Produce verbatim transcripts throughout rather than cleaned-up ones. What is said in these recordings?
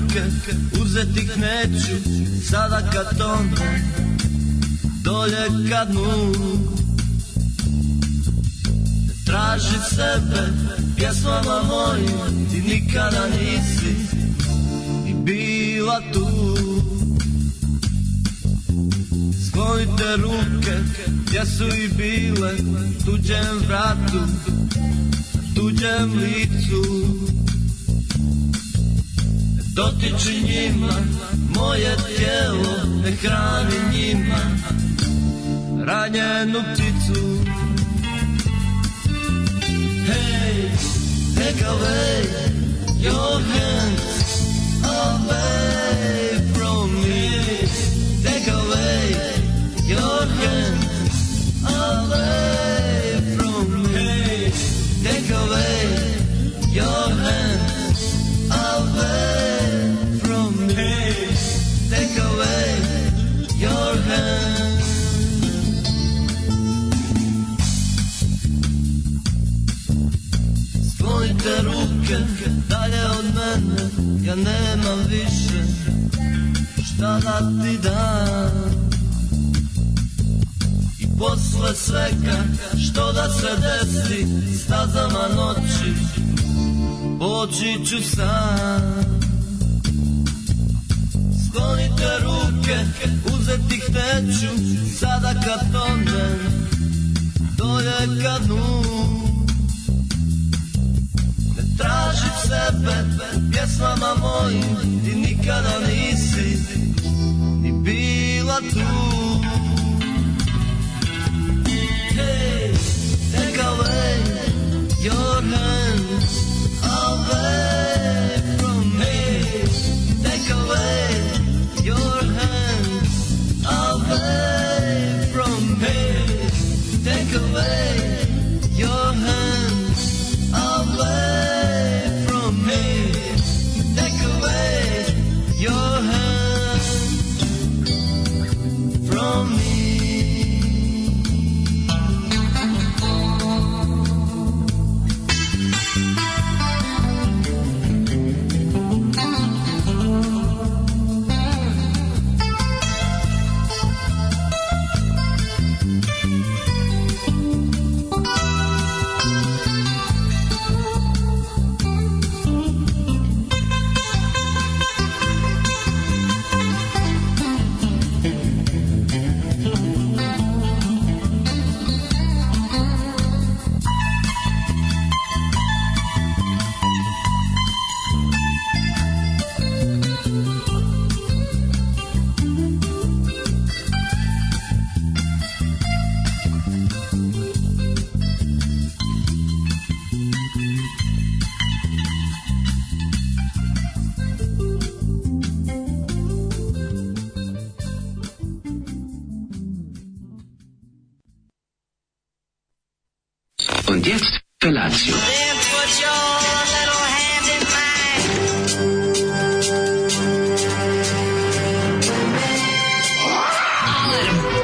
ruke, uzeti ih neću, sada kad tone, dolje kad nulu. Traži sebe, pjesmama mojim, ti nikada nisi ni bila tu. Sklonite ruke, gdje su i bile, tuđem vratu, tuđem licu. Dotiči njima, moje tijelo, ne hrani njima ranjenu pticu. Hey, take away your hands away from me. Take away your hands away from me. Hey, take away your hands away from me. Hey, take away your hands. Sklonite ruke dalje od mene, ja nemam više šta da ti dam. I posle svega što da se desi, stazama noći poći ću sam. Sklonite ruke, uzeti ih neću, sada kad tonem, dolje kad dnu. Tražim sebe, pjesmama mojim, ti nikada nisi ni bila tu. Hey, take away your hands away from me. Take away your hands away from me. Take away your hands away. Your hands from me. Und jetzt Felatio.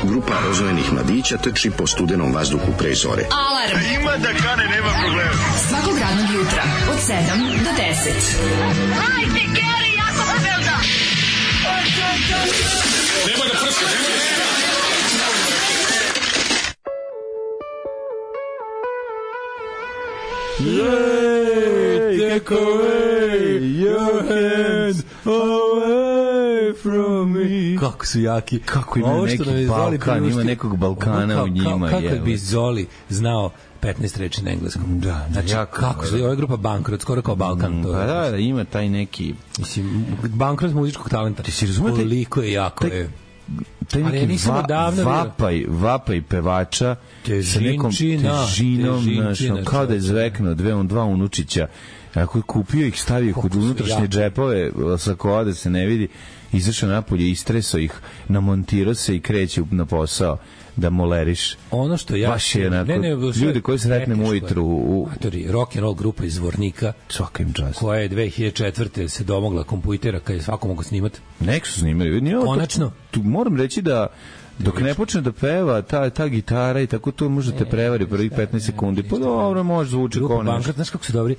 Grupa rozvojenih mladića trči po studenom vazduhu pre zore. Alarm! A ima da kane, nema problema. Svakog radnog jutra, od sedam do deset. Hajde, Geri, jako se velda! Nema da prska, nema da prska! Yay, take away your hands away from me. Kako su jaki. Kako ima neki Balkan, ima nekog Balkana u njima. Kako je bi Zoli znao petnaest reči na engleskom. Da, znači, jako, kako su, ova je grupa Bankrot, skoro kao Balkan. To pa da, da, ima taj neki... Mislim, Bankrot muzičkog talenta. Ti si razumete? Koliko je jako taj, je... taj neki va, vapaj, vapaj pevača sa nekom težinom, znaš, kao da je zvekno dve on dva unučića. Ako je kupio ih, stavio kod unutrašnje džepove, sa koja da se ne vidi, izašao napolje, istresao ih, namontirao se i kreće na posao da moleriš. Ono što ja baš je onako, ne, ne, ljudi koji sretnemo ujutru u rock and roll grupa iz Zvornika, svaka im čast, koja je dve hiljade četvrte se domogla kompjutera kad je svako mogo snimati. Nek su snimali. Konačno. Tu moram reći da Dok ne počne da peva, ta, ta gitara i tako to možete prevari prvih petnaest sekundi. Pa dobro, može zvuči kao nešto. Bankrat, znaš kako su dobri,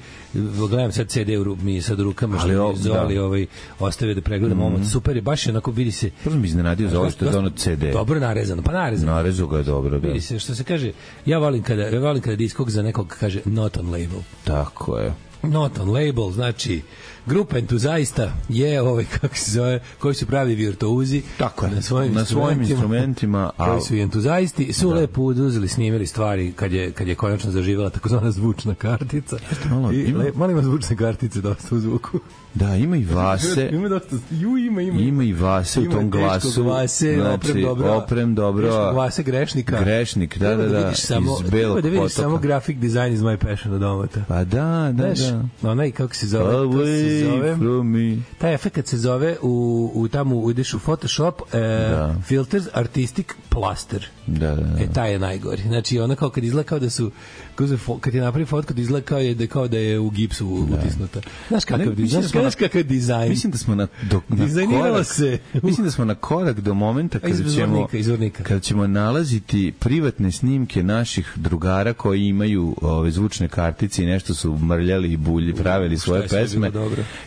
gledam sad C D u mi sad u rukama, što mi Zoli ovaj, ostavio da pregledam mm-hmm. omot. Super je, baš je onako, vidi se. Prvo mi iznenadio za ovo što je za ono C D. Dobro narezano, pa narezano. Narezu ga je dobro, da. Vidi se, što se kaže, ja volim kada, ja volim kada diskog za nekog kaže not on label. Tako je. Not on label, znači grupa entuzaista je ovaj, kako se zove, koji su pravi virtuozi tako je, na svojim, na instrumentima, svojim instrumentima, a koji su entuzaisti, su da. lepo uzeli, snimili stvari kad je, kad je konačno zaživjela takozvana zvučna kartica. Malo, I, ima... le, malo ima zvučne kartice dosta u zvuku. Da, ima i Vase. Ima dosta, ju, ima, ima. Ima i Vase ima u tom glasu. Vase, znači, oprem dobro. Oprem dobro. Teškog Vase grešnika. Grešnik, da, da, da. da samo, iz belog da vidiš potoka. samo graphic design is my passion od omota. Pa da, da, Znaš, da. Onaj, kako se zove, to se zove, taj efekt se zove u, u tamo uđeš u Photoshop e, da. Filters Artistic Plaster. Da, da, da. E, taj je najgori. Znači, ono kao kad izgleda kao da su, kad je napravi fotku, da izgleda kao, je, da, kao da je u gipsu da. utisnuta. Znaš kakav, ne, znaš, znaš na, kakav dizajn. Mislim da smo na, do, na korak, se. Mislim da smo na korak do momenta kada ćemo, kada ćemo nalaziti privatne snimke naših drugara koji imaju ove zvučne kartice i nešto su mrljali i bulji, pravili svoje pesme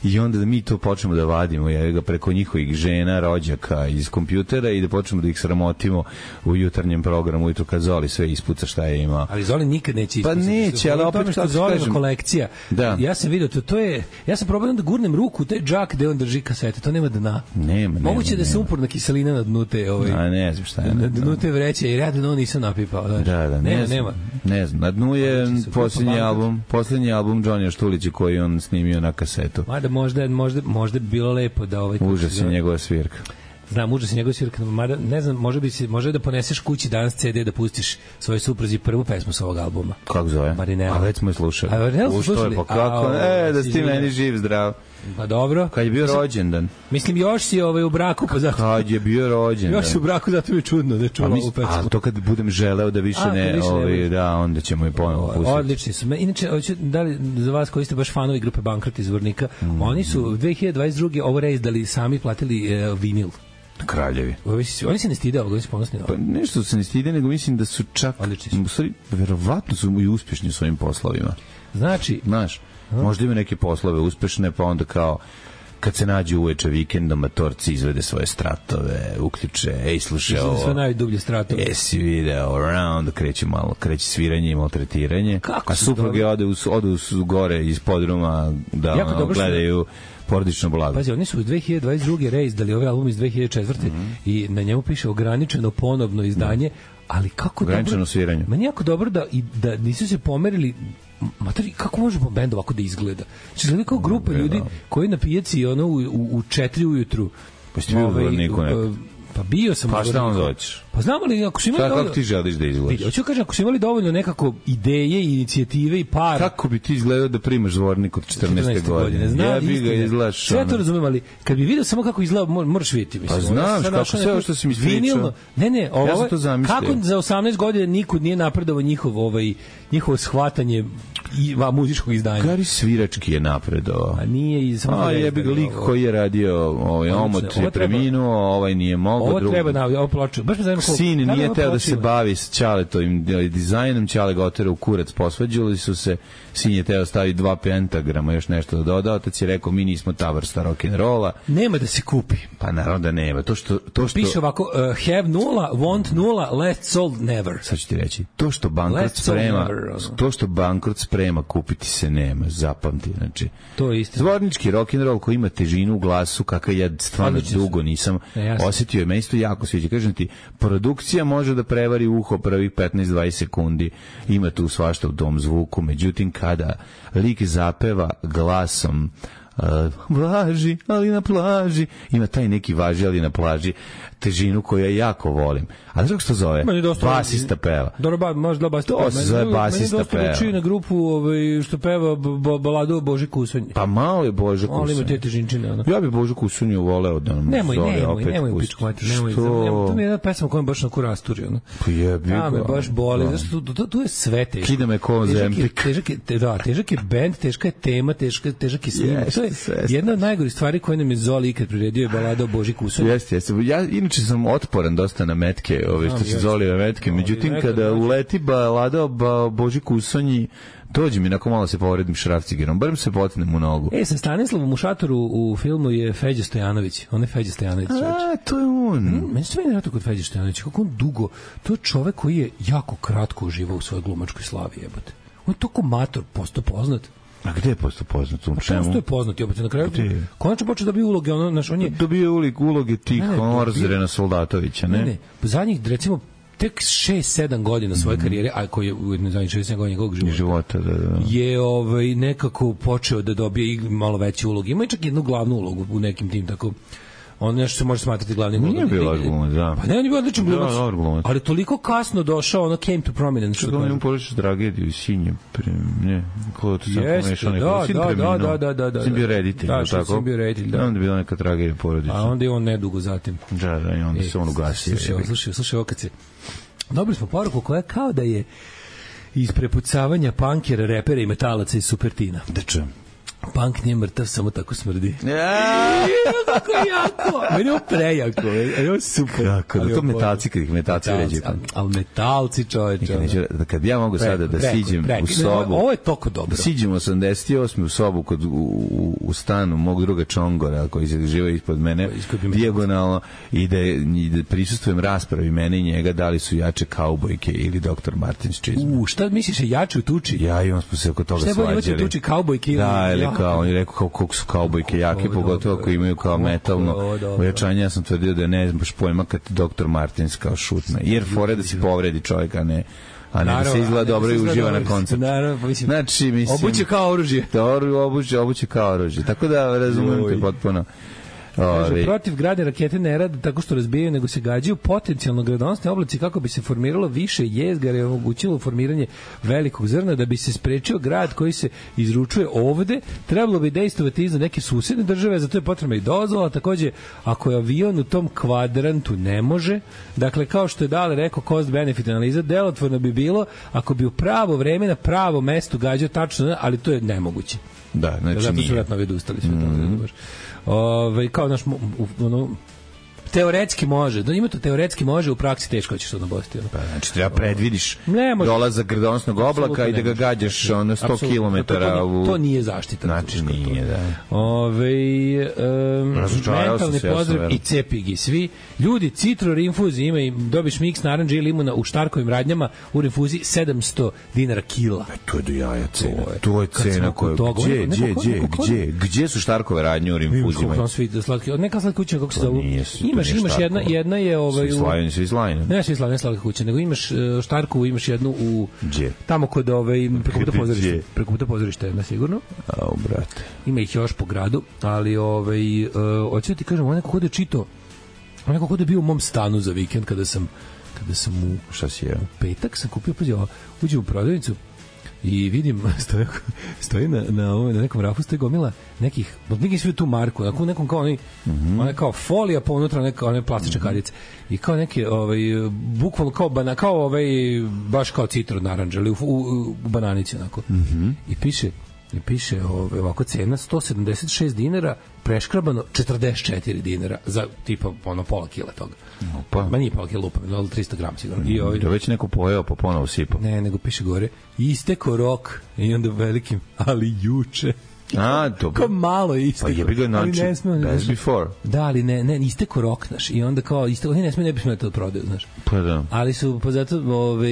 i onda da mi to počnemo da vadimo je, ga preko njihovih žena, rođaka iz kompjutera i da počnemo da ih sramotimo u jutarnjem programu ujutro kad Zoli sve ispuca šta je imao. Ali Zoli nikad neće ispucati. Pa neće, ali opet što Zoli kolekcija. Da. Ja sam vidio to, to je, ja sam probao da gurnem ruku u taj džak gde on drži kasete, to nema dna. Nema, moguće nema, da se uporna kiselina na dnu te, ovaj. A ne znam šta je. Na dnu te vreće, jer ja da nisam napipao, znači. Da, da, nema, ne znam, nema. Ne znam, na dnu je posljednji album, posljednji album Johnny Štulića koji on snimio na kasetu. Mada možda, možda, možda bi bilo lepo da ovaj... Užas je njegova svirka. Znam, užas je njegova svirka, mada ne znam, može bi se, može da poneseš kući danas C D da pustiš svojoj supruzi prvu pesmu sa ovog albuma. Kako zove? Marinela. A već smo je slušali. A Marinela smo slušali? Pa kako? E, da si ti meni živ, zdrav. Pa dobro. Kad je bio rođendan. Mislim, još si ovaj u braku, pa zato... Kad je bio rođendan. Još si u braku, zato mi je čudno da je čula ovu pesmu. A to kad budem želeo da više a, ne, više ovaj, ne da, onda ćemo i ponovo pustiti. Odlični su. Inače, da li za vas koji ste baš fanovi grupe Bankrat iz Vornika, mm. oni su dve hiljade dvadeset druge ovo reizdali, sami platili e, vinil. Kraljevi. Oni se, oni se ne stide ovoga, oni su ponosni. Pa nešto se ne stide, nego mislim da su čak, u stvari, verovatno su i uspješni u svojim poslovima. Znači, znaš, možda ima neke poslove uspešne, pa onda kao kad se nađu uveče vikendom, matorci izvede svoje stratove, uključe, ej, slušaj ovo. Sve najdublje stratove. Jesi video, around, kreće malo, kreće sviranje i maltretiranje. Kako a supruge ode u, ode u gore iz podruma da ono, gledaju porodično blago. Pazi, oni su u dve hiljade dvadeset druge reizdali ovaj album iz dve hiljade četvrte. Mm-hmm. i na njemu piše ograničeno ponovno izdanje, ali kako ograničeno dobro... sviranje. Meni jako dobro da, i, da nisu se pomerili. Matori, kako može bend ovako da izgleda? Znači, izgleda kao grupa no, ljudi koji na pijaci ono, u, u, u četiri ujutru. Pa ste bio u Vorniku nekad? Pa bio sam. Pa šta onda hoćeš? Pa znamo li, ako su imali šta, dovoljno... kako ti želiš da izgledaš? Hoću kažem, ako su imali dovoljno nekako ideje, inicijative i para... Kako bi ti izgledao da primaš Zvornik od četrnaeste godine? Zna, ja bi ga izgledaš... Sve to razumem, ali kad bi vidio samo kako izgleda, moraš vidjeti. Mislim, pa znaš, kako sve ovo što si mi ispričao. Ne, ne, ovo, ja sam to zamislio. Kako za osamnaest godina nikud nije napredovao njihov, ovaj, njihovo shvatanje i va, muzičkog izdanja. Gari Svirački je napredovao. A nije i samo... A jebi ga lik koji je radio, ovaj, omot je preminuo, ovaj nije mogao. Ovo treba na ovo ploču. Baš me zanima koliko... Sin nije teo da se bavi s Ćaletovim dizajnom, Ćale ga otera u kurac, posvađali su se, sin je teo staviti dva pentagrama, još nešto da doda, otac je rekao, mi nismo ta vrsta rock'n'rolla. Nema da se kupi. Pa naravno da nema. To što, to što... Piše ovako, uh, have nula, want nula, last sold never. Sad ću ti reći, to što bankrot sprema, never, to što bankrot sprema, kupiti se nema, zapamti, znači. To je isto. Zvornički rock'n'roll koji ima težinu u glasu, kakav ja stvarno dugo nisam ne, osjetio, je meni isto jako sviđa. Kažem ti, produkcija može da prevari uho prvih petnaest dvadeset sekundi, ima tu svašta u tom zvuku, međutim kada lik zapeva glasom uh, važi, ali na plaži, ima taj neki važi, ali na plaži, težinu koju ja jako volim. A znaš kako se to zove? Basista peva. Dobro, možda basista peva. To se zove basista peva. Meni dosta liči na grupu ovaj, što peva baladu o Boži Kusunj. Pa malo je Boža Kusunj. Ali ima te težinčine. Ono. Ja bi Božu Kusunju voleo da nam nemoj, zove nemoj, opet nemoj, nemoj, pičku mati, nemoj. To mi je jedna pesma koja me baš na kurasturi. Ono. Pa jebi ga. Da, me baš boli. Zašto, tu, tu, tu je sve teško. Kida me ko zempik. Težak je, da, težak je band, teška je tema, teška, težak je snimak. Jeste, je jedna od najgorih stvari koje nam je Zoli ikad priredio je balada o Boži Kusonji. Jeste, jeste. Ja inače sam otporan dosta na metke, ove što se Zoli metke. Međutim, kada uleti balada o Boži Kusonji, dođe mi nakon malo se povredim šrafcigerom, barem se potnem u nogu. E, sa Stanislavom u šatoru u filmu je Feđa Stojanović. On je Feđa Stojanović. A, to je on. Mm, meni se sve nevjerojatno kod Feđa Stojanovića. Kako on dugo, to je čovek koji je jako kratko uživao u svojoj glumačkoj slavi, jebote. On je toliko mator postao poznat. A gde je postao poznat? U čemu? Posto je poznat, jebote, na kraju. Konačno počeo da dobije uloge, ono, naš, on je... Dobio uloge tih Orzrena Soldatovića, ne? Ne, ne, zadnjih, recimo, tek šest sedam godina svoje mm. karijere, a koji je u zadnjih šest sedam godina njegovog života, života da, da. je ovaj, nekako počeo da dobije i malo veće uloge. Ima i čak jednu glavnu ulogu u nekim tim tako... On nešto se može smatrati glavnim ulogom. Nije bila glumac, da. Pa ne, on je bio odličan glumac. Da, glumac. Ali toliko kasno došao, ono came to prominence. Što da on ima porodičnu tragediju, sinje, ne, ko to sam pomešao neko. Da, da, da, da, da, da. Sin bio reditelj, da, tako? Sin bio reditelj, da. Onda je bila neka tragedija porodična. A onda je on nedugo zatim. Da, da, i onda se on ugasio. Slušaj, slušaj, slušaj, ovo kad se... Dobili smo poruku koja kao da je iz prepucavanja punkera, repera i metalaca iz Supertina. Da čujem. Punk nije mrtav, samo tako smrdi. Ja, kako jako. Meni je ovo prejako. Meni je ovo super. Kako, da to metalci, kad ih metalci ređe punk. Ali metalci, čoveče. Kad ja mogu sada da siđem u sobu. Ovo je toliko dobro. Da siđem osamdeset osme u sobu kod, u, u stanu mog druga Čongora, koji se živa ispod mene, dijagonalno, i da, i da prisustujem raspravi mene i njega, da li su jače kaubojke ili doktor Martin's čizme. U, šta misliš, je jače u tuči? Ja i on smo se oko toga svađali. Šta je bolje imati u tuči, kaubojke ili... Da, kao, on je rekao kao koliko su kaubojke jake, pogotovo ako imaju kao metalno ojačanje. Ja sam tvrdio da ne znam baš pojma kad doktor Martins kao šutna. Jer fore da se povredi čovjek, a ne a ne da se izgleda dobro i uživa na koncertu. Znači, mislim... Obuće kao oružje. Obuće, obuće kao oružje. Tako da razumijem te potpuno. Kaže, protiv grade rakete ne rade tako što razbijaju, nego se gađaju potencijalno gradonosne oblaci kako bi se formiralo više jezgara i omogućilo formiranje velikog zrna. Da bi se sprečio grad koji se izručuje ovde, trebalo bi dejstovati iza neke susedne države, zato je potrebna i dozvola. Takođe, ako je avion u tom kvadrantu, ne može. Dakle, kao što je Dale rekao, cost benefit analiza, delotvorno bi bilo ako bi u pravo vreme na pravo mesto gađao tačno, ali to je nemoguće. Da, znači zato nije. su vratno odustali sve mm-hmm. to. Ove, kao naš ono, teoretski može, da ima to teoretski može, u praksi teško ćeš to nabostiti. Ono. Pa, znači treba predvidiš dolazak gradonosnog oblaka i da ga gađaš ono sto kilometara u... To nije zaštita. Znači nije, da. Ove, um, mentalni pozdrav i cepigi svi. Ljudi, citro rinfuzi ima i dobiš miks naranđe i limuna u Štarkovim radnjama u rinfuzi sedamsto dinara kila. E, to je do jaja cena. To je cena koja... Gdje, gdje, gdje, gdje, gdje su Štarkove radnje u rinfuzima? Neka slatka kuća, kako se zovu? Imaš, imaš jedna, jedna je ovaj u Slajni, svi Slajni. Ne, svi Slajni, slatka kuća, nego imaš uh, Štarku, imaš jednu u Gdje? Tamo kod ovaj preko puta pozorišta, preko puta pozorišta jedna sigurno. Au, brate. Ima ih još po gradu, ali ovaj uh, hoću ti kažem, onako kod je čito, onako kod je bio u mom stanu za vikend kada sam kada sam u šta si je? U petak sam kupio, pa uđem u prodavnicu i vidim stoji, stoji na, na, ovom, na nekom rafu stoji gomila nekih, neki svi tu marku, na nekom kao onaj, mm-hmm. onaj kao folija po unutra neka one plastične mm-hmm. kadice i kao neke ovaj bukvalno kao bana, kao ovaj baš kao citron naranđa, ali u, u, u bananici onako. Mm-hmm. I piše i piše ovaj, ovako cena sto sedamdeset šest dinara, preškrabano četrdeset četiri dinara za tipa ono pola kila toga. Pa ma nije pola kila lupa, ali trista grama sigurno. I ovaj da već neko pojeo pa ponovo sipao. Ne, nego piše gore isteko rok i onda velikim, ali juče. A, to kao malo je isteko. Pa jebi ga znači, best before. Da, ali ne, ne, isteko rok naš. I onda kao, isteko, ne smije, ne bi smije to prodaju, znaš. Pa da. Ali su, pa zato, ove,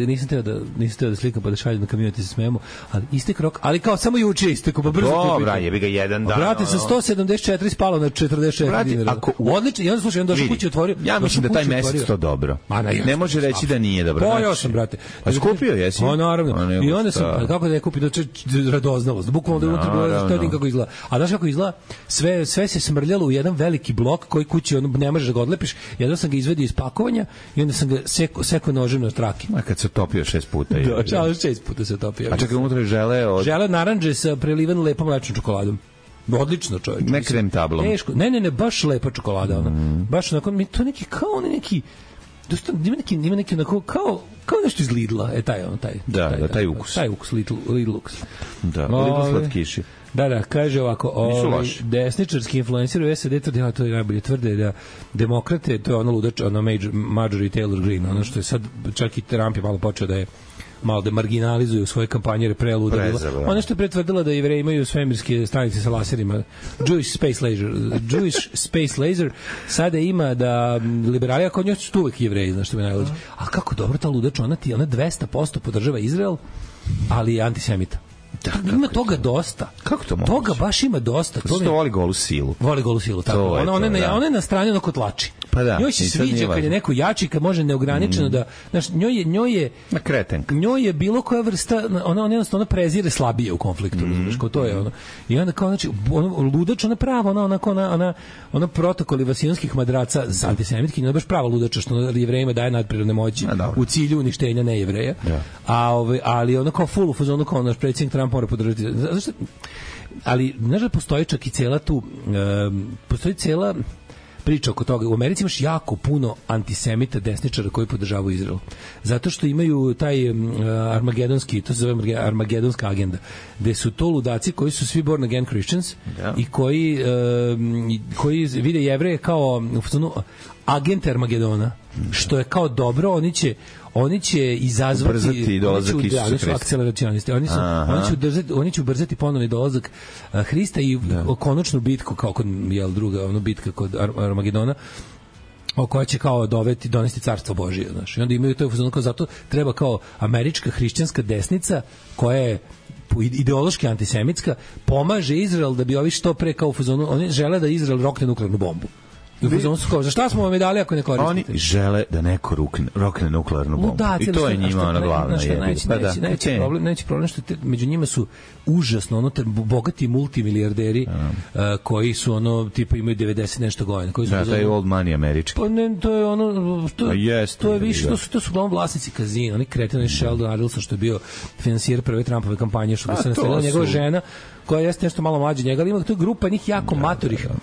nisam teo da, nisam teo da slikam pa da šaljem na kamionete se smijemo, ali istek rok, ali kao samo juče isteko, pa brzo. Dobra, jebi ga jedan dan. Brate, sa sto sedamdeset četiri spalo na četrdeset četiri dinara. Odlično, i onda slušaj, onda došao kući otvorio. Ja mislim da taj mesec to dobro. Ne može reći da nije dobro. Pa još sam, brate. A skupio jesi? Pa naravno. I onda sam, kako da je kupio, da radoznalost. Bukvalno da unutra bilo kako izgleda. A znaš kako izgleda? Sve, sve se smrljalo u jedan veliki blok koji kući ono, ne možeš da ga odlepiš. Jedno sam ga izvedio iz pakovanja i onda sam ga seko, seko nožem na traki. A kad se topio šest puta. Je, da, čao, šest puta se topio. A čekaj, unutra je žele od... Žele naranđe sa prelivan lepom mlečnom čokoladom. Odlično, čovječ. Ne krem tablom. Teško. Ne, ne, ne, baš lepa čokolada. Ona. Mm. Baš onako, mi to neki kao neki dosta, ima neki, ima neki onako, kao, kao nešto iz Lidla, e, taj, on, taj. Da, taj, da, taj ukus. Taj ukus, Lidl, Lidl ukus. Da, Lidl slatkiši. Da, da, kaže ovako, ovaj, desničarski influencer u S A D tvrde, a to je najbolje, tvrde da demokrate, to je ono ludač, ono Major, Marjorie Taylor Greene, ono što je sad, čak i Trump je malo počeo da je malo da marginalizuju svoje kampanje preluda bila. Ono što je pretvrdila da Jevreji imaju svemirske stanice sa laserima. Jewish Space Laser. Jewish Space Laser sada ima da liberali, ako njoj su uvek Jevreji, znaš što me najluđe. A kako dobro ta ludač, ona ti, ona dvesta posto podržava Izrael, ali je antisemita. Da, ima toga to? dosta. Kako to moguće? Toga baš ima dosta. To voli golu silu. Voli golu silu, tako. Ona, ona, ona, da. ona je na strani ono ko tlači. Pa da. Njoj se sviđa kad je neko jači, kad može neograničeno mm. da, znaš, njoj je njoj je na kretenka. Njoj je bilo koja vrsta, ona ona jednostavno prezire slabije u konfliktu, mm. znaš, kao to je ono. I onda kao znači ono ludač, ona prava, ona ona ona ona ona protokoli vasijonskih madraca za antisemitkinje, ona baš prava ludača što Jevrejima daje nadprirodne moći u cilju uništenja Nejevreja. Da. A ovaj ali ona kao full u fazonu kao naš predsjednik Trump mora podržati. Zašto? Ali znaš da postoji čak i cela tu um, postoji cela priča oko toga. U Americi imaš jako puno antisemita desničara koji podržavaju Izrael. Zato što imaju taj um, armagedonski, to se zove armagedonska agenda, gde su to ludaci koji su svi born again Christians yeah. i koji, um, koji vide Jevreje kao uh, agente Armagedona, što je kao dobro, oni će oni će izazvati ubrzati dolazak Isusa Hrista. Oni su akceleracionisti. Oni su oni će ubrzati oni će ubrzati ponovni dolazak uh, Hrista i da. konačnu bitku kao kod jel druga ono bitka kod Ar- Armagedona o koja će kao doveti donesti carstvo Božije, znači. I onda imaju to fuzon kao zato treba kao američka hrišćanska desnica koja je ideološki antisemitska pomaže Izrael da bi ovi što pre kao u fuzonu, oni žele da Izrael rokne nuklearnu bombu. Vi... Kao, za šta smo vam je dali ako ne koristite? Oni žele da neko rukne, rokne nuklearnu bombu. Da, I to je njima ona glavna jedna. Neći, pa neći, da, neći, okay. problem, neći problem što te, među njima su užasno ono, te, bogati multimilijarderi uh, koji su ono, tipa imaju devedeset nešto godina. Koji su da, to je old money američki. Pa ne, to je ono, to, yes, to je više, to su, to su glavno vlasnici kazina. Oni kreteni Sheldon Adelson što je bio finansijer prve Trumpove kampanje, što bi se nastavila njegova žena, koja jeste nešto malo mlađa njega, ali ima to je grupa njih jako da, matorih. Da, da.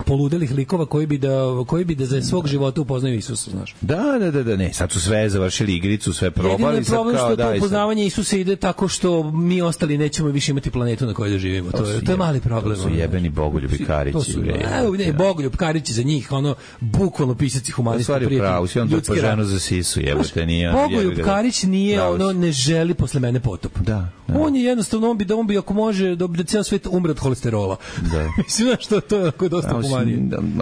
poludelih likova koji bi da koji bi da za svog života upoznaju Isusa, znaš. Da, da, da, da, ne, sad su sve završili igricu, sve probali, sad kao što da. To upoznavanje Isusa ide tako što mi ostali nećemo više imati planetu na kojoj da živimo. To, to je to je mali problem. To su jebeni bogoljubi Karići. To su ne, ne bogoljub Karići za njih, ono bukvalno pisaci humanista prijatelji. Pravo, si on to po ženu za sisu, jebote, nije. Bogoljub Karić nije ono ne želi posle mene potop. Da. On je jednostavno on bi da on bi ako može da bi ceo svet umre od holesterola. Da. Mislim da što to je tako dosta humanije.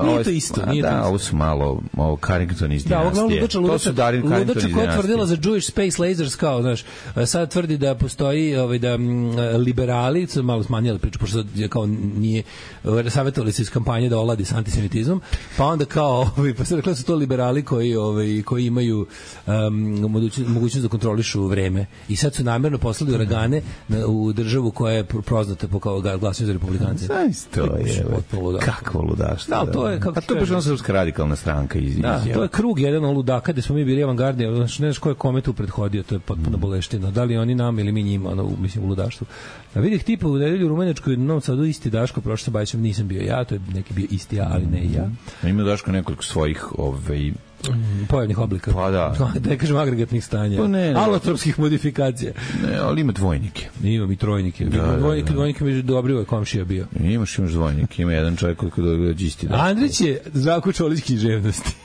Nije to isto, nije da, to isto. Ovo su malo, ovo Carrington iz da, dinastije. Da, to su Darin Carrington iz dinastije. Ludača koja je tvrdila za Jewish Space Lasers, kao, znaš, sad tvrdi da postoji ovaj, da m, liberali, malo smanjali priču, pošto sad je kao nije, savjetovali se iz kampanje da oladi s antisemitizmom, pa onda kao, ovaj, pa sad rekla su to liberali koji, ovaj, koji imaju um, mogućnost da kontrolišu vreme. I sad su namjerno poslali uragane u državu koja je poznata po kao glasanju za republikance. Zaista je. Kakvo ludaštvo. Da, to je kako a to je baš ona srpska radikalna stranka iz iz. Da, to je krug jedan od ludaka gde smo mi bili avangardni, znači ne znaš ko je kome tu prethodio, to je potpuno mm. boleština. Da li oni nam ili mi njima, ono, mislim u ludaštvu. A vidih tipa u nedelju u Rumenečkoj, u Novom Sadu isti Daško, prošle se Bajićem nisam bio ja, to je neki bio isti ja, ali ne ja. Mm. Ima Daško nekoliko svojih ovaj Mm, pojavnih oblika. Pa da. Da ne kažem agregatnih stanja. Pa ne, alotropskih modifikacija. Ne, ali ima dvojnike. Ima i trojnike. Da, ima dvojnike, da, da. Dvojnike među dobri je komšija bio. Imaš, imaš dvojnike. Ima jedan čovjek koji dođe isti. Da. Andrić je Zdravko Čolić književnosti.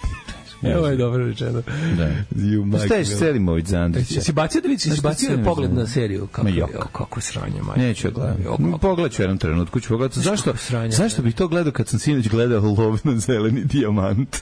Evo je dobro rečeno. Da. Staješ Selimović za Andrića. Si bacio da vidiš, si bacio pogled na seriju. Kako je, kako sranje, majke. Neću gledati. Pogledat ću jednom trenutku, ću pogledati. Zašto, zašto bih to gledao kad sam sinoć gledao Lov na zeleni dijamant?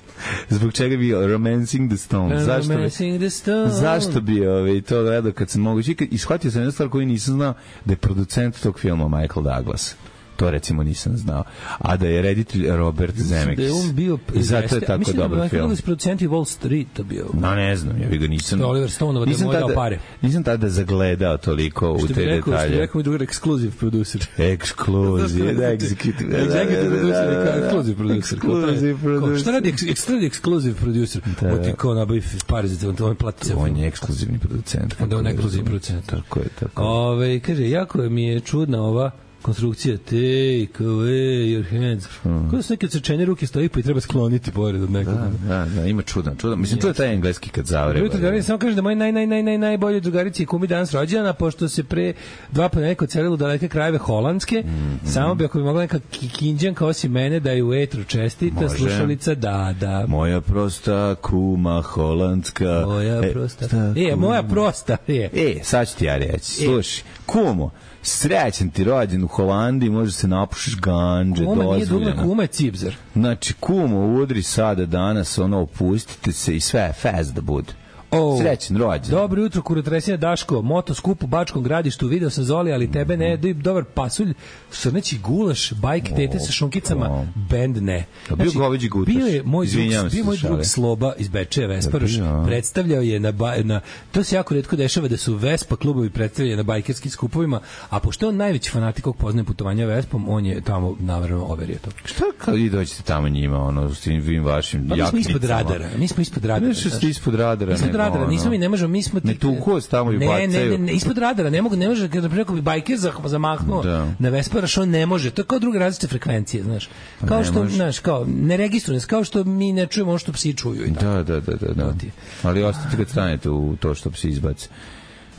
Zbog čega bi Romancing the Stone? Zašto bi, zašto bi ovaj, to gledao kad sam mogući? I shvatio sam jednu stvar koju nisam znao, da je producent tog filma Michael Douglas. To recimo nisam znao. A da je reditelj Robert Zemeckis. Da je on bio... I zato je tako mislim dobar da film. Mislim da je producenti Wall Streeta bio. No, ne znam, ja bih ga nisam... To Oliver Stone, da je moj dao pare. Nisam tada zagledao toliko u te detalje. Što bi rekao mi drugar, exclusive producer. Exclusive, da, executive. Executive producer, exclusive producer. Exclusive producer. Šta radi exclusive producer? O ti kao nabavi pare za te, on plati se. On je ekskluzivni producent. Onda on ekskluzivni producent. Tako je, tako. Ove, kaže, jako mi je čudna ova konstrukcija take away your hands. Mm. Kako su neke odsečene ruke stoji pa i treba skloniti pored od nekoga. Da, da, da, ima čudan, čudan. Mislim, yes. To je taj engleski kad zavreba. Drugari, samo kažem da moj naj, naj, naj, naj, najbolji drugarici je kumi danas rođena, pošto se pre dva pa neko celilo daleke krajeve holandske, mm, mm. samo bi ako bi mogla neka kinđanka osim mene da je u etru čestita, može. Slušalica da, da. Moja prosta kuma holandska. Moja prosta. E, e moja prosta. Je. E, sad ću ti ja reći. Slušaj, kumo, srećan ti rođen u Holandiji, može se napušiš ganđe, kuma dozvoljeno. Kuma nije dugme, kuma je cipzar. Znači, kumo, udri sada, danas, ono, opustite se i sve je fest da bude. Oh, srećan rođen. Dobro jutro, kurotresina Daško, moto skup u Bačkom Gradištu, video sam Zoli, ali tebe ne, mm. dobar pasulj, srneći gulaš, bajk oh, tete sa šunkicama, oh. bend ne. Znači, bio goveđi gutaš. Bio je moj drug, bio moj drug Sloba iz Bečeja, Vesparoš, predstavljao je na, na, to se jako retko dešava da su Vespa klubovi predstavljali na bajkerskim skupovima, a pošto je on najveći fanatik kog poznaje putovanja Vespom, on je tamo navrano overio to. Šta kad vi dođete tamo njima, ono, s tim vašim pa, jaknicama? Mi smo ispod radara, mi smo ispod radara. Ne što ste ispod radara, nego radara, nismo mi, ne možemo, mi smo... Ne tuko tamo i bacaju. Ne, ne, ne, ispod radara, ne mogu, ne može, kada preko bi bajker zamahnuo da. Na Vesparaš, on ne može. To je kao druge različite frekvencije, znaš. Kao ne što, može. Znaš, kao, ne registrujem, kao što mi ne čujemo ono što psi čuju. I da, da, da, da, da. Ali ostajte kad stanete u to što psi izbaci.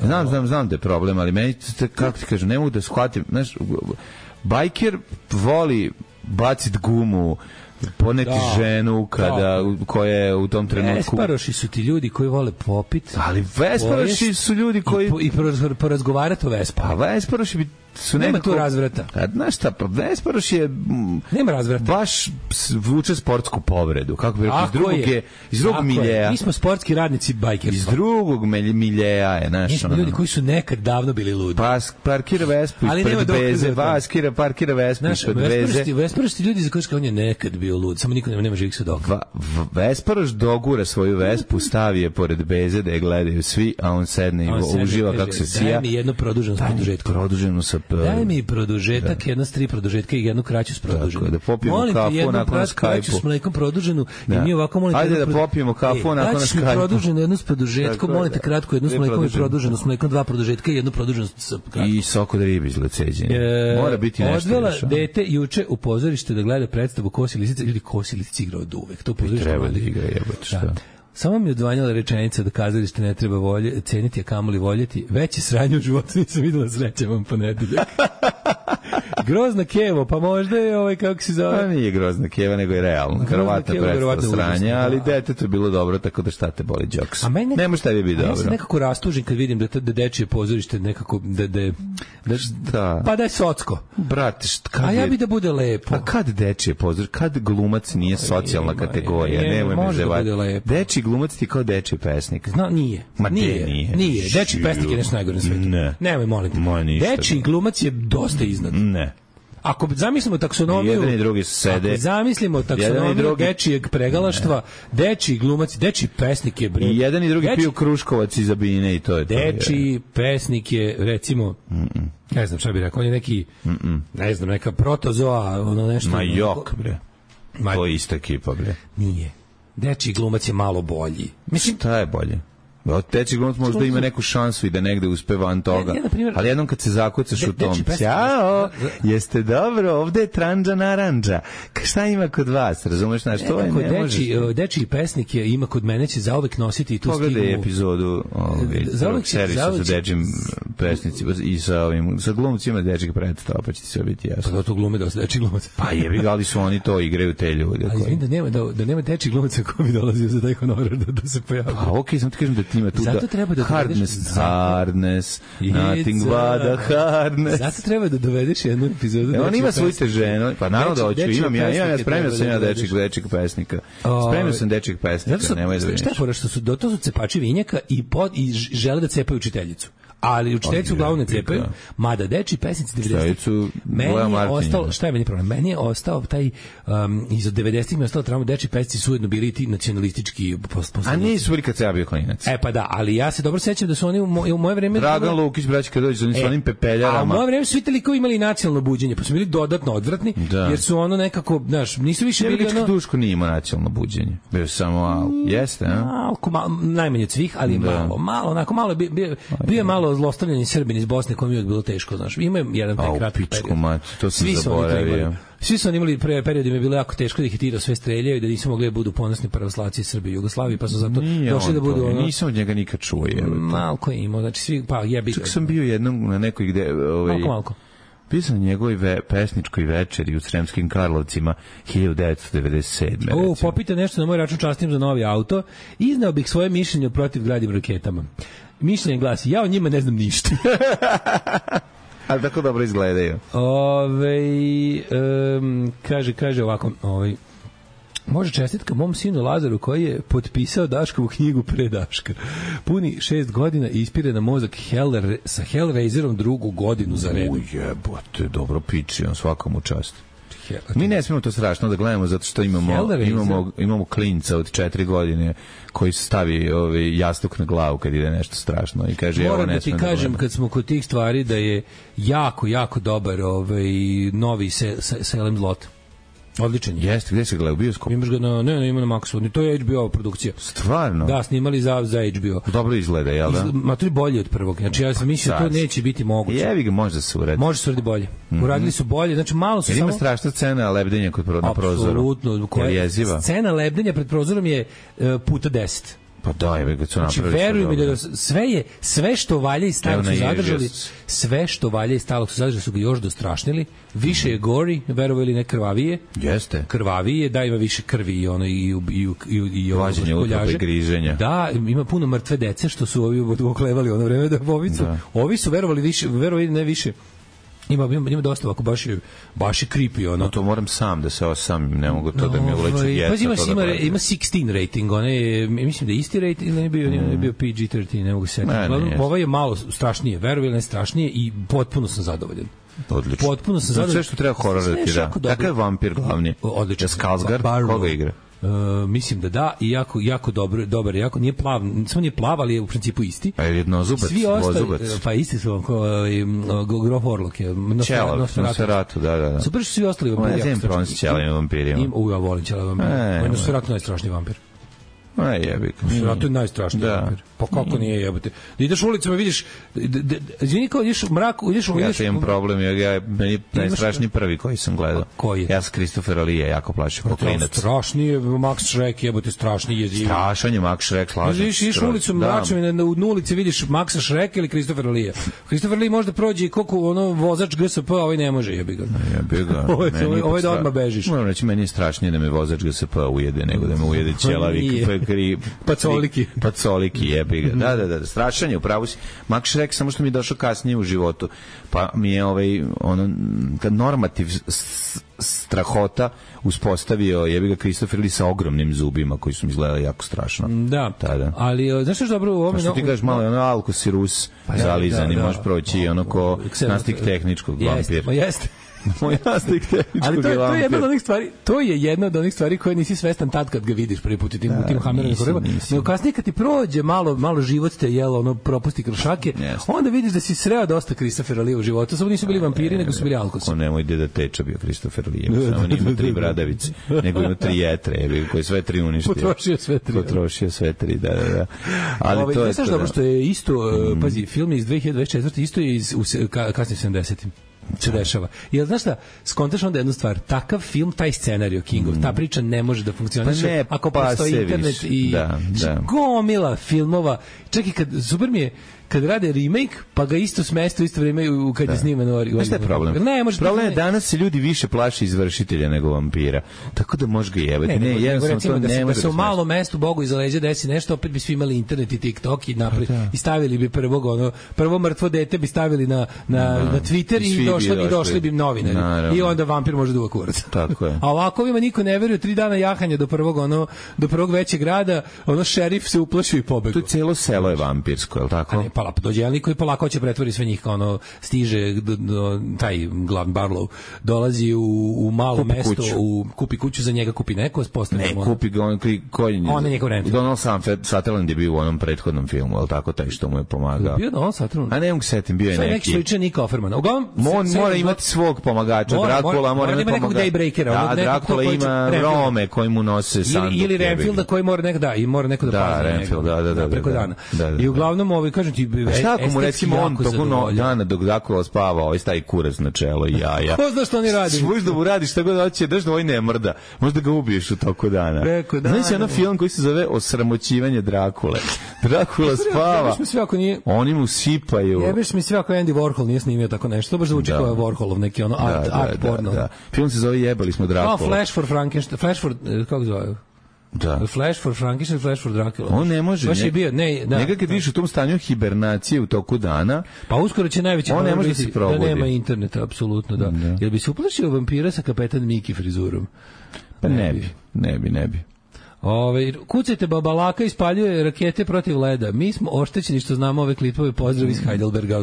Znam, znam, znam da je problem, ali meni, kako ti kažem, ne mogu da shvatim, znaš, bajker voli bacit gumu, poneti da, ženu kada da. Koja je u tom trenutku. Vesparoši su ti ljudi koji vole popit. Ali Vesparoši su ljudi koji i, i porazgovarati o Vespa. A Vesparoši bi su nema nekako, tu razvrata. A znaš šta, pa Vesparoš je m, nema razvrata. Baš vuče sportsku povredu. Kako bi rekao, iz drugog je, iz drugog miljeja. Mi smo sportski radnici bajkerstva. Iz drugog miljeja je, znaš. Mi smo ono, ljudi koji su nekad davno bili ludi. Pas, parkira Vespu ispred Beze, vaskira, parkira Vespu ispred Beze. Vesparoš ti ljudi za koji on je nekad bio lud, samo niko nema, nema živih svedoka. Vesparoš dogura svoju Vespu, stavi je pored Beze da je gledaju svi, a on sedne i on uživa kako se sija. Daj mi jedno produženo s produžetkom. Produženo sa daj mi produžetak, da. Jedna s tri produžetka i jednu kraću s produženom. Da popijemo molim kafu nakon na Skype-u. Kraću s mlekom produženu da. I mi ovako molite... Ajde da popijemo kafu e, nakon na Skype-u. Daći mi produženu jednu s produžetkom, molite kratko jednu s mlekom i produženu, s mlekom dva produžetka i jednu produženu s kratkom. I sok od ribe izgled ceđenja. E, Mora biti nešto. Odvela dete juče u pozorište da gleda predstavu Kosi lisice. Ljudi, Kosi lisice igra od uvek. To pozorište treba da igra, jebote šta. Samo mi je odvanjala rečenica da kazalište ne treba volje, ceniti, a kamoli voljeti. Veće sranje u životu nisam videla, sreće vam ponedeljak. Grozna Kevo, pa možda je ovaj, kako se zove... Pa nije Grozna Keva, nego je realno. Verovatno predstava sranje, ali detetu je bilo dobro, tako da šta te boli džoks. A meni nema šta bi biti dobro. Ja sam nekako rastužen kad vidim da, da dečije pozorište nekako... Da, da, da, šta? Pa da je socko. Brate, šta, kad a ja bi da bude lepo. Pa kad dečije pozorište? Kad glumac nije socijalna ima, kategorija? Je, nemoj me zevati. Dečiji glumac ti kao dečiji pesnik. Zna, nije. Ma nije. Nije. nije. Dečiji pesnik je nešto najgore na svetu. Ne. Nemoj, molim te. Dečiji glumac je dosta iznad. Ne. Ako zamislimo taksonomiju, jedan i drugi sede. Ako zamislimo taksonomiju drugi... dečijeg pregalaštva, dečiji glumac, dečiji pesnik je bre. I jedan i drugi deči... piju kruškovac iz Zabine i to je to. Dečiji pesnik je, recimo, Mm-mm. ne znam šta bih rekao, on je neki, Mm-mm. ne znam, neka protozoa, ono nešto. Ma jok, bre. Ma... To je ista ekipa, bre. Nije. Dečiji glumac je malo bolji. Mislim, šta je bolje? Teči glumac možda ima neku šansu i da negde uspe van toga. Ja, ja, primjer, ali jednom kad se zakucaš de, u tom, ćao, jeste dobro, ovde je tranđa naranđa. Šta ima kod vas? Razumeš, znaš, to je ne možeš. Dečiji pesnik je, ima kod mene, će zauvek nositi i tu stigmu. Pogledaj epizodu ovog servisa sa dečijim pesnicima i sa ovim, sa glumcima dečijeg predstava, pa će ti sve biti jasno. Pa da to glume dosta dečiji glumac. Pa jebi ga, ali su oni to igraju te ljude. Ali izvim da nema, da, da nema dečiji glumaca ko bi dolazio za taj honorar da, da se pojavio. Pa okej, okay, sam ti kažem da ima tu zato treba da hardness, hardness, nothing but a hardness. Zato treba da dovedeš jednu epizodu. E, on ima svoju teženu, pa naravno da hoću, imam ja, imam ja, spremio sam ja dečijeg, dečijeg pesnika. Spremio sam dečijeg pesnika, nemoj da vidiš. Šta je fora što su, to su cepači vinjaka i, pod, i žele da cepaju učiteljicu. Ali učiteljicu uglavnom ne cepaju, mada dečiji pesnici devedesetih meni je ostalo, šta je meni problem? Meni je ostao taj, um, iz devedesetih mi je ostalo trauma, dečiji pesnici su ujedno bili ti nacionalistički postavljeni. A nisu bili kad se ja bio klinac. E pa da, ali ja se dobro sećam da su oni u, moj, u moje vreme... Dragan Lukić, braći kad dođe, oni su e, onim pepeljarama. A u moje vreme su svi toliko imali nacionalno buđenje, pa su bili dodatno odvratni, da. Jer su ono nekako, znaš, nisu više bili ono... Duško nije imao nacionalno buđenje. Bio samo, al, jeste, a? Malko, malo, najmanje od svih, ali da. malo, malo, onako malo, bio, bio je malo malo zlostavljanje Srbina iz Bosne koje mi je bilo teško, znaš. Ima jedan taj kratki period. Mat, to sam Svi zaboravio. Svi su oni imali pre period, im je bilo jako teško da ih tira sve streljaju i da nisu mogli da budu ponosni pravoslavci Srbije i Jugoslavije, pa su zato Nije došli da budu to, ono. Nisam od njega nikad čuo. Malko je imao, znači svi, pa jebi ga. Čak sam bio jednom na nekoj gde... Ovaj, malko, malko. Bio sam na njegovoj ve, pesničkoj večeri u Sremskim Karlovcima hiljadu devetsto devedeset sedme. O, popite nešto na moj račun, častim za novi auto. Izneo bih svoje mišljenje protiv gradim raketama. Mišljenje glasi, ja o njima ne znam ništa. Ali tako dobro izgledaju. Ove, um, kaže, kaže ovako, ovaj, može čestitka mom sinu Lazaru koji je potpisao Daškovu knjigu pre Daška. Puni šest godina i ispire na mozak Hell, sa Hellraiserom drugu godinu za redom. Ujebote, dobro piči, on svakom u čast. Mi ne smijemo to strašno da gledamo zato što imamo, imamo, imamo klinca od četiri godine koji stavi ovaj jastuk na glavu kad ide nešto strašno i kaže moram evo ne da ti kažem da kad smo kod tih stvari da je jako, jako dobar ovaj novi se, se, Salem Lot. Odličan je. Jeste, gde se gleda u bioskopu? Imaš ga na, ne, ne, ima na Maxu, to je H B O produkcija. Stvarno? Da, snimali za, za H B O. Dobro izgleda, jel da? Ma to je bolje od prvog, znači ja sam mislio da to neće biti moguće. Jevi ga, može da se uradi. Može se uradi bolje. Mm-hmm. Uradili su bolje, znači malo su jer samo... ima strašna scena lebdenja kod pro, na prozoru. Apsolutno. Scena lebdenja pred prozorom je uh, puta deset. Pa da, je ga su napravili. Znači, veruj mi da sve je, sve što valja i stalog su zadržali, sve što valja i stalog su zadržali su ga još dostrašnili, više je gori, verovali ne krvavije. Jeste. Krvavije, da ima više krvi i ono i i i i i vađenje utropa i griženja. Da, ima puno mrtve dece što su ovi oklevali ono vreme da ovicu. Da. Ovi su verovali više, verovali ne više. Ima, ima, ima dosta ovako, baš je, baš je creepy, ono. No, to moram sam da se osam, ne mogu to no, da mi uleće djeca. Pa ima, ima, da ima šesnaest rating, one, mislim da je isti rating, ne je bio, mm. ne bio P G trinaest, ne mogu se setiti. Ovo je malo strašnije, verujem, ne strašnije i potpuno sam zadovoljan. Odlično. Potpuno sam zadovoljan. Sve što treba horor da ti da. Kakav je vampir glavni? Odlično. Skarsgård, koga igra? Uh, mislim da da i jako jako dobro dobar jako nije plav samo nije plav ali je u principu isti a je jednozubac svi ostali pa isti su kao uh, Grof Orlok je Nosferatu da da da super su svi ostali vampiri ja znam pronaći ćelave vampirima u ja volim ćelave vampire Nosferatu najstrašniji vampir. Aj jebi. Nosferatu je najstrašniji vampir. Pa kako nije jebote? Da ideš ulicama vidiš izvini kao ideš u mraku, ideš u ja imam problem ja ja meni najstrašniji prvi koji sam gledao. Koji je? Ja sam Christopher Lee jako plašio kao klinac. Strašni je Max Schreck jebote strašni je. Strašan je Max Schreck slažem. Ideš ideš ulicom mračom i na ulici vidiš Maxa Schrecka ili Christopher Lee. Christopher Lee može da prođe koliko ono vozač G S P, a ovaj ne može jebi ga. Jebi ga. Ovaj da odmah bežiš. Moram reći meni je strašnije da me vozač G S P ujede nego da me ujede ćelavi kri pacoliki. Pacoliki jebi ga. Da, da, da, strašan je, upravo si. Max Schreck samo što mi je došao kasnije u životu. Pa mi je ovaj ono kad normativ strahota uspostavio jebi ga Christopher Lee sa ogromnim zubima koji su mi izgledali jako strašno. Da. Tada. Ali znaš što dobro u ovome što ti kažeš malo ono Alkosirus pa, zalizani da, da. Možeš proći ono ko nastik tehničkog vampir. Pa jeste. Moj nastik tehničkog ali to, to je jedna od onih stvari, to je jedna od onih stvari koje nisi svestan tad kad ga vidiš prvi put u tim, da, tim Hammerovim koreba. Nego kasnije kad ti prođe malo, malo život te jelo, ono propusti kršake, yes. Onda vidiš da si sreo dosta Christophera Lee u životu. Samo nisu bili vampiri, nego su bili alkosi. Ko nemoj Deda Teča bio Christopher Lee. Samo nima tri bradavice, nego ima tri jetre, koji sve tri uništio. Potrošio sve tri. Potrošio sve tri, da, da, da. Ali Ove, to je... Znaš dobro što je isto, mm. pazi, film je iz dve hiljade dvadeset četvrte isto je iz, u kasnim sedamdesetim se dešava. Jel znaš šta, skontaš onda jednu stvar, takav film, taj scenarijo Kingov, mm. ta priča ne može da funkcioniše pa ne, ako pa postoji internet i da, da. gomila filmova. Čak i kad, super mi je kad rade remake, pa ga isto smesto isto vreme kad je sniman ovaj. Znaš šta je problem? Ne, može problem je danas se ljudi više plaše izvršitelja nego vampira. Tako da može ga jebati. Ne, ne, ne recimo to da se, ne da se u malom mestu Bogu iza leđa desi nešto, opet bi svi imali internet i TikTok i napred da. I stavili bi prvog ono, prvo mrtvo dete bi stavili na na da. Na Twitter i, i došli bi došli bi novinari. Naravno. I onda vampir može da uva kurac. Tako je. A ovako ima niko ne veruje, tri dana jahanja do prvog ono do prvog većeg grada, ono šerif se uplašio i pobegao. To celo selo je vampirsko, je l' tako? A ne, pa dođe koji polako će pretvori sve njih, kao ono stiže do, do, taj glavni Barlow dolazi u, u malo kupi mesto kuću. U kupi kuću, za njega kupi neko ne, ono, kupi ga on koji on je njegov rent. Donald Sutherland je bio u onom prethodnom filmu, al tako, taj što mu je pomagao. Bio Donald Sutherland. A ne mogu se setim, bio je neki. Neki sličan Nick Offerman. Uglavnom on mora imati svog pomagača. Mora, Dracula mora, mora imati nekog Daybreakera. Da, Dracula ima Rome koji mu nose sanduk. Ili Renfielda koji mora nek da i mora neko da pazi. Da, Renfield, da, da, da. Preko dana. I uglavnom ovaj kažem ti i šta ako mu recimo on toko no, dana dok Drakula spava, ovaj stavi kurac na čelo i jaja. Ko zna što oni radi? Možda mu radiš šta god hoće, daš da ovaj ne mrda. Možda ga ubiješ u toku dana. Preko dana. Znaš jedan film koji se zove Osramoćivanje Drakule. Drakula spava. Jebeš mi sve ako nije... Oni mu sipaju. Jebeš mi sve ako Andy Warhol nije snimio tako nešto. To baš zvuči da. Kao Warholov neki ono art, da, da, art da, porno. Da. Film se zove Jebali smo Drakula. Oh, Flash for Frankenstein. Flash for... Kako zove? Da. Flash for Frankenstein, Flash for Dracula. On ne može. Baš je bio, ne, da. Njega kad vidiš u tom stanju hibernacije u toku dana, pa uskoro će najveći on ne može da se probudi. Da nema interneta, apsolutno, da. da. Jel bi se uplašio vampira sa kapetan Miki frizurom? Pa ne, ne bi, ne bi, ne bi. Ove, kucajte, babalaka ispaljuje rakete protiv leda. Mi smo oštećeni što znamo ove klipove. Pozdrav iz Heidelberga.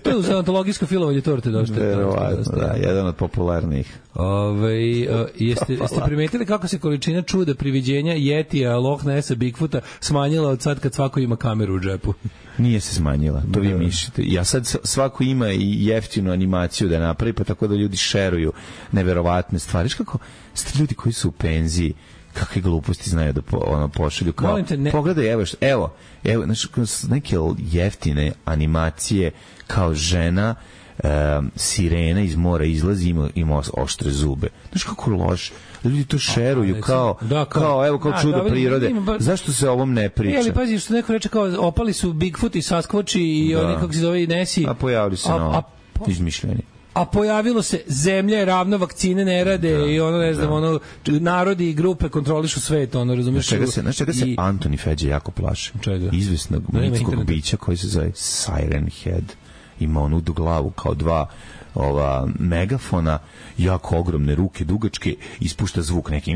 To je uz antologijsko filovanje torte došte. Verovatno, da, jedan od popularnijih. Ove, jeste, jeste primetili kako se količina čuda, priviđenja, Yetija, Loch Nessa, Bigfoota smanjila od sad kad svako ima kameru u džepu? Nije se smanjila, to vi mišljate. Ja sad svako ima i jeftinu animaciju da napravi, pa tako da ljudi šeruju neverovatne stvari. Kako ste ljudi koji su u penziji, kakve gluposti znaju da po, ono pošalju kao te, ne... pogledaj evo što, evo evo znači neke jeftine animacije kao žena um, sirena iz mora izlazi ima, ima oštre zube. Znaš kako loš ljudi to šeruju a, kao, da, kao kao evo kao da, čudo da, prirode. Ba... Zašto se o ovom ne priča? E, ali pazi što neko reče kao opali su Bigfoot i Sasquatch i da. Oni kako se zove Nessie. A pojavili se no, izmišljeni. A pojavilo se zemlja je ravna, vakcine ne rade da, i ono ne znam, da. Ono narodi i grupe kontrolišu svet, ono razumiješ. Čega se, znaš čega se i... Antoni Feđe jako plaši? Čega? Izvesnog mitskog bića koji se zove Siren Head. Ima onu glavu kao dva ova megafona, jako ogromne ruke, dugačke, ispušta zvuk neki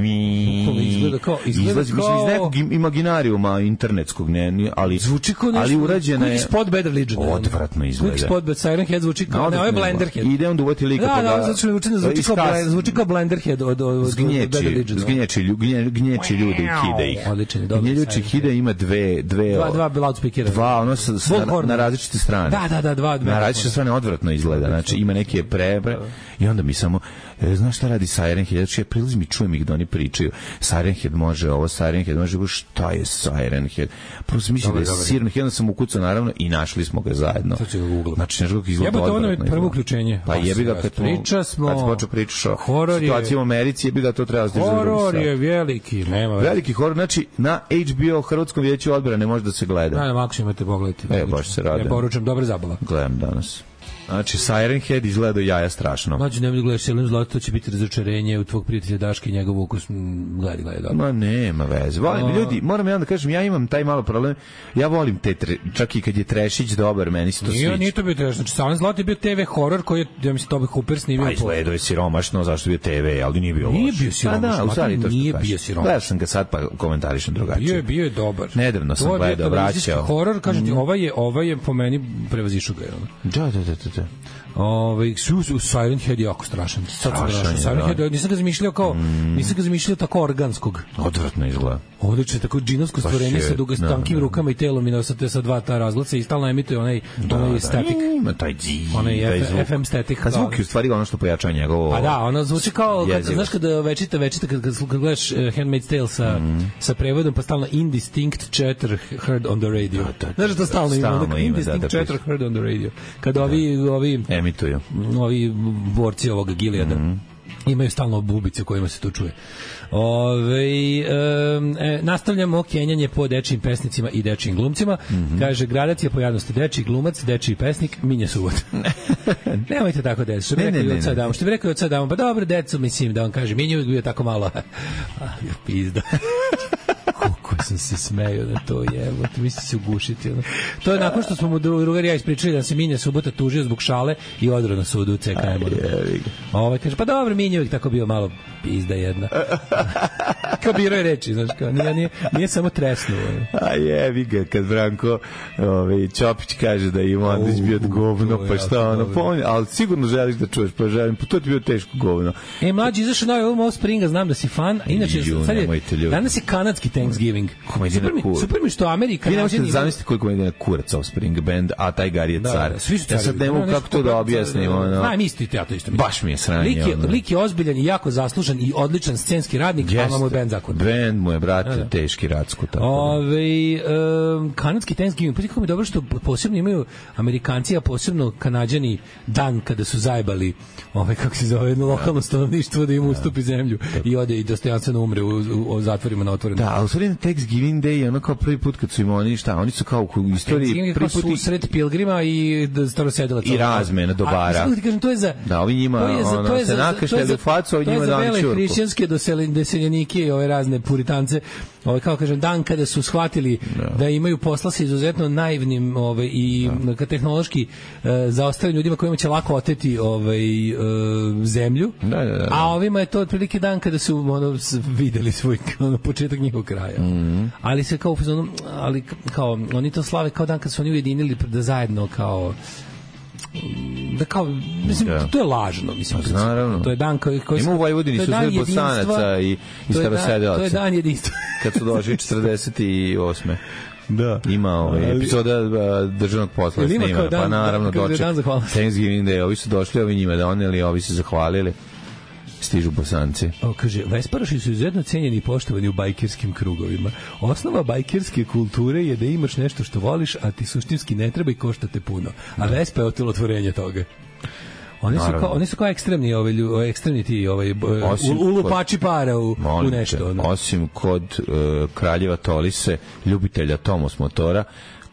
izgleda kao izgleda izlazi, kao... iz nekog imaginarijuma internetskog, ne, ali zvuči kao nešto, ali urađena je spot Bad Religion. Odvratno izgleda. Spot Bad Siren Head zvuči kao, ne, ovo je Blenderhead. Ide on duvati lika da, pa da, da, zvuči, zvuči, kao, Bl- zvuči kao Blenderhead od, od, od Bad Religion. Zgnječi, gnječi ljudi i kida ih. Odličan, dobro. Gnječi hida ima dve, dve, dva, dva loudspeakera. Dva, ono sa, na, na različite strane. Da, da, da, dva, dva. Na različite strane odvratno izgleda. Znači ima neke prebre i onda mi samo e, znaš šta radi Siren Head? Znači ja prilazim i čujem ih da oni pričaju. Siren Head može ovo, Siren Head može ovo. Šta je Siren Head? Prvo sam mislio da je Siren Head, onda sam ukucao naravno i našli smo ga zajedno. Znači nešto kako izgleda odvratno. Jebate, ono je prvo uključenje. Pa jebi ga kad priča smo. Kad se počeo pričaš o situaciji u Americi, jebi ga to treba da horor je veliki, nema. Veliki horor, znači na H B O Hrvatskom vijeću odbrane može da se gleda. Ne, ako imate pogledati. E, baš se radi. Ja poručujem, dobra zabava. Gledam danas. Znači, Siren Head izgleda do jaja strašno. Znači, nemoj da gledaš Selem Zlato, to će biti razočarenje u tvog prijatelja Daška i njegov ukus. Gledaj, gledaj, dobro. Ma, nema veze. Volim, o... ljudi, moram ja da kažem, ja imam taj malo problem. Ja volim te, tre, čak i kad je Trešić dobar, meni se to sviđa. Nije to bio Trešić. Znači, Selem Zlato je bio te ve horor koji je, ja mislim, Tobe Hooper snimio. Pa izgledao je siromašno, zašto je bio te ve, ali nije bio loš. Nije bio siromašno, da, da, nije bio siromašno. Gledao sam ga sad, pa komentarišem drugačije. Bio je, bio je dobar. Nedavno sam gledao, vraćao. Horor, kažem ti, ovaj je, ovaj je po meni prevazišao ga. Da, da, da, da. Ovaj su Siren Head je jako strašan. Strašan. Siren Head, nisam ga zamišljao kao, mm. nisam ga zamišljao tako organskog. Odvratno izgleda. Odlično, tako džinovsko stvorenje sa dugo tankim rukama i telom i nosate sa dva ta razglaca i stalno emituje onaj da, onaj da, static. Ima taj dži, onaj taj F, F M static. A zvuk je u stvari ono što pojačava njegovo. Pa da, ono zvuči kao kad, znaš kada večita večita kad, kad, kad gledaš uh, Handmaid's Tale sa mm. sa prevodom pa stalno indistinct chatter heard on the radio. Da, da, da, znaš da stalno ima, stalno ima indistinct da, da, chatter heard on the radio. Kad da. ovi ovi emituju. Ovi borci ovog Gileada mm. imaju stalno bubice kojima se to čuje. Ove, um, e, nastavljamo kenjanje po dečijim pesnicima i dečijim glumcima. Mm-hmm. Kaže, gradacija pojavnosti dečiji glumac, dečiji pesnik, Minja Suvot. Nemojte tako decu. Što bi rekao i od sad damo. Što bi rekao i od sad damo. Pa dobro, decu, mislim, da vam kaže, Minja uvijek bio tako malo. Ah, pizda. Koliko sam se smejao na to, jevo, to misli se ugušiti. Ono. To je nakon što smo mu drugari ja ispričali da se Minja Subota tužio zbog šale i odrao na sudu u C K M. Ovaj kaže, pa dobro, Minja uvijek tako bio malo pizda jedna. Kao birao je reči, znaš, kao, nije, nije, nije samo tresnuo. A jevi ga, kad Branko ovaj, Ćopić kaže da ima Andrić bio govno, pa šta ono, pomni, ali sigurno želiš da čuješ, pa želim, pa to ti bio teško govno. E, mlađi, izašao novi album Offspringa, znam da si fan, inače, sad je, danas je kanadski Thanksgiving. Super mi, super mi što Amerika... Vi ne možete da zamislite koliko je kurac Offspring band, a taj Gar je car. Ja sad ne mogu kako to da objasnimo. Znam, isto i ja to isto. Baš mi je sranje. Lik je, lik je ozbiljan i jako zaslužan i odličan scenski radnik, a mu je band zakon. Band mu je, brate, teški racku. Ove, um, kanadski Thanksgiving, pa kako mi je dobro što posebno imaju Amerikanci, a posebno Kanađani dan kada su zajebali ovaj, kako se zove, jedno lokalno stanovništvo da im ustupi zemlju i ode i dostojanstveno umre u, u, u zatvorima na otvorenom. Da, ali u stvari na Thanksgiving Day je ono kao prvi put kad su im oni, šta, oni su kao u istoriji prvi put susret pilgrima i starosedelaca. I razmena dobara. A, ti kažem, to je za... Da, ovi njima, to je za, ono, to je za, se nakašljali u facu, ovi njima dali čurku. To je za vele hrišćanske doseljenike i ove razne puritance, ove, kao kažem, dan kada su shvatili no. da imaju posla sa izuzetno naivnim ove, i no. tehnološki e, zaostalim ljudima kojima će lako oteti ovaj, e, zemlju, da, da, da. a ovima je to otprilike dan kada su ono, videli svoj ono, početak njihovog kraja. Mm-hmm. Ali se kao, ali kao, oni to slave kao dan kad su oni ujedinili da zajedno kao da kao, mislim, da. to je lažno, mislim, pa, naravno. To je dan koji... koji ima u Vojvodini su sve Bosanaca i, i starosedelaca. To je dan jedinstva. Kad su došli četrdeset osme Da. Ima ovaj epizoda državnog posla snimana, pa naravno doček Thanksgiving Day, ovi su došli, ovi njima doneli, ovi su zahvalili. Stižu Bosanci. O, kaže, Vesparoši su izuzetno cenjeni i poštovani u bajkerskim krugovima. Osnova bajkerske kulture je da imaš nešto što voliš, a ti suštinski ne treba i košta te puno. A Vespa je otelotvorenje toga. Oni su, kao, oni su kao ekstremni, ovaj, ekstremni ti ovaj, ulupači para u, u nešto. Ono. Osim kod uh, kraljeva Tolise, ljubitelja Tomos motora,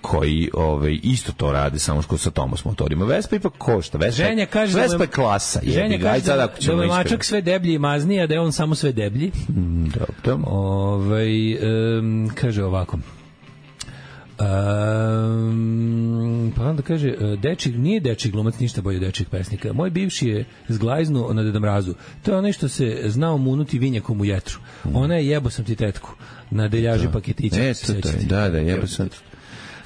koji ovaj isto to rade samo što sa Tomos motorima. Vespa ipak košta. Vespa, Ženja kaže Vespa je klasa. Ženja kaže da, da, da je mačak sve deblji i mazniji, a da je on samo sve deblji. Mm, dobro. Ovaj, um, kaže ovako. Um, pa onda kaže, dečik, nije dečik glumac ništa bolje dečik pesnika. Moj bivši je zglajznu na Deda Mrazu. To je ono što se znao munuti vinjakom u jetru. Ona je jebo sam ti tetku na deljaži paketića. E, to, to, da, da, jebo sam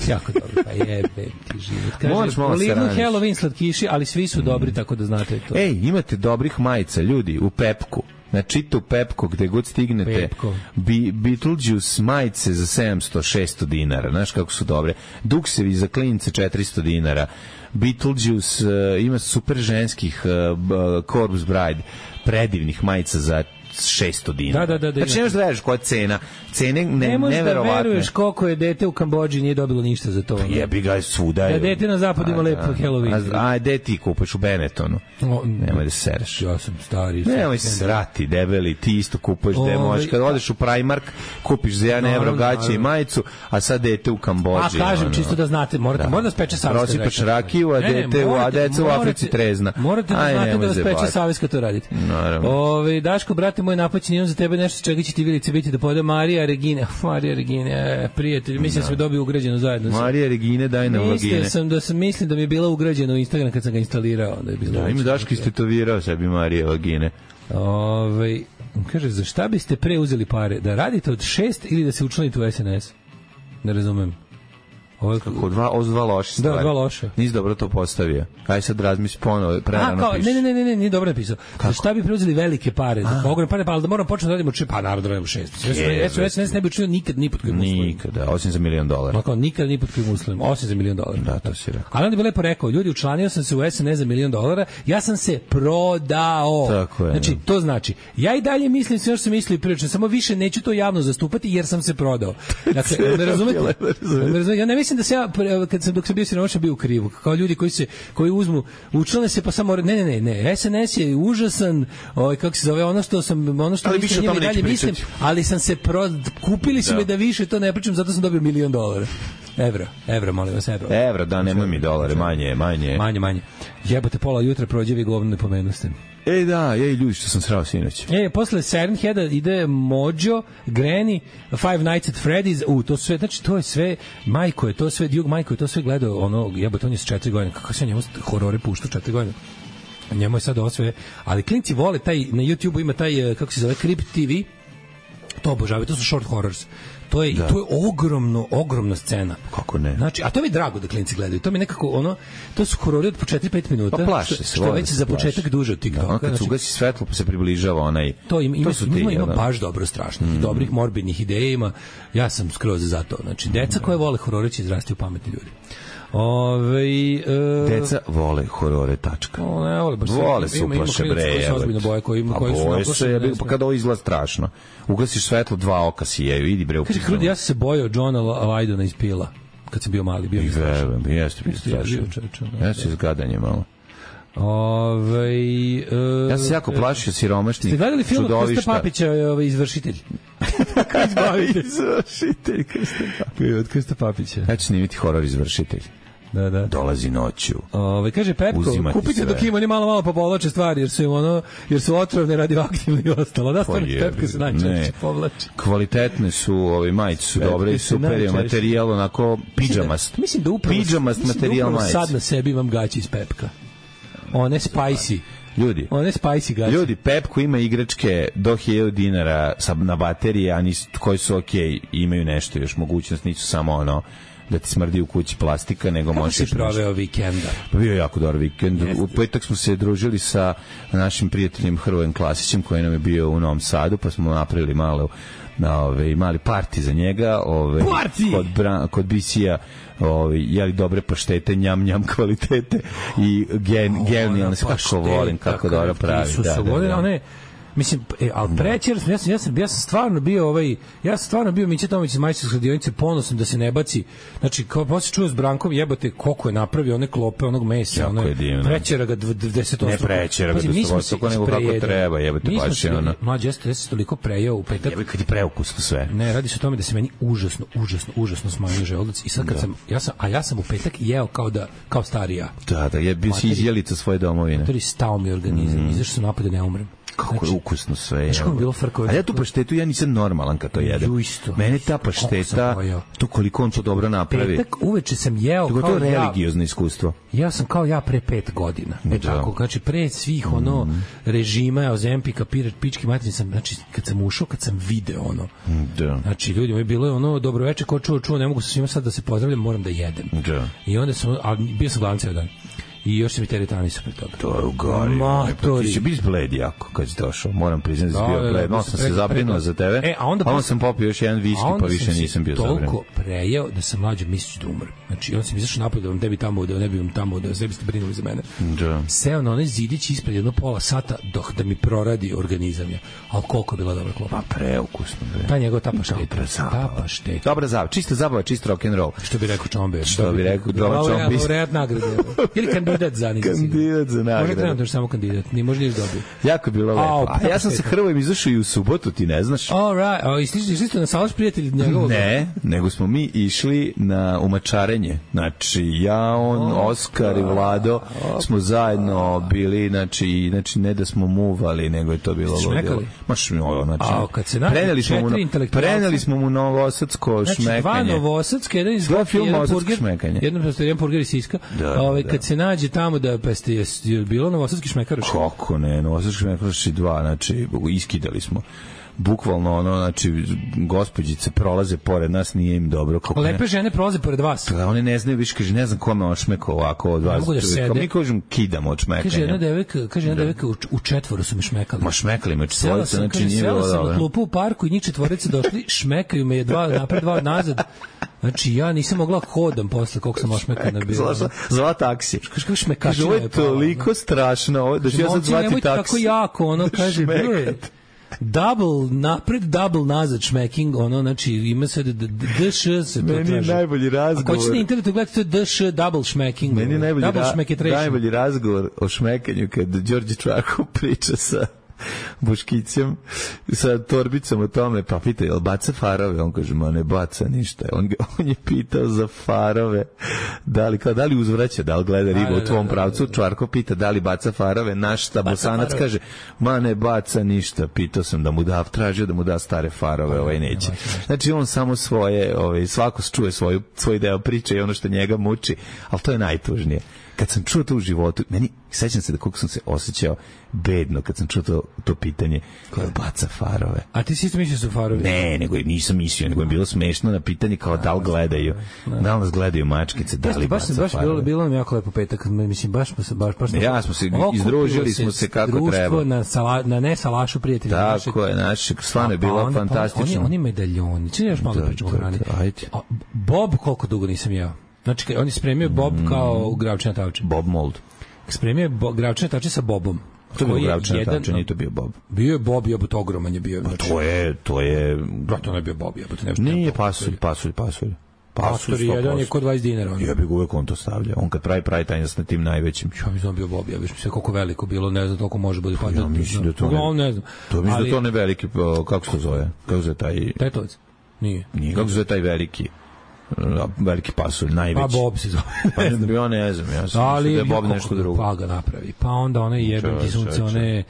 jako dobro, pa jebe ti život. Kaže, u Lidlu Halloween slatkiši, ali svi su dobri, tako da znate to. Ej, imate dobrih majica, ljudi, u Pepku. Znači, u Pepko, gde god stignete, Bi, Beetlejuice majice za sedamsto šesto dinara, znaš kako su dobre. Duksevi za klince četiristo dinara. Beetlejuice uh, ima super ženskih uh, Corpse Bride, predivnih majica za šesto dinara. Da, da, da, da, znači, nemaš da veriš koja cena. Cene ne, ne možeš da veruješ koliko je dete u Kambodži nije dobilo ništa za to. Jebi ga svuda. Da dete na zapadu ima lepo Halloween. A, a gde ti kupaš u Benettonu? O, nemoj da se sereš. Ja sam stari. Nemoj se srati, debeli, ti isto kupuješ gde možeš. Kad odeš u Primark, kupiš za jedan evro gaće i majicu, a sad dete u Kambodži. A kažem, ono, čisto da znate, morate, da. morate da speče savjez. Prosipaš rakiju, a dete u, a deca u Africi trezna. Morate da znate da speče savjez kad to radite. Ove, Daško, brate moj, napaćen imam za tebe nešto čega će ti Vilice biti da pojede Marija Regine. Marija Regine, prijatelj, mislim da smo dobili ugrađeno zajedno. Marija Regine, daj nam vagine. Mislio sam da sam, mislim da mi je bila ugrađena u Instagram kad sam ga instalirao. Da je bilo da, ima Daško istetovirao sebi Marija Vagine. Ove, kaže, za šta biste pre uzeli pare? Da radite od šest ili da se učlanite u S N S? Ne razumem. Ovo kako dva, ovo dva loše stvari. Da, dva loše. Nisi dobro to postavio. Aj sad razmisli ponovo, prerano pišeš. Ne, ne, ne, ne, nije dobro napisao. Za šta bi preuzeli velike pare? Za ogromne pare, pa da moram početi da radimo či pa narod radimo šest. S O S ne bi učinio nikad ni pod kojim uslovima. Nikada, osim za milion dolara. Ma kao nikad ni pod kojim uslovima, osim za milion dolara. Da, to si rekao. Ali onda bi lepo rekao, ljudi, učlanio sam se u S N S za milion dolara, ja sam se prodao. Tako je. Znači, to znači, ja i dalje mislim sve što sam mislio prilično, samo više neću to javno zastupati jer sam se prodao. Dakle, ne razumete? Ja ne mislim da se ja kad sam dok sam bio siromašan bio u krivu. Kao ljudi koji se koji uzmu učlane se pa samo ne ne ne ne S N S je užasan, ovaj kako se zove ono što sam ono što mislim njima dalje mislim, ali sam se pro, kupili su da. me da više to ne pričam, zato sam dobio milion dolara. Evra, evra, molim vas, evra. Evra, da, nemoj mi dolare, manje, manje. Manje, manje. Jebote, pola jutra prođe vi govno ne pomenuste. Ej da, ej ljudi što sam srao sinoć. Ej, posle Siren Heada ide Mojo, Granny, Five Nights at Freddy's, u, to sve, znači to je sve, majko je to sve, Djug Majko je to sve gledao, ono, jebote, on je s četiri godine, kako se njemu horore pušta četiri godine. Njemu je sad ovo sve, ali klinci vole taj, na YouTubeu ima taj, kako se zove, Crypt T V, To obožavaju, to su short horrors. To je, da. to je ogromno, ogromna scena. Kako ne? Znači, a to mi je drago da klinci gledaju. To mi je nekako ono, to su horori od po četiri pet minuta. Pa plaše što, se. Što je već za početak duže od TikToka. Da, on kad znači, se ugasi svetlo pa se približava onaj. To ima, ima, to su ti, ima, ima da. baš dobro strašnih, mm. dobrih morbidnih ideja ima. Ja sam skroz za to. Znači, deca koje vole horore će izrasti u pametni ljudi. Ove, e, deca vole horore, tačka. O, ne, vole, baš vole se uplaše bre. Boje koji ima, koji su boje se, pa kada ovo izgleda strašno. Ugasiš svetlo, dva oka sijeju, idi bre. Kaže, Krudi, ja sam se bojao Johna Lydona iz Pila, kad sam bio mali. Bio I verujem, jeste bio strašno. Ja se izgadanje malo. Ove, e, ja sam se jako plašio siromašnih. Ste gledali film od Krsta Papića, ovaj, Izvršitelj? Izvršitelj Krsta Papića. Od Krsta Papića. Ja ću snimiti horor Izvršitelj. Da, da. Dolazi noću. Ove, kaže Pepko, kupite dok ima ni malo malo pa povlače stvari jer su ono jer su otrovne, radioaktivne i ostalo. Da, stvarno Pepko se najčešće povlači. Kvalitetne su, ovi majice su dobre i super je materijal onako pidžamast. Mislim da upravo pidžamast materijal majice. Sad na sebi imam gaći iz Pepka. One spicy. Ljudi, one spicy gaće. Ljudi, Pepko ima igračke do hiljadu dinara na baterije, a nis, koji su okej, okay, imaju nešto još mogućnost, nisu samo ono da ti smrdi u kući plastika, nego možeš... Kako si proveo vikenda? Bio je jako dobar vikend. U petak smo se družili sa našim prijateljem Hrvojem Klasićem, koji nam je bio u Novom Sadu, pa smo napravili malo na ove mali parti za njega, ove kod Bra, kod Bisija, ovaj jeli dobre paštete, njam njam kvalitete i gen, genijalne, kako volim kako dobro pravi. Da, da, da. One, mislim, e, ali prećer, ja sam, ja sam, ja sam stvarno bio ovaj, ja sam stvarno bio Mića Tomić iz majstorske radionice, ponosan da se ne baci. Znači, kao posle čuo s Brankom, jebote, koliko je napravio one klope onog mesa, ono prećera ga deset Ne prećera ga dvadeset nego kako treba, jebote, baš je ono. Mlađe, jeste, jeste toliko prejeo u petak. Jebote, kad je preukusno sve. Ne, radi se o tome da se meni užasno, užasno, užasno smanjio želudac i sad kad da. sam, ja sam, a ja sam u petak jeo kao da, kao starija. Da, da, je bio si izjelica svoje domovine. To je stao mi organizam, mm. izašao sam napad da ne umrem. Kako znači, je ukusno sve. Znaš kako je bilo frko? A ja tu paštetu, ja nisam normalan kad to jedem. Mene ta pašteta, to koliko on to dobro napravi. Petak uveče sam jeo to kao to je religiozno iskustvo. Ja sam kao ja pre pet godina. E tako, znači pre svih mm. ono režima, Ozempika, pirat, pički materi sam, znači kad sam ušao, kad sam video ono. Da. Znači ljudi, mi bilo je ono dobro veče, ko čuo, čuo, ne mogu sa svima sad da se pozdravljam, moram da jedem. Da. I onda sam, a bio sam gladan ceo dan. I još se mi teretani su pre toga. To je ugari. Matori. Ti će biti bled jako kad si došao. Moram priznati da si bio bled. No, sam se zabrinuo za tebe. E, a onda, a onda sam popio još jedan viski, pa više nisam bio zabrinut. Toliko prejeo da sam mlađo misliš da umrem. Znači, onda sam izašao napolje da vam ne bi tamo, da ne bi vam tamo, da ne biste brinuli za mene. Da. Seo na onaj zidić ispred jedno pola sata dok da mi proradi organizam je. Ali koliko je bila dobra klopa. Pa preukusno. Ta njegova ta pašteta. Ta pašteta. Dobra zabava. Čista zabava, čist rock and roll. Što bi rekao Čombe. Što bi rekao Čombe. Laureat nagrade. Ili kandidat za njega. Kandidat za nagradu. Može trenutno samo kandidat, ni može niš dobiti. Jako je bilo lepo. A ja sam sa Hrvojem izašao i u subotu, ti ne znaš. All right. A išli ste na salaš prijatelji njegovog? Ne, nego smo mi išli na umačarenje. Znači, ja, on, Oskar i Vlado smo zajedno bili, znači, znači ne da smo muvali, nego je to bilo ludilo. Maš mi ovo, znači. A kad se nađe četiri intelektualca. Preneli smo mu novosadsko znači, šmekanje. Znači, dva novosadske, jedan iz Dva film novosadsko šmekanje. Jedan jedan burger iz Siska. Ovaj kad se nađe tamo da pa ste je bilo novosadski šmekaroš. Kako ne, novosadski šmekaroš i dva, znači iskidali smo. Bukvalno ono, znači gospođice prolaze pored nas, nije im dobro. Kako lepe žene prolaze pored vas. Da, one ne znaju više, kaže, ne znam kome on šmekao ovako od vas. Kao mi kažem, kidamo od šmekanja. Kaže jedna devojka, kaže jedna devojka u, u četvoru su me šmekali. Ma šmekali me četvorica, znači kaže, nije bilo dobro. Sela sam na klupu u parku i njih četvorice došli, šmekaju me dva napred, dva nazad. Znači, ja nisam mogla hodam posle koliko sam ošmekana bila. Zvala, zvala taksi. Kaže, kako šmekačina je pala. Ovo je toliko strašno, ovo, da ću ja sad zvati taksi. Tako jako, ono, kaže, double napred, double nazad šmeking, ono, znači, ima se D Š se to traži. Meni je najbolji razgovor. Ako ćete na internetu gledati, to je D Š double šmeking. Meni je najbolji, ra- najbolji razgovor o šmekanju kad Đorđe Čvarkov priča sa Boškicem sa torbicom o tome, pa pita, jel baca farove? On kaže, ma ne baca ništa. On, on je pitao za farove, da li, kao, da li uzvraća, da li gleda ribu u tvom pravcu. Čvarko pita, da li baca farove? Naš Bosanac kaže, ma ne baca ništa. Pitao sam da mu da, tražio da mu da stare farove, ovaj neće. Znači, on samo svoje, ovaj, svako čuje svoju, svoj deo priče i ono što njega muči, ali to je najtužnije. kad sam čuo to u životu, meni, sećam se da koliko sam se osjećao bedno kad sam čuo to, to pitanje, koja baca farove. A ti si isto mislio su farovi? Ne, nego nisam mislio, nego je bilo smešno na pitanje kao da li gledaju, da li nas gledaju mačkice, da li baca farove. Baš bilo, bilo nam jako lepo petak, mislim, baš smo se, baš, baš ja smo se, izdružili smo se kako društvo treba. Društvo na, sala, na ne salašu prijatelja. Tako je, naše, stvarno je bilo pa, fantastično. Pa, oni, oni medaljoni, čini još malo da pričamo o hrani. Bob, koliko dugo nisam jeo. Znači, on je spremio Bob kao gravčina tavče. Bob mold. Spremio je bo, gravčina tavče sa Bobom. To je bio gravčina tavče, nije to bio Bob. Bio je Bob, jebot, ogroman je bio. Pa to je, to je... Brate, on je bio Bob, jebot. Nije pasulj, pasulj, pasulj. Pasulj, jedan je kod dvadeset dinara. Ja bih uvek on to stavlja. On kad pravi, pravi taj na tim najvećim. Ja mislim da bio Bob, ja bih sve koliko veliko bilo, ne znam toliko može biti. Pa ja mislim da to ne, ne znam. To mislim da to ne veliki, kako se zove? Kako se taj... Tetovac? Nije. Nije, kako se zove taj veliki? Veliki pasulj, najveći. Pa Bob se zove. Pa ne znam, ja ne znam, ja sam ali, da je Bob nešto drugo. Pa ga napravi. Pa onda one jebem ti sunce, one...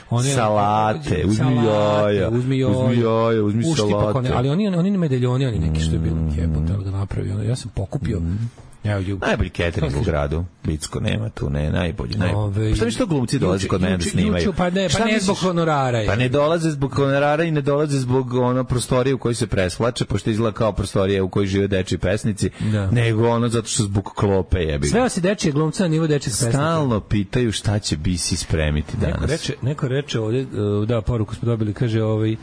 One, salate, uzmi jaja, uzmi jaja, uzmi salate. Ali oni, oni ne medaljoni, oni neki što je bilo jebote, ali ga napravi. Ja sam pokupio... Ja, najbolji catering u gradu, Bicko, nema tu, ne, najbolji, najbolji. Šta mi što glumci dolaze kod mene da snimaju? Pa ne, pa ne zbog honorara. Pa ne dolaze zbog honorara i ne dolaze zbog ono prostorije u kojoj se presvlače, pošto izgleda kao prostorije u kojoj žive dečiji pesnici, nego ono zato što zbog klope jebi. Sve se dečije glumca na nivo dečijih pesnika. Stalno pitaju šta će Bisi spremiti danas. Neko reče, neko reče ovdje, da, poruku smo dobili, kaže ovaj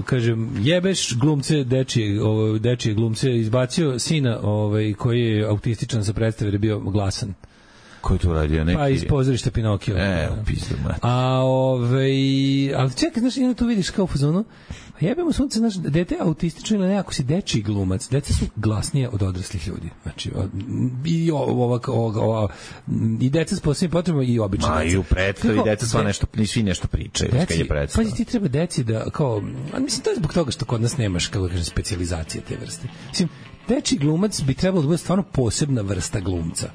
kažem, jebeš glumce dečije, ovaj dečije glumce, izbacio sina ovaj koji je autističan sa predstave jer je bio glasan. Ko je to radio? Neki... Pa iz pozorišta Pinokio. E, upisao, mate. A ovaj, ali čekaj, znaš, jedno tu vidiš kao u fazonu, a jebemo sunce, znaš, dete autistično ili ne, ako si dečiji glumac, deca su glasnije od odraslih ljudi. Znači, i ova, ova, ova i deca s posebnim potrebama i obični deca. Ma i u predstavi deca sva nešto, svi nešto pričaju. Deci, pa ti treba deci da, kao, a mislim, to je zbog toga što kod nas nemaš, kako kažem, specijalizacije te vrste. Mislim, dečiji glumac bi trebalo da bude stvarno posebna vrsta glumca.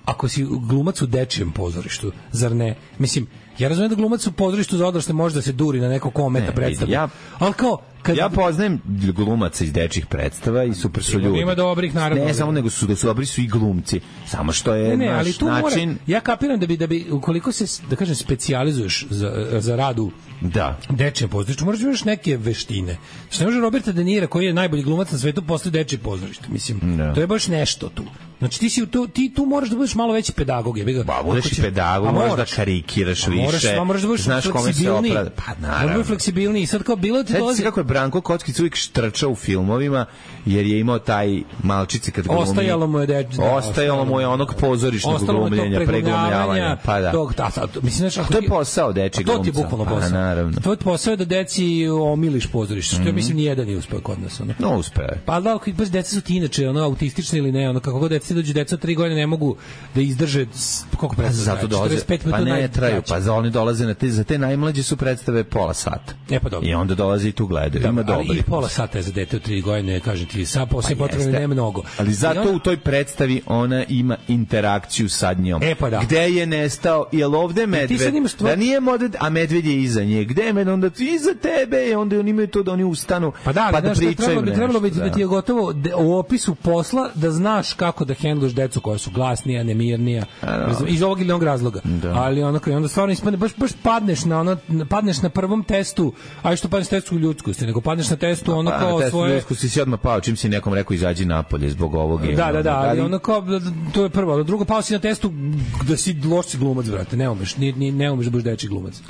Ako si glumac u dečijem pozorištu, zar ne? Mislim, ja razumijem da glumac u pozorištu za odrasle može da se duri na neko kometa predstavu. Ja, ali kao, kad... ja poznajem glumaca iz dečjih predstava i super su ljudi. Ima dobrih, naravno. Ne, samo nego su, da su dobri su i glumci. Samo što je ne, ne, naš ali tu način... Mora, ja kapiram da bi, da bi, ukoliko se, da kažem, specijalizuješ za, za radu da. Dečije pozorište, moraš da imaš neke veštine. Što ne može Roberta De Niro, koji je najbolji glumac na svetu, posle dečije pozorište. Mislim, da. To je baš nešto tu. Znači ti si tu, ti tu moraš da budeš malo veći pedagog, je bih. Pa budeš i pedagog, moraš da karikiraš više. Moraš, moraš da budeš znaš kome se opravda. Pa naravno. Moraš fleksibilniji. Sad kao bilo ti dolazi. Kako je Branko Kockić uvijek štrčao u filmovima, jer je imao taj malčice kad glumi. Ostajalo mu je da, da ostajalo mu je onog pozorišnog glumljenja, preglumljavanja, pa da. Tog, da, da mislim znači, to je posao dečiji glumca. To ti je bukvalno posao. Pa, naravno. To je posao da deci omiliš pozorište, što mm -hmm. ja mislim ni jedan nije uspeo kod nas, ono. No, uspeo. Pa da, kad baš deca su ti inače, ono autistični ili ne, ono kako god deca dođu deca od tri godine ne mogu da izdrže koliko predstava. Zato dolaze, pa ne traju, pa za oni dolaze na te, za te najmlađe su predstave pola sata. E pa dobro. I onda dolaze i tu gledaju. Ima dobri. I pola sata je za dete od tri godine, kažem ti, sa posle pa potrebno ne mnogo. Ali zato ona... u toj predstavi ona ima interakciju sa njom. E pa da. Gde je nestao? Jel ovde medved? Stvo... Da nije medved, a medved je iza nje. Gde je medved? Onda ti iza tebe i onda oni imaju to da oni ustanu pa da, pa da pričaju. Trebalo bi, trebalo bi da ti je gotovo de, u opisu posla da znaš kako da hendluješ decu koja su glasnija, nemirnija, no. iz ovog ili onog razloga. Da. Ali onako, onda stvarno ispadne, baš, baš padneš na ono, padneš na prvom testu, a što padneš na testu ljudskosti, nego padneš na testu ono kao pa, svoje... ljudskosti si odmah pao, čim si nekom rekao izađi napolje zbog ovog. Da, da, da, da, ali ono kao, to je prvo, drugo pao si na testu da si loš si glumac, brate, ne umeš, ni, ni, ne umeš da budeš dečiji glumac.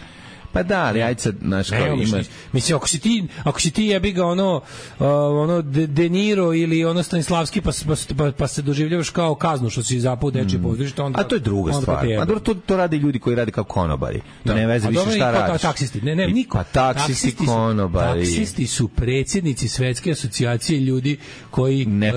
Pa da, ali ajde sad, znaš, kao ima... Mislim, ako si ti, ako si ti jebi ga ono, uh, ono De, De Niro ili ono Stanislavski, pa, pa, pa se doživljavaš kao kaznu što si zapao dečije mm. pozorište, onda... A to je druga stvar. A dobro, to, to rade ljudi koji rade kao konobari. Da. Ne veze više šta radiš. Taksisti, ne, ne, niko. Pa taksisti, taksisti konobari. Taksisti su predsjednici Svetske asocijacije ljudi koji... Ne,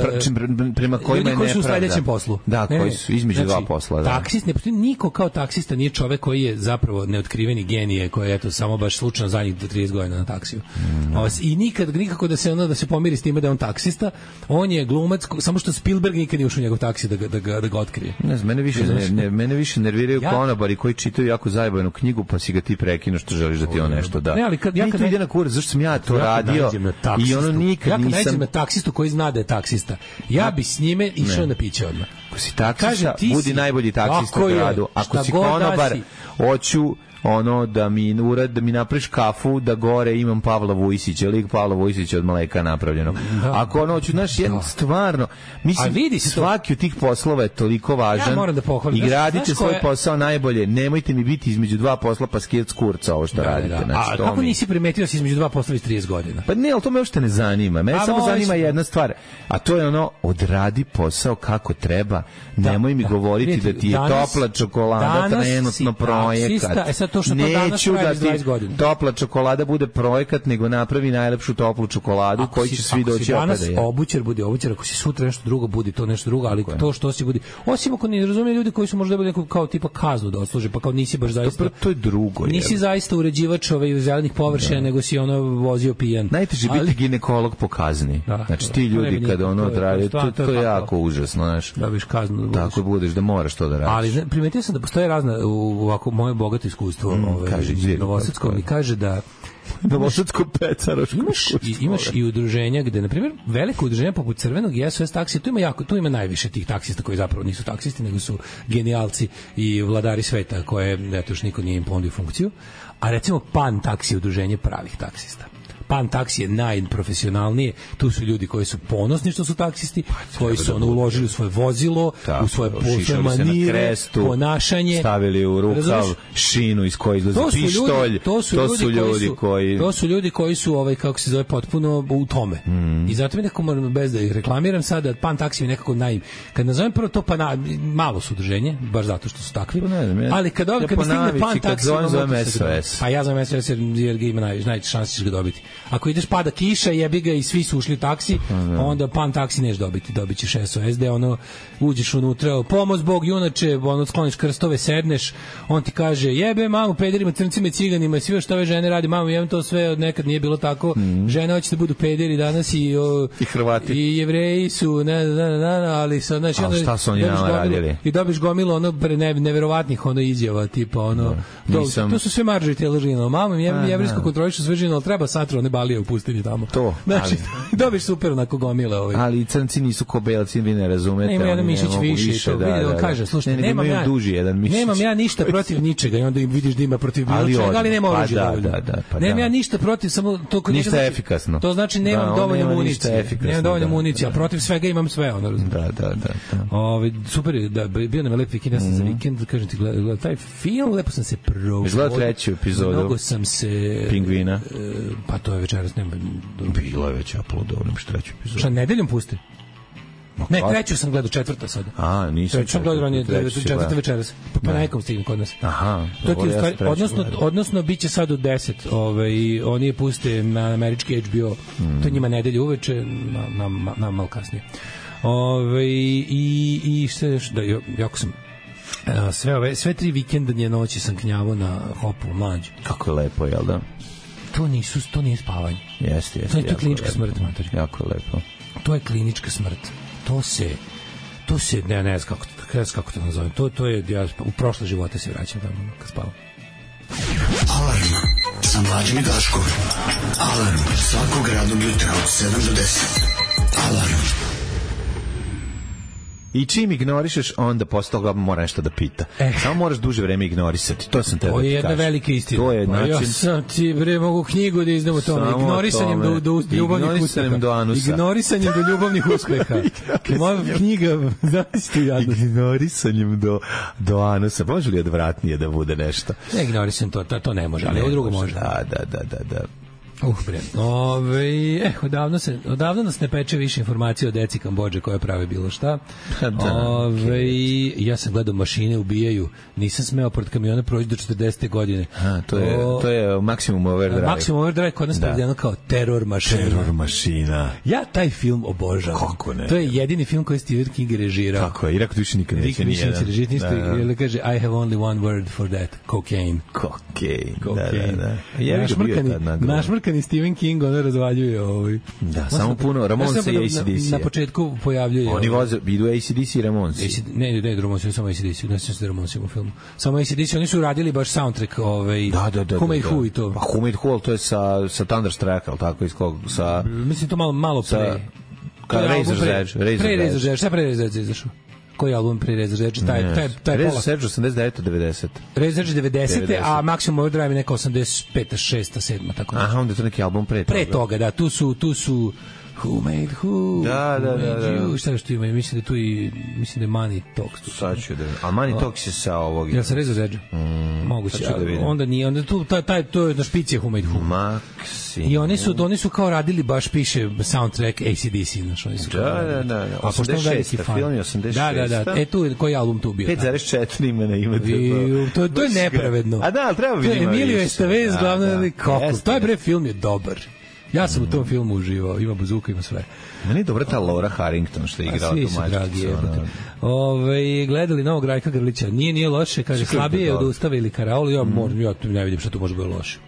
prema kojima je nepravda. Ljudi koji su u sledećem poslu. Da, ne, koji su između znači, dva posla. Da. Taksist, ne postoji niko kao taksista, nije čovek koji je zapravo neotkriveni genije, koji je eto samo baš slučajno zadnjih do trideset godina na taksiju. Mm. I nikad nikako da se ono da se pomiri s time da je on taksista, on je glumac, samo što Spielberg nikad nije ušao u njegov taksi da ga da ga da ga otkrije. Ne znam, mene više ne, ne, mene više nerviraju ja? konobari koji čitaju jako zajebanu knjigu pa si ga ti prekineš što želiš da ti on nešto da. Ne, ali kad ja kad ide na kurs, zašto sam ja to ja radio i ono nikad ja nisam ja na taksistu koji zna da je taksista. Ja bi s njime išao na piće odmah. Ako si taksista, budi najbolji taksista u gradu. Ako si konobar, hoću ono da mi urad, da mi napraviš kafu, da gore imam Pavla Vujsića, lik Pavla Vujsića od Mleka napravljeno. Da. Ako ono hoću, znaš, jedno stvarno, mislim, vidi svaki od tih poslova je toliko važan. Ja moram da pohvalim. I gradite svoj je... posao najbolje. Nemojte mi biti između dva posla pa skijet s kurca ovo što da, radite. Da. Znači, a kako mi... nisi primetio da si između dva posla iz trideset godina? Pa ne, ali to me uopšte ne zanima. Mene samo zanima jedna stvar, a to je ono, odradi posao kako treba. Da, nemoj mi da. govoriti Vidite, da ti je danas, topla čokolada trenutno projekat. To što neću da ti topla čokolada bude projekat, nego napravi najlepšu toplu čokoladu koju će svi doći opet da je. Danas obućar budi obućar, ako si sutra nešto drugo budi to nešto drugo, ali okay. to što si budi. Osim ako ne razumiju ljudi koji su možda bili neko kao tipa kaznu da odsluže, pa kao nisi baš zaista. To, to je drugo. Nisi je. zaista uređivač ovaj zelenih površina, nego si ono vozio pijan. Najteže ali... biti ginekolog po kazni. Da, znači ti ljudi kad ono odrade, to, to je jako užasno, znaš. Da biš kaznu. Tako budeš da moraš to da radiš. Ali primetio sam da postoje razna u ovako moje bogato iskustvo. Mm, ove, kaže, Novosadsko mi kaže da Novosadsko pecaroško imaš i, imaš i udruženja gde na primjer veliko udruženje poput Crvenog i S O S taksija, tu ima jako tu ima najviše tih taksista koji zapravo nisu taksisti nego su genijalci i vladari sveta koje eto još niko nije im ponudio funkciju, a recimo Pan taksi udruženje pravih taksista. Pan taksi je najprofesionalnije, tu su ljudi koji su ponosni što su taksisti, pa, koji su ono uložili u svoje vozilo, tako, u svoje posle manire, krestu, ponašanje, stavili u rukav šinu iz koje izlazi pištolj. Ljudi, to su, to ljudi, to su ljudi koji, koji to su ljudi koji su ovaj kako se zove potpuno u tome. Mm. I zato mi nekako moram bez da ih reklamiram sada, Pan taksi je nekako naj kad nazovem prvo to pa na, malo su udruženje, baš zato što su takvi. Ne, ali kad ovaj ja kad mi stigne Pan taksi, zovem S O S. Pa ja zovem S O S jer ga ima najviše najveće šanse ćeš ga dobiti. Ako ideš pada kiša, jebi ga i svi su ušli u taksi, onda Pan taksi neš dobiti, dobit ćeš S O S, da ono, uđeš unutra, pomoz Bog junače, ono, skloniš krstove, sedneš, on ti kaže, jebe mamu, pederima, crncima i ciganima, sve što ove žene radi, mamu, jebem to sve, nekad nije bilo tako, mm. žene hoće da budu pederi danas i, o, i Hrvati. I Jevreji su, ne, ne, ne, ne, ali sad, znači, onda, šta su oni nama radili? I dobiš gomilu, ono, pre ne, neverovatnih, ono, izjava, tipa, ono, to, Nisam... to su sve maržite te lžino, mamu, jebem, jevrijsko kontrolišu sve žino, ali treba satro, ne balije u pustinji tamo. To. Znači, ali, dobiš super onako gomile ovaj. Ali crnci nisu ko belci, vi ne razumete. Nema jedan mišić više, više to, da, da, da. Kaže, slušaj, nemam ja duži jedan mišić. Nemam ja ništa protiv ničega i onda vidiš da ima protiv bilo ali čega, ali nema oružja pa dovoljno. Da, da, pa nemam da. ja ništa protiv, samo to kod ništa znači, efikasno. To znači nemam da, dovoljno nema municije. Nemam dovoljno da, municije, a protiv svega imam sve, ono razumiješ. Da, da, da. da. Ovaj super, da bio nam lep vikend, ja sam za vikend, kažem ti, gledao taj film, lepo sam se proveo. Gledao treću epizodu. Mnogo sam se Pingvina. Pa to je večeras nema. Bilo je već uploadovano što treću epizodu. Šta nedeljom pusti? Ne, treću sam gledao, četvrta sada. A, nisam. Treću sam gledao, on četvrta večeras. Pa nekom stignem kod nas. Aha. To je stvari, odnosno, odnosno biće sad u deset. Ovaj, oni je puste na američki H B O. Mm. To je njima nedelje uveče, na, na, na malo kasnije. Ove, i, i što je, da, jako sam sve, ove, sve tri vikendanje noći sam knjavo na hopu mlađu. Kako je lepo, jel da? To nisu, to nije spavanje. Jeste, jeste. To je, to je klinička lepo, smrt, mater. Jako lepo. To je klinička smrt. To se, to se, ne, ne znam kako, ne znam kako to nazovem. To, to je, ja u prošle živote se vraćam tamo kad spavam. Alarm sa Mlađim i Daškom. Alarm svakog radnog jutra od sedam do deset. Alarm. I čim ignorišeš, onda posle toga mora nešto da pita. Eh. Samo moraš duže vreme ignorisati. To sam te da ti kažem. To je jedna velika istina. To je način... Ja sam ti, bre, mogu knjigu da izdam o tome. Ignorisanjem do, do ljubavnih uspeha. Do anusa. Ignorisanjem do ljubavnih uspeha. Moja knjiga, znaš ti jadno. Ignorisanjem do, do anusa. Može li odvratnije da bude nešto? Ne, ignorisam to, to, to ne može, ali ovo drugo može. Da, da, da, da, da. Uh, bre. Ove, eh, odavno, se, odavno nas ne peče više informacije o deci Kambodže koje prave bilo šta. Da, Ove, okay. Ja sam gledao Mašine ubijaju. Nisam smeo pored kamiona proći do četrdesete godine. A, to je, o, to je Maximum Overdrive. Maximum Overdrive kod nas prevedeno kao Teror mašina. Teror mašina. Ja taj film obožavam. Kako ne? To je jedini film koji Stephen King režirao. Kako je? Irak više nikad neće nijedan. Nikad neće režirati ništa. Ili kaže, I have only one word for that. Cocaine. Cocaine. Cocaine. Da, da, da. Ja našmrkani Stephen King ono razvaljuje ovaj. Da, samo puno Ramones i A C D C. Na, na početku pojavljuje. Oni voze, idu A C D C i Ramones. Ne, ne, Ramones, samo A C D C, ne znam se Ramones u filmu. Samo A C D C, oni su radili baš soundtrack, ovaj. Da, da, da. Who Made Who i to. Pa Who Made Who, to je sa sa Thunderstruck, al tako iz kog sa mislim to malo malo pre. Kad Razor's Edge, Razor's Edge. Pre Razor's Edge, šta pre Razor's Edge izašao? Koji album pre Razor Edge? Taj, taj, taj Razor Edge osamdeset devete devedeset Razor Edge devedesete a Maximum Overdrive je neka osamdeset peta, šesta, sedma tako Aha, onda je to neki album pre toga. Pre toga, da, tu su, tu su Who made who? Da, da, da, da. You? Šta što ima? Mislim da tu i mislim da je Money Talks tu. Sad ću da. A Money Talks je sa ovog. Ja sam Razor Edge. Mm, Moguće. Da onda nije, onda tu taj taj to je na špici Who made who. Maxi. I oni su oni su kao radili baš piše soundtrack A C D C, znači oni su. Da, da, da. A pošto veliki fan. Film je osamdeset šest. Da, da, da. E tu koji album tu bio? pet zarez četiri ima na ime. To to je nepravedno. A da, treba vidimo. Emilio Estevez glavni kako. Taj bre film je dobar. Ja sam u tom filmu uživao, ima buzuka, ima sve. Meni je dobra ta Laura Harrington što je igrala tu mačicu. Ove, gledali novog Rajka Grlića, nije, nije loše, kaže, slabije je od Ustava ili Karaol, ja, mm. moram, ja ne vidim šta tu može biti loše.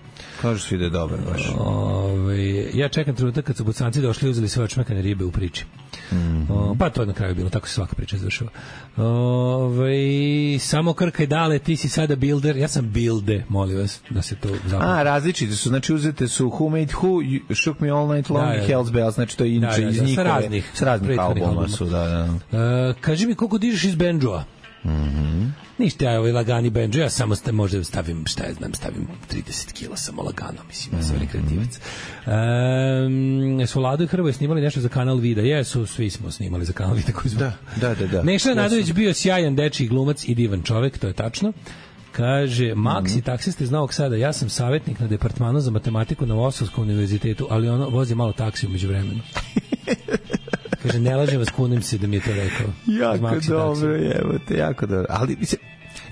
Kažu svi da je dobar baš. Ove, ja čekam trenutak kad su Bosanci došli i uzeli sve očmekane ribe u priči. Mm-hmm. O, pa to je na kraju bilo, tako se svaka priča završava. Ove, samo Krkaj dale, ti si sada builder, ja sam builde, molim vas da se to zapamti. A, različite su, znači uzete su Who Made Who, Shook Me All Night Long, da, da, Hell's Bells, znači to je inače da, da, iz njihove, sa raznih, s raznih albuma su, da, da. Uh, kaži mi koliko dižeš iz Benjoa? Mhm. Ništa, ja ovaj lagani benđo, ja samo sta, možda stavim, šta ja znam, stavim trideset kila samo lagano, mislim, ja sam rekreativac. Um, su Lado i Hrvoje snimali nešto za kanal Vida, jesu, svi smo snimali za kanal Vida koji smo. Da, da, da. da. Neša Nadović bio sjajan dečiji glumac i divan čovek, to je tačno. Kaže, Max mm-hmm. i taksista iz Novog Sada, ja sam savjetnik na departmanu za matematiku na Moskovskom univerzitetu, ali ono vozi malo taksi umeđu vremenu. Kaže, ne lažem vas, kunim se da mi je to rekao. Jako dobro, evo te, jako dobro. Ali, mislim...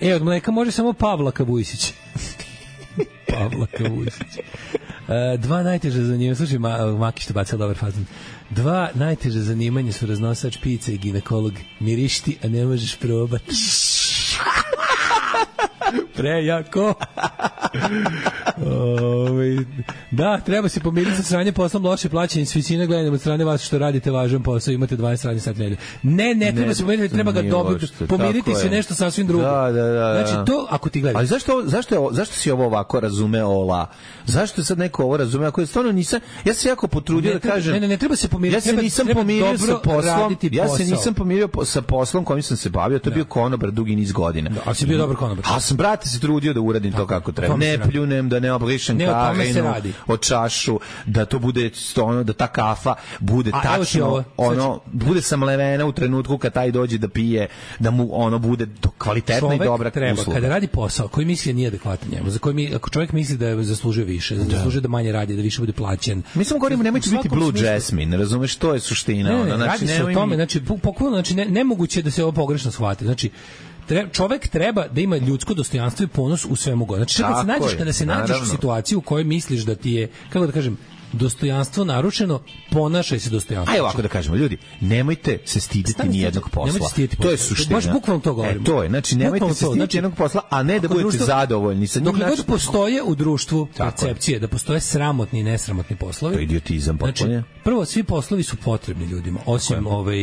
E, od mleka može samo Pavlaka Vujsić. Pavlaka Vujsić. Uh, dva najteže zanimanja, slušaj, Ma, Maki što bacila dobar fazan. Dva najteže zanimanja su raznosač pice i ginekolog. Mirišti, a ne možeš probati. Prejako. Ove, da, treba se pomiriti sa sranje poslom, loše plaćanje, s visine gledanja od strane vas što radite važan posao, imate dvadeset radnih sati nedelje. Ne, ne, treba ne, se pomiriti, treba ga dobiti, pomiriti se nešto sasvim drugo. Da, da, da. Znači to, ako ti gledaš. Ali zašto, zašto, je, zašto si ovo ovako razumeo, Ola? Zašto je sad neko ovo razumeo? Ako je stvarno nisam, ja se jako potrudio ne, da kažem. Ne, ne, ne, treba se pomiriti. Ja se nisam treba, pomirio treba sa poslom. Ja se posao. nisam pomirio sa poslom kojim sam se bavio, to je bio konobar dugi niz godina. Da, a si bio dobar konobar. A sam, brate, se trudio da uradim to kako treba. Ne pljunem, da ne obrišem kahinu od čašu, da to bude ono, da ta kafa bude a, tačno, ovo, ono, bude samlevena u trenutku kad taj dođe da pije, da mu ono bude kvalitetna i dobra treba, usluga. Kada radi posao koji misli nije adekvatan njemu, za koji mi, ako čovjek misli da je zaslužio više, da zaslužuje da manje radi, da više bude plaćen. Mislim govorimo nemojte biti Blue smislu... Jasmine, razumeš, to je suština. Ne, ne, ono, znači, radi se o tome, znači, pokojno, znači, ne, nemoguće da se ovo pogrešno shvati. Znači, Treba, čovek treba da ima ljudsko dostojanstvo i ponos u svemu god. Znači, kada se nađeš, kada se nađeš u situaciju u kojoj misliš da ti je, kako da kažem, dostojanstvo narušeno, ponašaj se dostojanstvo. Ajde ovako da kažemo, ljudi, nemojte se stiditi ni jednog posla. To je suština. Baš bukvalno to govorimo. E, to je, znači nemojte se stiditi znači, jednog posla, a ne da budete društvo, zadovoljni sa njim. Dok god postoje u društvu percepcije da postoje sramotni i nesramotni poslovi. To je idiotizam potpuno. Znači, prvo, svi poslovi su potrebni ljudima, osim ove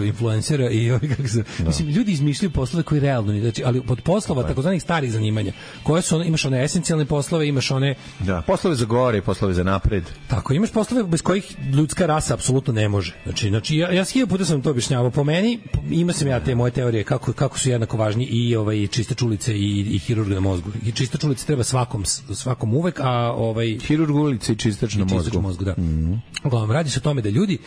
influencera i ovi kako se, da. Mislim, ljudi izmišljaju poslove koji realno, znači, ali od poslova da. takozvanih starih zanimanja, koje su one, imaš one esencijalne poslove, imaš one da, poslove za gore, poslove za napred. Tako, imaš poslove bez kojih ljudska rasa apsolutno ne može. Znači, znači ja, ja hiljadu puta sam to objašnjavao. Po meni, ima sam ja te moje teorije kako, kako su jednako važni i ovaj, čiste čulice i, i hirurg na mozgu. I čiste čulice treba svakom, svakom uvek, a ovaj... Hirurg ulice i čistač na mozgu. mozgu da. Mm-hmm. Uglavnom, radi se o tome da ljudi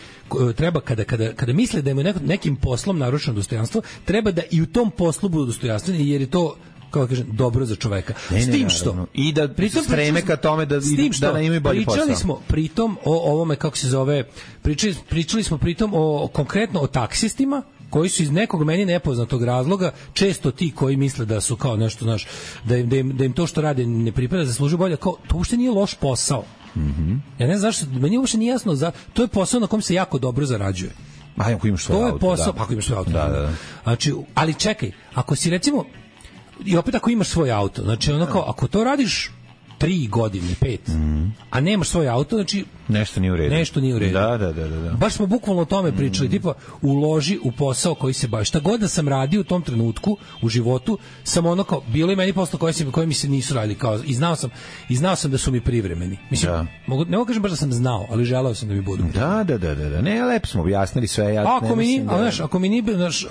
treba, kada, kada, kada misle da imaju nekim poslom narušeno dostojanstvo, treba da i u tom poslu budu dostojanstveni, jer je to kako kažem, dobro za čoveka. Ne, s tim ne, što i da pritom streme ka tome da da ne imaju bolji posao. Pričali smo pritom o ovome kako se zove, pričali, pričali smo pritom o konkretno o taksistima koji su iz nekog meni nepoznatog razloga često ti koji misle da su kao nešto, znaš, da im, da im, da im to što rade ne pripada, zaslužuju bolje, kao to uopšte nije loš posao. Mhm. Ja ne znam zašto, meni uopšte nije jasno, za to je posao na kom se jako dobro zarađuje. A ako imaš svoj auto, to je posao, da. pa ako imaš svoj auto. Da, da. Znači, ali čekaj, ako si recimo i opet ako imaš svoj auto, znači ono kao, ako to radiš tri godine, pet, mm. a nemaš svoj auto, znači nešto nije u redu. Nešto nije u redu. Da, da, da, da. Baš smo bukvalno o tome pričali, mm. tipa uloži u posao koji se baviš. Šta god da sam radio u tom trenutku u životu, sam ono kao bilo i meni posla koji se koji mi se nisu radili kao i znao sam i znao sam da su mi privremeni. Mislim, da. mogu ne mogu kažem baš da sam znao, ali želeo sam da mi budu. Da, da, da, da, da. Ne, lepo smo objasnili sve, ja. Ako mi, da... znaš, ako mi ni znaš,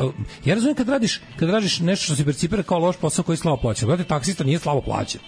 ja razumem kad radiš, kad radiš nešto što se percipira kao loš posao koji je slabo plaćen. Znate, taksista nije slabo plaćen.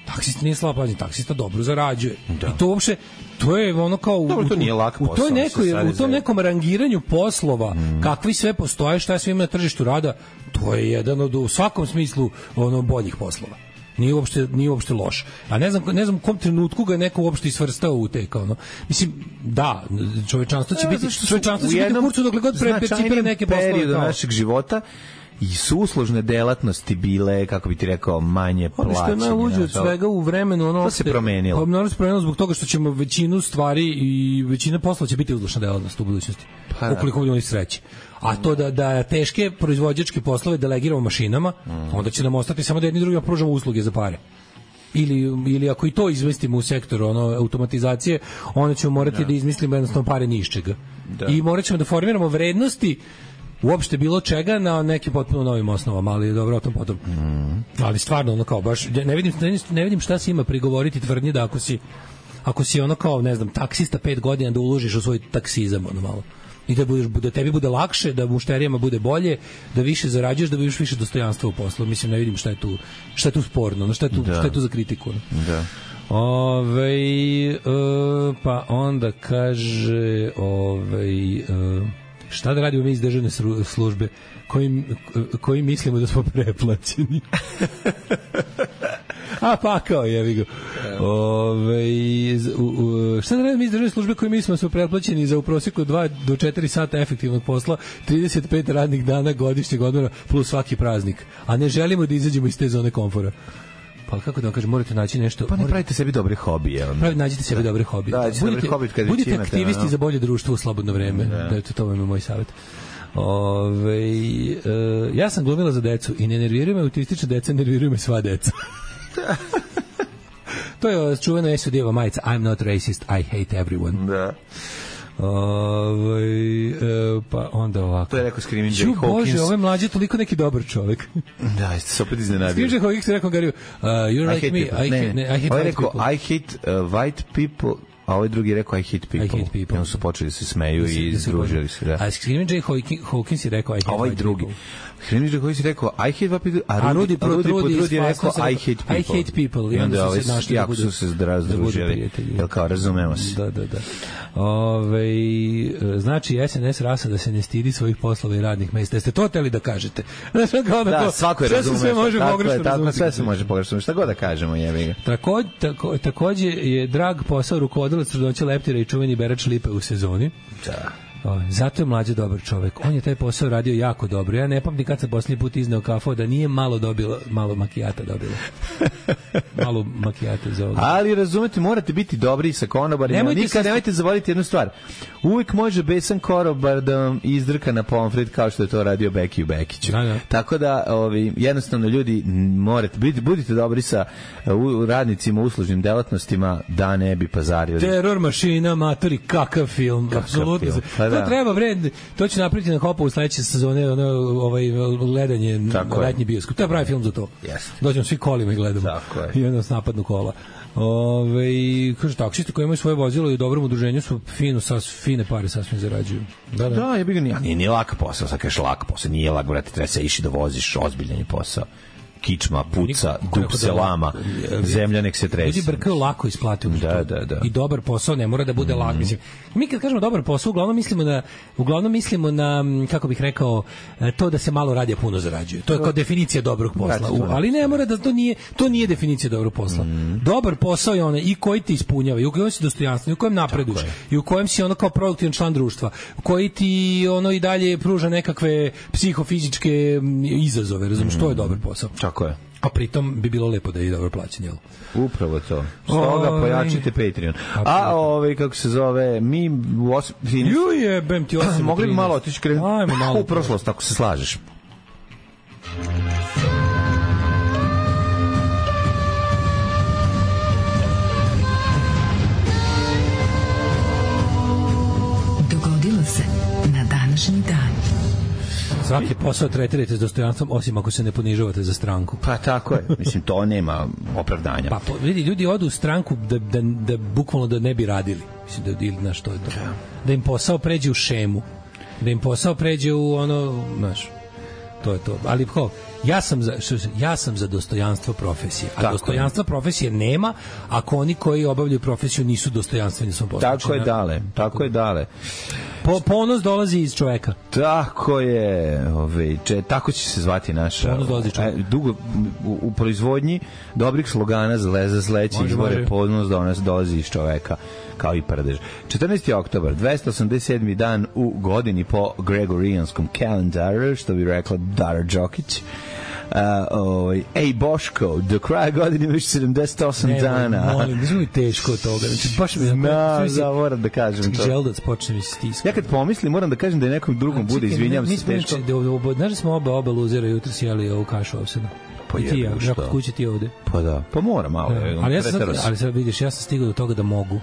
Taksista nije slabo plaćen, taksista dobro zarađuje. Da. I to uopšte, to je ono kao u, dobro, to nije lak posao, u, toj nekoj, u tom nekom rangiranju poslova, mm. kakvi sve postoje, šta sve ima na tržištu rada, to je jedan od u svakom smislu ono boljih poslova. Nije uopšte, nije uopšte loš. A ne znam, ne znam u kom trenutku ga je neko uopšte isvrstao u te kao ono. Mislim, da, čovečanstvo će biti, čovečanstvo će biti u kurcu dokle god percipira neke poslove do našeg života. I su uslužne delatnosti bile, kako bi ti rekao, manje plaćene. Ono što je najluđe od svega u vremenu, ono... To se promenilo. Pa mnogo se promenilo zbog toga što ćemo većinu stvari i većina posla će biti uslužna delatnost u budućnosti. Pa, ukoliko budemo i sreće. A to da, da teške proizvođačke poslove delegiramo mašinama, mm. onda će nam ostati samo da jedni drugima pružamo usluge za pare. Ili, ili ako i to izmestimo u sektor ono, automatizacije, onda ćemo morati da, da izmislimo jednostavno pare ni iz čega. Da. I morat ćemo da formiramo vrednosti uopšte bilo čega na nekim potpuno novim osnovama, ali dobro o tom potom. Mm. Ali stvarno ono kao baš ne vidim ne vidim šta se ima prigovoriti tvrdnji da ako si ako si ono kao ne znam taksista pet godina da uložiš u svoj taksizam ono malo. I da budeš da tebi bude lakše, da mušterijama bude bolje, da više zarađuješ, da budeš više dostojanstva u poslu. Mislim ne vidim šta je tu šta je tu sporno, no šta je tu da. šta je tu za kritiku. No? Da. Ovaj e, pa onda kaže ovaj e, šta da radimo mi iz državne službe koji, koji mislimo da smo preplaćeni. A pa kao jevi ga. Ove, šta da radimo mi iz državne službe koji mislimo da smo preplaćeni za u prosjeku dva do četiri sata efektivnog posla, trideset pet radnih dana godišnjeg odmora plus svaki praznik. A ne želimo da izađemo iz te zone komfora. Pa kako da vam kažem, morate naći nešto... Pa ne morate, pravite sebi dobre hobije. Pravi, nađite sebi da. dobre hobije. Da, budite, dobre kad budite aktivisti no. za bolje društvo u slobodno vreme. Da, da to, to vam je moj savjet. Ove, e, ja sam glumila za decu i ne nerviraju me autistična deca, nerviraju me sva deca. To je čuvena es o deva majica I'm not racist, I hate everyone. Da. Ove, e, pa onda ovako. To je rekao Screaming Jay Hawkins. Bože, ovo je mlađe toliko neki dobar čovjek. Da, jeste se opet iznenadio. Screaming Jay Hawkins je rekao Gariju, uh, you're like me, I, ne, hate, ne, I hate white rekao, people. I hate uh, white people, a ovaj drugi rekao I hate people. I hate people. I onda su počeli da se smeju da i združili se. Da. A Screaming Jay Hawkins je rekao I hate ovaj white drugi. people. Screaming Jay Hawkins je rekao I hate white people, a Rudi Potrudi je rekao I hate people. I hate people. I onda ovaj jako su se združili. Jel kao, razumemo se. Da, da, da. Ove, znači es en es rasa da se ne stidi svojih poslova i radnih mesta. Jeste to hteli da kažete? Znači, kao da, da svako je razumeo. Sve može pogrešno razumeti. Sve se može pogrešno. Šta god da kažemo, jebi ga. Tako, tako, takođe je drag posao rukovodilac trudnoće leptira i čuveni berač lipe u sezoni. Da. O, zato je mlađe dobar čovek. On je taj posao radio jako dobro. Ja ne pamtim kad sam posljednji put izneo kafu da nije malo dobila, malo makijata dobila. Malo makijata za ovo. Ali razumete, morate biti dobri sa konobarima. Nemojte Nikad se... nemojte zavoliti jednu stvar. Uvijek može besan konobar da vam izdrka na pomfrit kao što je to radio Beki u Bekiću. Da, da. Tako da ovi, jednostavno ljudi morate biti, budite dobri sa uh, radnicima, uslužnim delatnostima da ne bi pazarili. Teror mašina, matori, kakav film. Apsolutno. To da. treba vred, to će napraviti na Hopu u sledeće sezone, ono, ovaj, gledanje, letnji bioskop. To je pravi film za to. Yes. Dođemo svi kolima i gledamo. Tako je. I onda s napadnu kola. Ove, kaže, taksisti koji imaju svoje vozilo i u dobrom udruženju su fino, sas, fine pare sasvim zarađuju. Da, da. Da, ja bih ga nije, nije, nije lak posao, sad kažeš lak posao, nije lak, brate, treba se iši da voziš, ozbiljan je posao. Kičma, puca, dub se lama, zemlja nek se trese. Ljudi brkaju lako isplati. Da, da, da. I dobar posao ne mora da bude mm. lak. Mislim, mi kad kažemo dobar posao, uglavnom mislimo na, uglavnom mislimo na, kako bih rekao, to da se malo radi, a puno zarađuje. To je kao definicija dobrog posla. U, ali ne mora da to nije, to nije definicija dobrog posla. Mm. Dobar posao je onaj i koji ti ispunjava, i u kojem si dostojanstven, i u kojem napreduješ, i u kojem si ono kao produktivan član društva, koji ti ono i dalje pruža nekakve psihofizičke izazove, razumiješ, mm. to je dobar posao. Tako je. A pritom bi bilo lepo da je dobro plaćen, jel? Upravo to. Stoga pojačite Patreon. A ovaj kako se zove, mi u osam... Ju jebem ti osam. Mogli bi malo otići krenuti Ajmo malo u prošlost, ako se slažeš. Svaki posao tretirajte s dostojanstvom, osim ako se ne ponižavate za stranku. Pa tako je. Mislim, to nema opravdanja. Pa po, vidi, ljudi odu u stranku da, da, da bukvalno da ne bi radili. Mislim da ili na što je to. Da im posao pređe u šemu. Da im posao pređe u ono, znaš, to je to. Ali ko? Ja sam za što, ja sam za dostojanstvo profesije. A tako dostojanstva je. Profesije nema ako oni koji obavljaju profesiju nisu dostojanstveni svom poslu. Tako je dale, tako je dale. Po, ponos dolazi iz čoveka. Tako je, ovaj, če, tako će se zvati naša. Ponos dolazi iz čoveka. Dugo u, u proizvodnji dobrih slogana za za sledeće izbore ponos dolazi iz čoveka, kao i prdež. četrnaesti oktobar, dvesta osamdeset sedmi dan u godini po Gregorijanskom kalendaru, što bi rekla Dara Đokić. Uh, ovaj, ej Boško, do kraja godine imaš sedamdeset osam ne, dana. Molim, ne znam teško od toga. Znači, baš mi da, da, moram da kažem to. Želudac počne mi stiskati. Ja kad pomislim, moram da kažem da je nekom drugom bude, izvinjam se teško. Znaš da smo oba, oba luzera jutro sjeli ovu kašu ovseda? Pa I ti, ja, ja kod kuće ti ovde. Pa da, pa mora malo. Ja, ali, ja sad, ali sad vidiš, ja sam stigao do toga da mogu.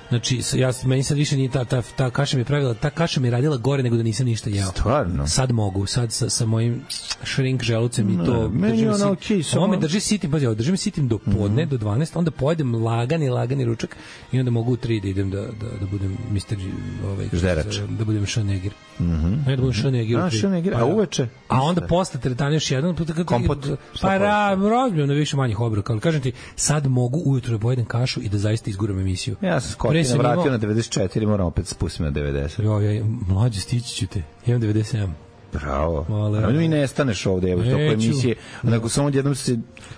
Znači, ja, meni sad više nije ta, ta, ta kaša mi je pravila, ta kaša mi je radila gore nego da nisam ništa jeo. Stvarno? Sad mogu, sad sa, sa mojim shrink želucem i to... Ne, meni ona okej, samo... Ovo me drži sitim, pazi, ovo drži me sitim do podne, mm-hmm. do dvanaest, onda pojedem lagani, lagani ručak i onda mogu u tri da idem da, da, da budem mister Ovaj, Žderač. Da budem Schwarzenegger. Mm-hmm. Ne, da budem Schwarzenegger. A, Schwarzenegger, a uveče? A onda posle teretana još jedan... Kompot? Pa razbijem na više manjih obroka, ali kažem ti, sad mogu ujutro da pojedem kašu i da zaista izguram emisiju. Ja sam skotina vratio na devedeset četiri, moram opet spustiti na devedeset. Jo, ja, mlađe, stići ću te. Imam devedeset sedam. Bravo. Ali mi ne staneš ovde, evo, toko emisije. Nego samo jednom se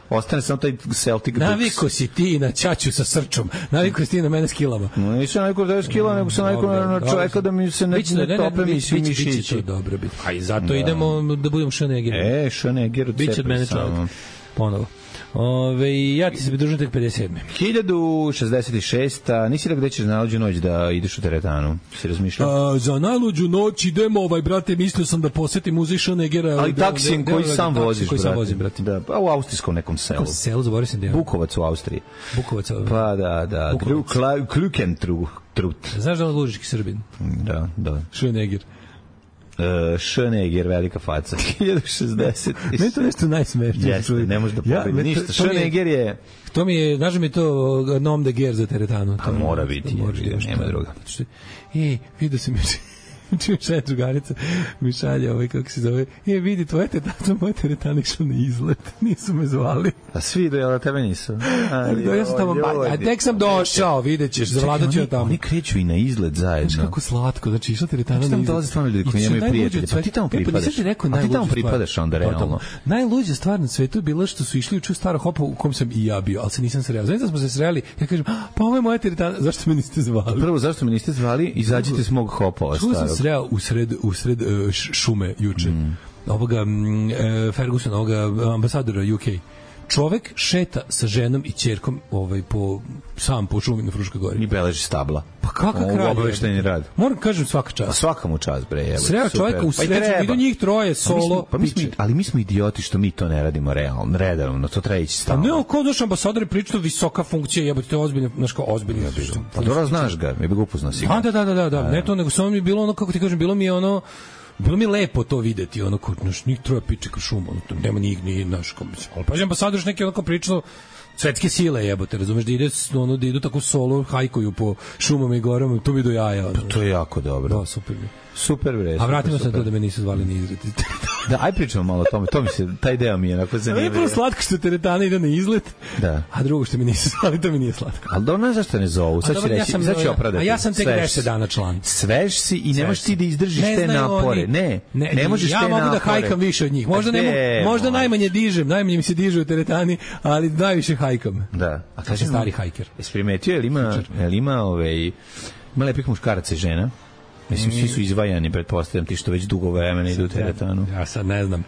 ostane samo taj Celtic Dukes. Naviko si ti na ćaću sa srčom. Naviko si ti na mene s kilama. No, nisam naviko da je s kilama, nego sam naviko na čoveka da mi se ne, ne tope misiju mišići. Biće to dobro biti. A i zato idemo da budemo Schwarzenegger. E, Schwarzenegger. Biće od mene čovjek. Ponovo. Ove, ja ti se pridružujem tek pedeset sedme. hiljadu šezdeset šesta. Nisi rekao gde ćeš na najluđu noć da ideš u teretanu? Si razmišljao? A, za najluđu noć idemo, ovaj, brate, mislio sam da posetim muzej Schwarzeneggera. Ali da, taksim koji sam voziš, koji brate. Sam vozim, brate. Da, pa u austrijskom nekom selu. Kako selu, zaboravio sam da je. Bukovac u Austriji. Bukovac. Pa da, da. Klukentrut. Znaš da je lužički Srbin? Da, da. Schwarzenegger. Uh, Schwarzenegger, velika faca. hiljadu šezdeset. Meni to nešto najsmešnije. Jeste, ne može da pobedi. Ja, ništa. Schwarzenegger je... To mi je, znaš mi to nom de guerre za teretanu. Pa mora biti, je, nema druga. E, vidio sam još... čim šalje drugarica, mi šalje ovaj, kako se zove, e, vidi, tvoje teretana, moje teretana išla na izlet, nisu me zvali. A svi do jel, tebe nisu? A, ja sam tamo, ba, a tek sam došao, vidjet ćeš, zavladat ću ja tamo. Oni kreću i na izlet zajedno. Znaš kako slatko, znači išla teretana na izlet. Tamo dolaze stvarno ljudi koji nemaju prijatelje, pa ti tamo pripadaš. A ti tamo pripadaš onda, realno. Najluđa stvar na svetu je bila što su išli u ču staro hopa u kom sam i ja bio, ali se nisam sreo. Znači da smo se sreli, ja kažem, pa ovo je moja teretana, zašto me niste zvali? Prvo, zašto me niste zvali, izađite s mog hopova starog. Sreo u sred, u sred uh, šume juče. Mm. Ovoga uh, Ferguson, ovoga ambasadora U K. Čovek šeta sa ženom i ćerkom ovaj po sam po šumi na Fruškoj gori. I beleži stabla. Pa kakav kraj? Obaveštajni rad. Moram kažem svaka čast. A svaka mu čast bre, evo. Sreo čoveka u sreću, idu njih troje solo. Pa mi smo, ali mi smo idioti što mi to ne radimo realno, redovno, to treba ići stalno. Pa ne, kao doš ambasador priča visoka funkcija, jebote, to je ozbiljno, znaš kao ozbiljno. Pa dobro znaš ga, mi bi ga upoznao sigurno. Da, da, da, da, da, ne to nego samo mi je bilo ono kako ti kažem, bilo mi je ono bilo mi je lepo to videti, ono kod naš njih troje piče kao šuma, ono nema njih ni naš komisija. Ali pa ambasador neki onako pričao svetske sile, jebote, razumeš da ide ono da idu tako solo hajkuju po šumama i gorama, to mi do jaja. Pa to je jako dobro. Da, super. Super bre. A vratimo se to da me nisu zvali ni izlet. Da, aj pričamo malo o tome. To mi se taj deo mi je onako zanimljiv. Ne, slatko što teretana ide na izlet. Da. A drugo što mi nisu zvali, to mi nije slatko. Al dobro, zašto ne zovu? Sad će reći, sad će opravdati. A ja sam tek deset dana član. Svež si i nemaš ti da izdržiš te napore. Ne, ne možeš te napore. Ja mogu da hajkam više od njih. Možda ne, možda najmanje dižem, najmanje mi se diže u teretani, ali najviše hajkam. Da. A kaže stari hajker. Jesi primetio, jel ima, jel ima ovaj ima lepih muškaraca i žena? Mislim, svi su izvajani, pretpostavljam ti što već dugo vremena idu u teretanu. Ja sad ne znam.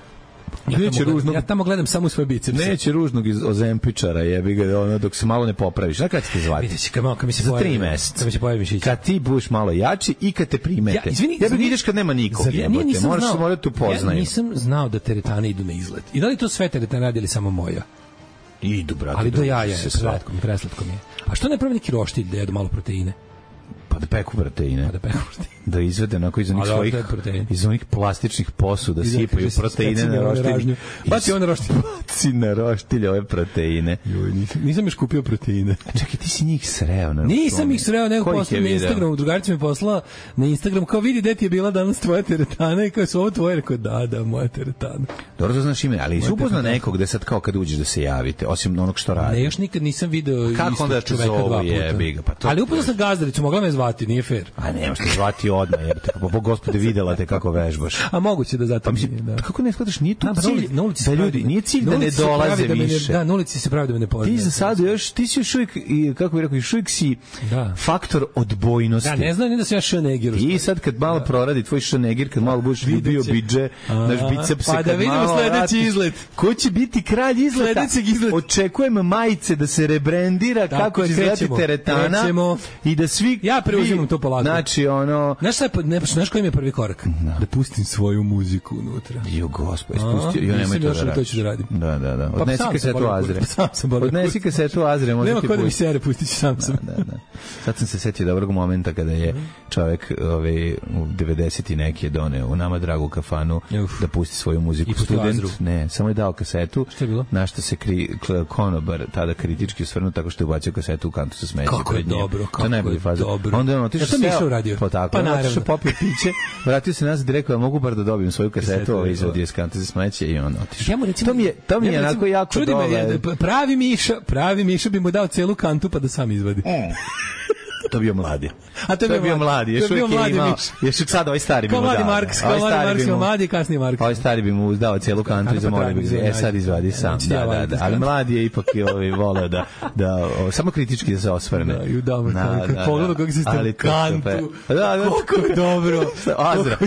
Ja neće tamo, ružnog, ja tamo gledam samo svoje bicepse. Neće ružnog iz Ozempičara, jebi ga, ono, dok se malo ne popraviš. Znaš kada će te zvati? Vidjet kad, kad mi se za pojavi, tri meseca. Kad mi se pojavi mišić. Kad ti budeš malo jači i kad te primete. Ja, izvini, ja ideš kad nema nikog, jebote. Moraš se morati upoznaju. Ja nisam znao da teretane idu na izlet. I da li to sve teretane radi ili samo moja? Idu, brate. Ali do jaja je, preslatko mi, preslatko mi je. A što ne pravi neki roštilj da jedu malo proteine? Pa Pa da peku proteine. Pa da peku proteine. Da izvede onako iz onih svojih, iz onih plastičnih posuda, sipaju proteine na roštilj. Baci on na roštilj. Baci na roštilj ove proteine. Joj, nisam, nisam još kupio proteine. A čekaj, ti si njih sreo na Nisam ih sreo, nego poslao na Instagramu. Drugarica mi poslala na Instagram, kao vidi gde ti je bila danas tvoja teretana i kao su ovo tvoje, rekao da, da, moja teretana. Dobro, to znaš ime, ali si upoznao nekog gde sad kao kad uđeš da se javite, osim onog što radi. Ne, još nikad nisam video istog čoveka dva puta. Pa ali upoznao sam gazdaricu, mogla me zvati, nije fair. A ne, možete zvati odmah, jer te, po gospode, videla te kako vežbaš. A moguće da zato pa, mislim, da. Kako ne shvataš, nije tu cilj na ulici da ljudi, nije cilj da ne dolaze više. Da, na ulici se pravi da me ne poznaje. Ti za sad još, ti si još uvijek, kako bih rekao, još uvijek si faktor odbojnosti. Da, ne znam ni da se ja šanegir. I sad kad malo proradi tvoj šanegir, kad malo budeš bio bidže, naš bicepse, pa da vidimo sledeći izlet. Ko će biti kralj izleta? Očekujem majice da se rebrandira, kako će izgledati teretana i da svi... Ja preuzimam to polako. Znači, ono... Znaš šta, znaš koji mi je prvi korak? Da pustim svoju muziku unutra. Jo, gospod, ispustio. Jo, nemoj to da radim. To ću da radim. Da, da, da. Odnesi kasetu Azre. Odnesi kasetu Azre. Nema kod da mi sere, pustit ću sam sam. Da, da. Sad sam se setio dobrog momenta kada je čovek ovaj, u devedeset i neki je doneo u nama dragu kafanu da pusti svoju muziku. Student, ne, samo je dao kasetu. Šta je bilo? Na što se kri, konobar tada kritički osvrnuo tako što je ubacio kasetu u kantu sa smeće. Kako je dobro, kako je dobro. Onda je on otišao ja to uradio. Pa tako, pa otišao popio piće, vratio se nazad i rekao, mogu bar da dobijem svoju kasetu, ovaj izvodio iz kante za smeće i on otišao. Ja recimo, to mi je, to mi je onako jako dobro. Pravi Miša, pravi Miša bi mu dao celu kantu pa da sam izvadi. To bio mladi. A to je bio mladi. Još uvijek je imao, još sad ovaj stari bi mu dao. Kao mladi Marks, kao mladi Marks, mladi kasnije Marks. Ovaj stari bi mu dao cijelu kantu i zamolio bi ga, e sad izvadi sam. Da, da, da. Ali mladi je ipak i ovaj voleo da, da samo kritički da se osvrne. Da, i udamo. Pogledaj kako se stavio kantu. Koliko je dobro. Azra.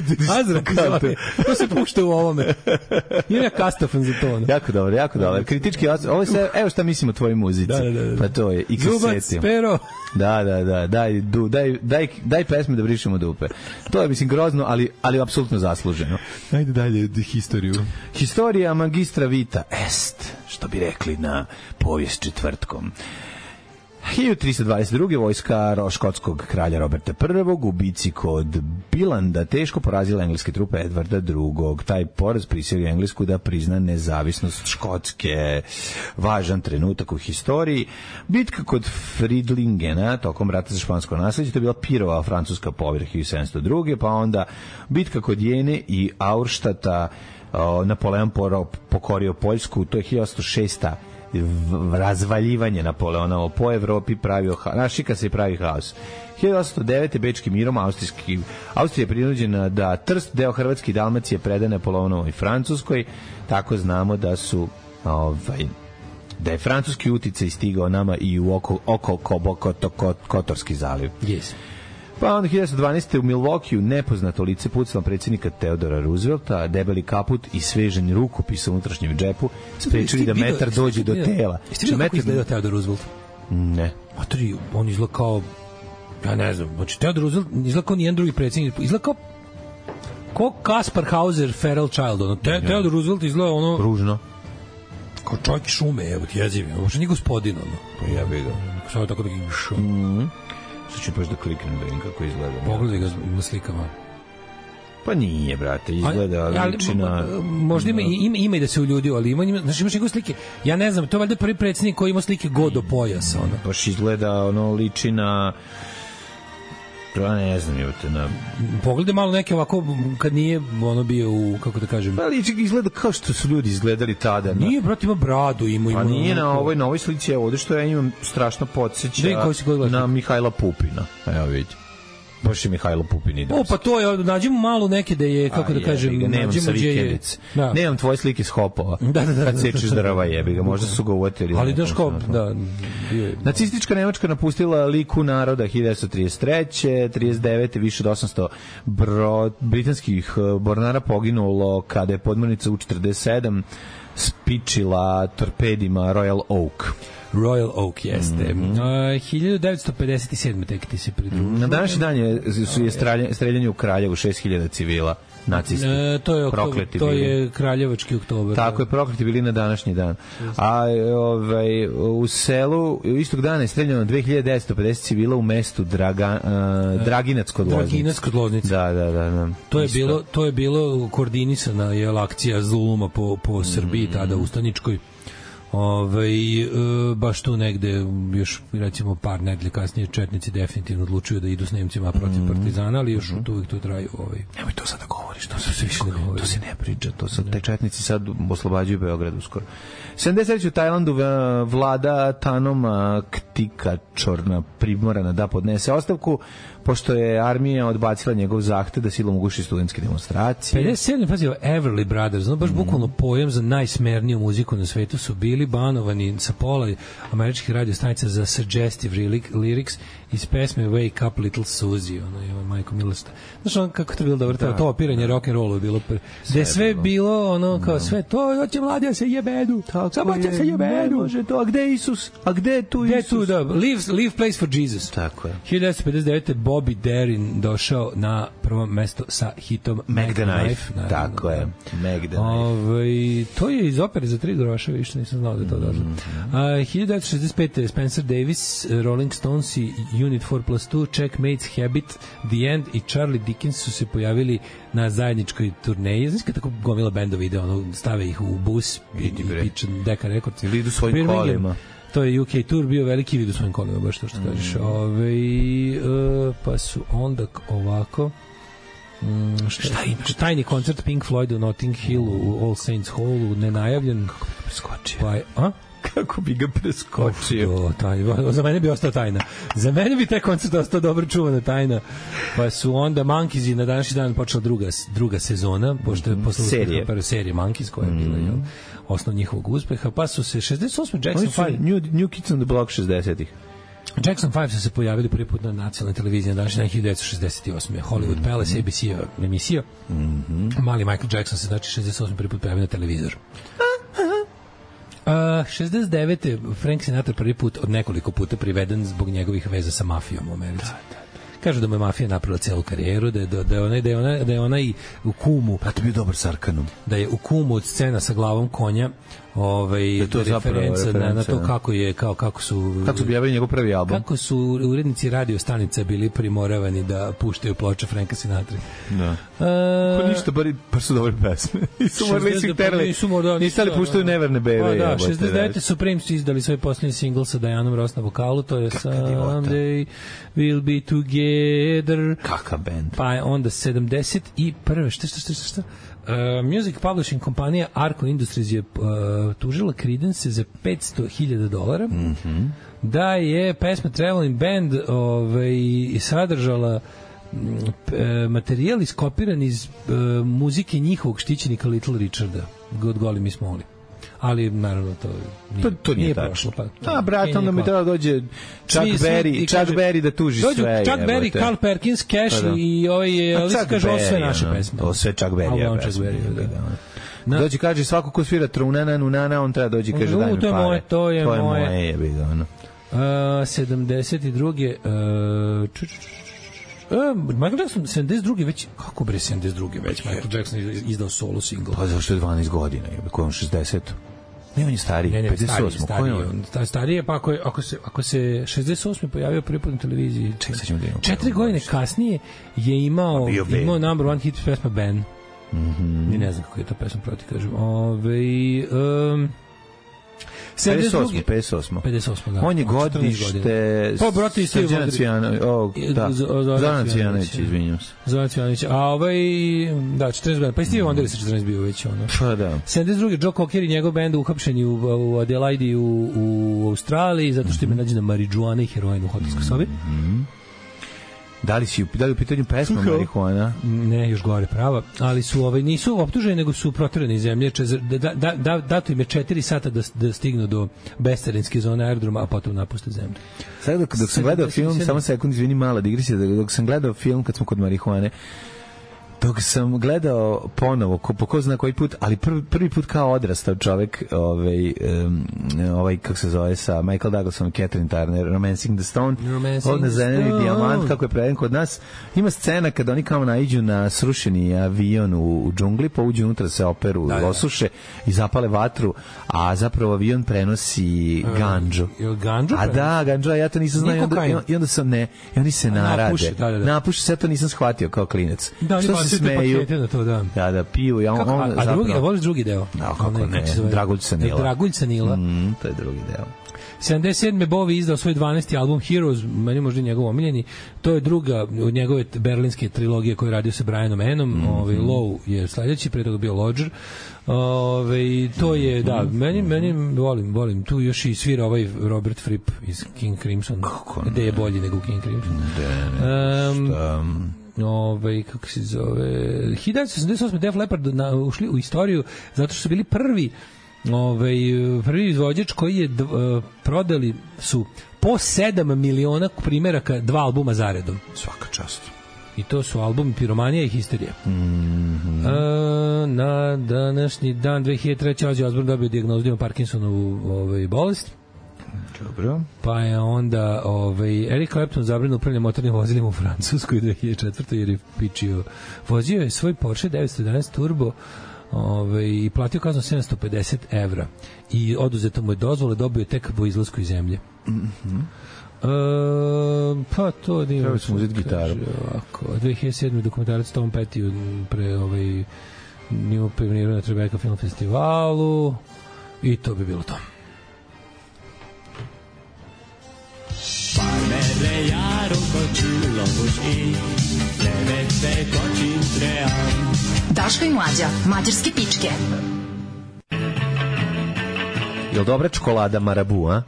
Azra kantu. To se pušta u ovome. Ima ja kastofan za to. Jako dobro, jako dobro. Kritički, ovo se, evo šta mislim o tvojoj muzici. Pa to je i kaseti. Zubac, pero. Da, da, da, daj, du, daj, daj, daj pesme da brišemo dupe. To je, mislim, grozno, ali, ali apsolutno zasluženo. Ajde dalje, historiju. Historija magistra vita est, što bi rekli na povijest četvrtkom. hiljadu tristo dvadeset druge vojska škotskog kralja Roberta Prvog u bici kod Bilanda teško porazila engleske trupe Edvarda Drugog. Taj poraz prisilio Englesku da prizna nezavisnost Škotske. Važan trenutak u historiji. Bitka kod Fridlingena tokom rata za špansko nasleđe, to je bila Pirova francuska pobjeda hiljadu sedamsto druge. Pa onda bitka kod Jene i Aurštata, Napoleon pokorio Poljsku, to je hiljadu osamsto šeste razvaljivanje Napoleona po Evropi pravio haos. Našika se pravi haos. hiljadu osamsto devete bečkim mirom austrijski Austrija je prinuđena da Trst, deo Hrvatske i Dalmacije preda Napoleonovoj Francuskoj. Tako znamo da su ovaj da je francuski uticaj stigao nama i u oko oko Kotorski zaliv. Yes. Pa onda hiljadu devetsto dvanaeste u Milwaukeeu nepoznato lice pucalo predsjednika Teodora Roosevelta, debeli kaput i svežanj rukopis u unutrašnjem džepu sprečili da metar dođe do tela. Jeste vidio kako izgledao Teodor Roosevelt? Ne. Matori, on izgleda kao, ja ne znam, znači Teodor Roosevelt izgleda kao nijedan drugi predsjednik, izgleda kao kao Kaspar Hauser, Feral Child, ono, Te, Teodor Roosevelt izgleda ono... Ružno. Kao čovjek šume, evo ti jeziv, uopšte nije gospodin, ono. Pa ja bih ga. Samo tako da ga išao. Mm. Sad ću baš da kliknem da vidim kako izgleda. Pogledaj ga na slikama. Pa nije, brate, izgleda liči na... Možda ima, ima, ima i da se uljudio, ali ima, ima, znaš, imaš njegove slike, ja ne znam, to je valjda prvi predsjednik koji ima slike go do pojasa, ono. Baš izgleda, ono, liči na... Ja ne znam, evo te na... Pogledaj malo neke ovako, kad nije ono bio u, kako da kažem... Pa liči izgleda kao što su ljudi izgledali tada. Na... Nije, brate, ima bradu, ima... ima pa nije na ovoj novoj slici, evo, ovdje što ja imam strašno podsjeća na Mihajla Pupina. Evo vidi. Baš je Mihajlo Pupin ide. O, pa to je, nađemo malo neke da je, kako da kažem, nemam sa vikendice. Da. Nemam tvoje slike s hopova. Da, da, da. Kad sečeš drva, jebi ga, možda su ga uvatili. Ali daš hop, da. Nacistička Nemačka napustila liku naroda hiljadu devetsto trideset treće trideset devete više od osamsto bro, britanskih mornara poginulo kada je podmornica U četrdeset sedam spičila torpedima Royal Oak. Royal Oak jeste. Mm -hmm. uh, hiljadu devetsto pedeset sedme tek ti se pridružio. Na današnji dan je, su je streljanje, streljanje u Kraljevu šest hiljada civila. Nacisti. E, to je oktober, to bili. je kraljevački oktober. Tako je, prokleti bili na današnji dan. A ovaj u selu istog dana je streljano dve hiljade devetsto pedeset civila u mestu Draga, uh, Draginac kod Loznice. Draginac kod Loznice. Da, da, da, da. To je Isto. bilo to je bilo koordinisana je akcija zuluma po po Srbiji mm. tada ustaničkoj. Ovaj e, baš tu negde još recimo par nedelje kasnije četnici definitivno odlučuju da idu s Nemcima protiv partizana, ali još mm. uvijek to traju ovaj. Nemoj to sada govoriš, to se više ne govori. To se ne priča, to sad te četnici sad oslobađaju Beograd uskoro. sedamdeset treće u Tajlandu vlada Tanoma Ktikačorna primorana da podnese ostavku pošto je armija odbacila njegov zahtev da silom uguši studentske demonstracije. pedeset sedam pazio, Everly Brothers, no baš mm. bukvalno pojam za najsmerniju muziku na svetu su bili banovani sa pola američkih radio stanica za suggestive lyrics iz pesme Wake Up Little Susie, ono je majko milosta. Znaš on kako to bilo dobro, da, to opiranje da. rock and rollu je bilo, pre... sve je sve bilo, bilo ono kao no. sve to, hoće mladi da se jebedu, samo će se jebedu. Može to, a gde je Isus? A gde je tu Isus? Tu, da, leave, leave place for Jesus. Tako je. hiljadu devetsto pedeset devete Bobby Darin došao na prvo mesto sa hitom Meg the Knife. Tako je, Meg the Knife. Ove, to je iz opere za tri groša, više nisam znao da je to došlo. Mm -hmm. hiljadu devetsto šezdeset pete Spencer Davis, Rolling Stones i Unit four plus two, Checkmates, Habit, The End i Charlie Dickens su se pojavili na zajedničkoj turneji. Znaš kada tako gomila bendova ide, ono, stave ih u bus i, i piče Deka Records. Ili idu svojim kolima. To je U K Tour bio veliki vid u svojim kolima, baš to što mm. kažeš. Ove, uh, pa su onda ovako... Mm, šta, šta imaš? Tajni koncert Pink Floyd u Notting Hill u All Saints Hallu, nenajavljen. Kako bi ga preskočio? Pa, a? Kako bi ga preskočio? Uf, to, tajna. Za mene bi ostao tajna. Za mene bi taj koncert ostao dobro čuvana tajna. Pa su onda Monkeys na današnji dan počela druga, druga sezona, pošto je posle serije. Prve serije Monkeys koja je bila, jel? Osnov njihovog uspeha, pa su se šezdeset osme Jackson five New, New Kids on the Block šezdesetih Jackson five su se pojavili prvi put na nacionalnoj televiziji na današnji hiljadu devetsto šezdeset osme Hollywood mm -hmm. Palace, A B C emisija. Mm -hmm. Mali Michael Jackson se znači šezdeset osme prvi put pojavio na televizoru. Uh, šezdeset devete Frank Sinatra prvi put od nekoliko puta priveden zbog njegovih veza sa mafijom u Americi. Da, da. Kažu da mu je mafija napravila celu karijeru, da je, da je, ona, da je, ona, da je ona i u Kumu... Pa to bi dobar Sarkanom. Da je u Kumu od scena sa glavom konja ovaj, da to referenca na, na to kako je, kao, kako su... Kako su objavili njegov prvi album. Kako su urednici radio stanica bili primoravani da puštaju ploče Franka Sinatra. Da. Uh, pa ništa, bar, bar su dobre pesme. Nisu morali si terali. Nisu morali. Nisu ali puštaju Neverne bebe. Pa da, šezdeset devete Supreme su izdali svoj posljednji singl sa Dianom Ross na vokalu, to je Someday We'll Be Together. Kaka band. Pa je onda sedamdeset prve Šta, šta, šta, šta? Uh, music publishing kompanija Arco Industries je uh, tužila Creedence za petsto hiljada dolara mm -hmm. da je pesma Traveling Band ovaj, sadržala materijal iskopiran iz uh, muzike njihovog štićenika Little Richarda God Golly Miss Molly. Ali naravno to nije, to, to nije, nije prošlo. Pa, a brat, onda mi treba dođe Chuck svi, Berry, svi, Chuck Berry da tuži dođu sve. Chuck Berry, Carl Perkins, Cash pa, da. i ovaj Elvis kaže ovo sve naše no, pesme. To sve Chuck Berry. Ja, Chuck Berry, da. da. Dođe kaže svako ko svira trunana, nunana, on treba dođi kaže daj mi pare. Moje, to je moje. To je moje, jebi ga ono. Uh, sedamdeset druge Uh, ču, ču, ču, Uh, Michael Jackson sedamdeset druge već kako bre sedamdeset druge već Michael Jackson izdao solo single. Pa zašto je dvanaest godina, je ko on šezdeset. Ne, on je stariji, ne, ne, pedeset osam stariji, on stariji, pa ako, je, ako, se, ako se šezdeset osme pojavio prvi put na televiziji, ček, sad ćemo da imamo. Četiri godine kasnije je imao, imao number one hit pesma Ben. Mm -hmm. Ni ne znam kako je ta pesma proti, kažem. Ove, um, pedeset osam pedeset osam pedeset osam da. On je godište pa brate isto Zoran Cvijanović, o da. Zoran Cvijanović, izvinjavam se. Zoran Cvijanović. A ovaj da četrnaest godina. Pa i Steve Wonder sa četrnaest bio već ono. Pa da. sedamdeset druge Joe Cocker i njegov bend uhapšeni u, u Adelaide u, u Australiji zato što im je nađena marijuana i heroin u hotelskoj sobi. Mhm. Da li si da li u pitanju pesma marihuana? Ne, još gore prava, ali su ovaj nisu optuženi nego su proterani iz zemlje, da da da dato im je četiri sata da da stignu do bescarinske zone aerodroma, a potom napuste zemlju. Sad dok, dok sam gledao film, samo sekund, izvini, mala digresija, dok sam gledao film kad smo kod marihuane, dok sam gledao ponovo, ko, po ko zna koji put, ali prvi, prvi put kao odrastao čovek, ovaj, um, ovaj, kako se zove, sa Michael Douglasom i Catherine Turner, Romancing the Stone, od Nazeneni dijamant, kako je preveden kod nas. Ima scena kada oni kao naiđu na srušeni avion u, u džungli, pa uđu unutra, se operu, da, osuše i zapale vatru, a zapravo avion prenosi ganđu. Jel ganđu? A da, ganđu, ja to nisam znao. I onda, i onda sam, ne, i oni se narade. Napuši, da, da, da. Napuši, sve to nisam shvatio kao klinac. Da, što se smeju. Na to, da. Da, da, piju. Ja, on, kako, a, a zapravo, drugi, a voliš drugi deo? Da, kako ne, ne Dragulj Sanila. Dragulj Sanila. Mm, to je drugi deo. sedamdeset sedme Bowie izdao svoj dvanaesti album Heroes, meni možda njegov omiljeni. To je druga od njegove berlinske trilogije koju je radio sa Brianom Enom. Mm -hmm. Ovaj Low je sledeći, pre toga bio Lodger. Ove, to je, da, meni, meni volim, volim. Tu još i svira ovaj Robert Fripp iz King Crimson. Gde je bolji nego King Crimson. De, ne, um, šta... Ove, kako se zove, hiljadu devetsto osamdeset osme Def Leppard na, ušli u istoriju zato što su bili prvi ovaj, prvi izvođač koji je d, uh, prodali su po sedam miliona primjeraka dva albuma zaredom. Svaka čast. I to su albumi Piromanija i Histerija. Mm -hmm. A, na današnji dan dve hiljade treće. Ozzy Osbourne dobio dijagnozu da ima Parkinsonovu ovaj, bolest. Dobro. Pa je onda ovaj, Eric Clapton zabrano upravljanje motornim vozilima u Francuskoj dve hiljade četvrte. jer je pičio. Vozio je svoj Porsche devetsto jedanaest Turbo ovaj, i platio kaznu sedamsto pedeset evra. I oduzeto mu je dozvole, dobio je tek po izlasku iz zemlje. Mhm. Uh, pa to da treba smo uzeti gitaru. Ovako, dve hiljade sedme dokumentarac Tom Petty pre ovaj nju pionirao na Tribeca Film Festivalu i to bi bilo to. Daško i Mlađa, mađarske pičke. Jel dobra čokolada Marabu, a?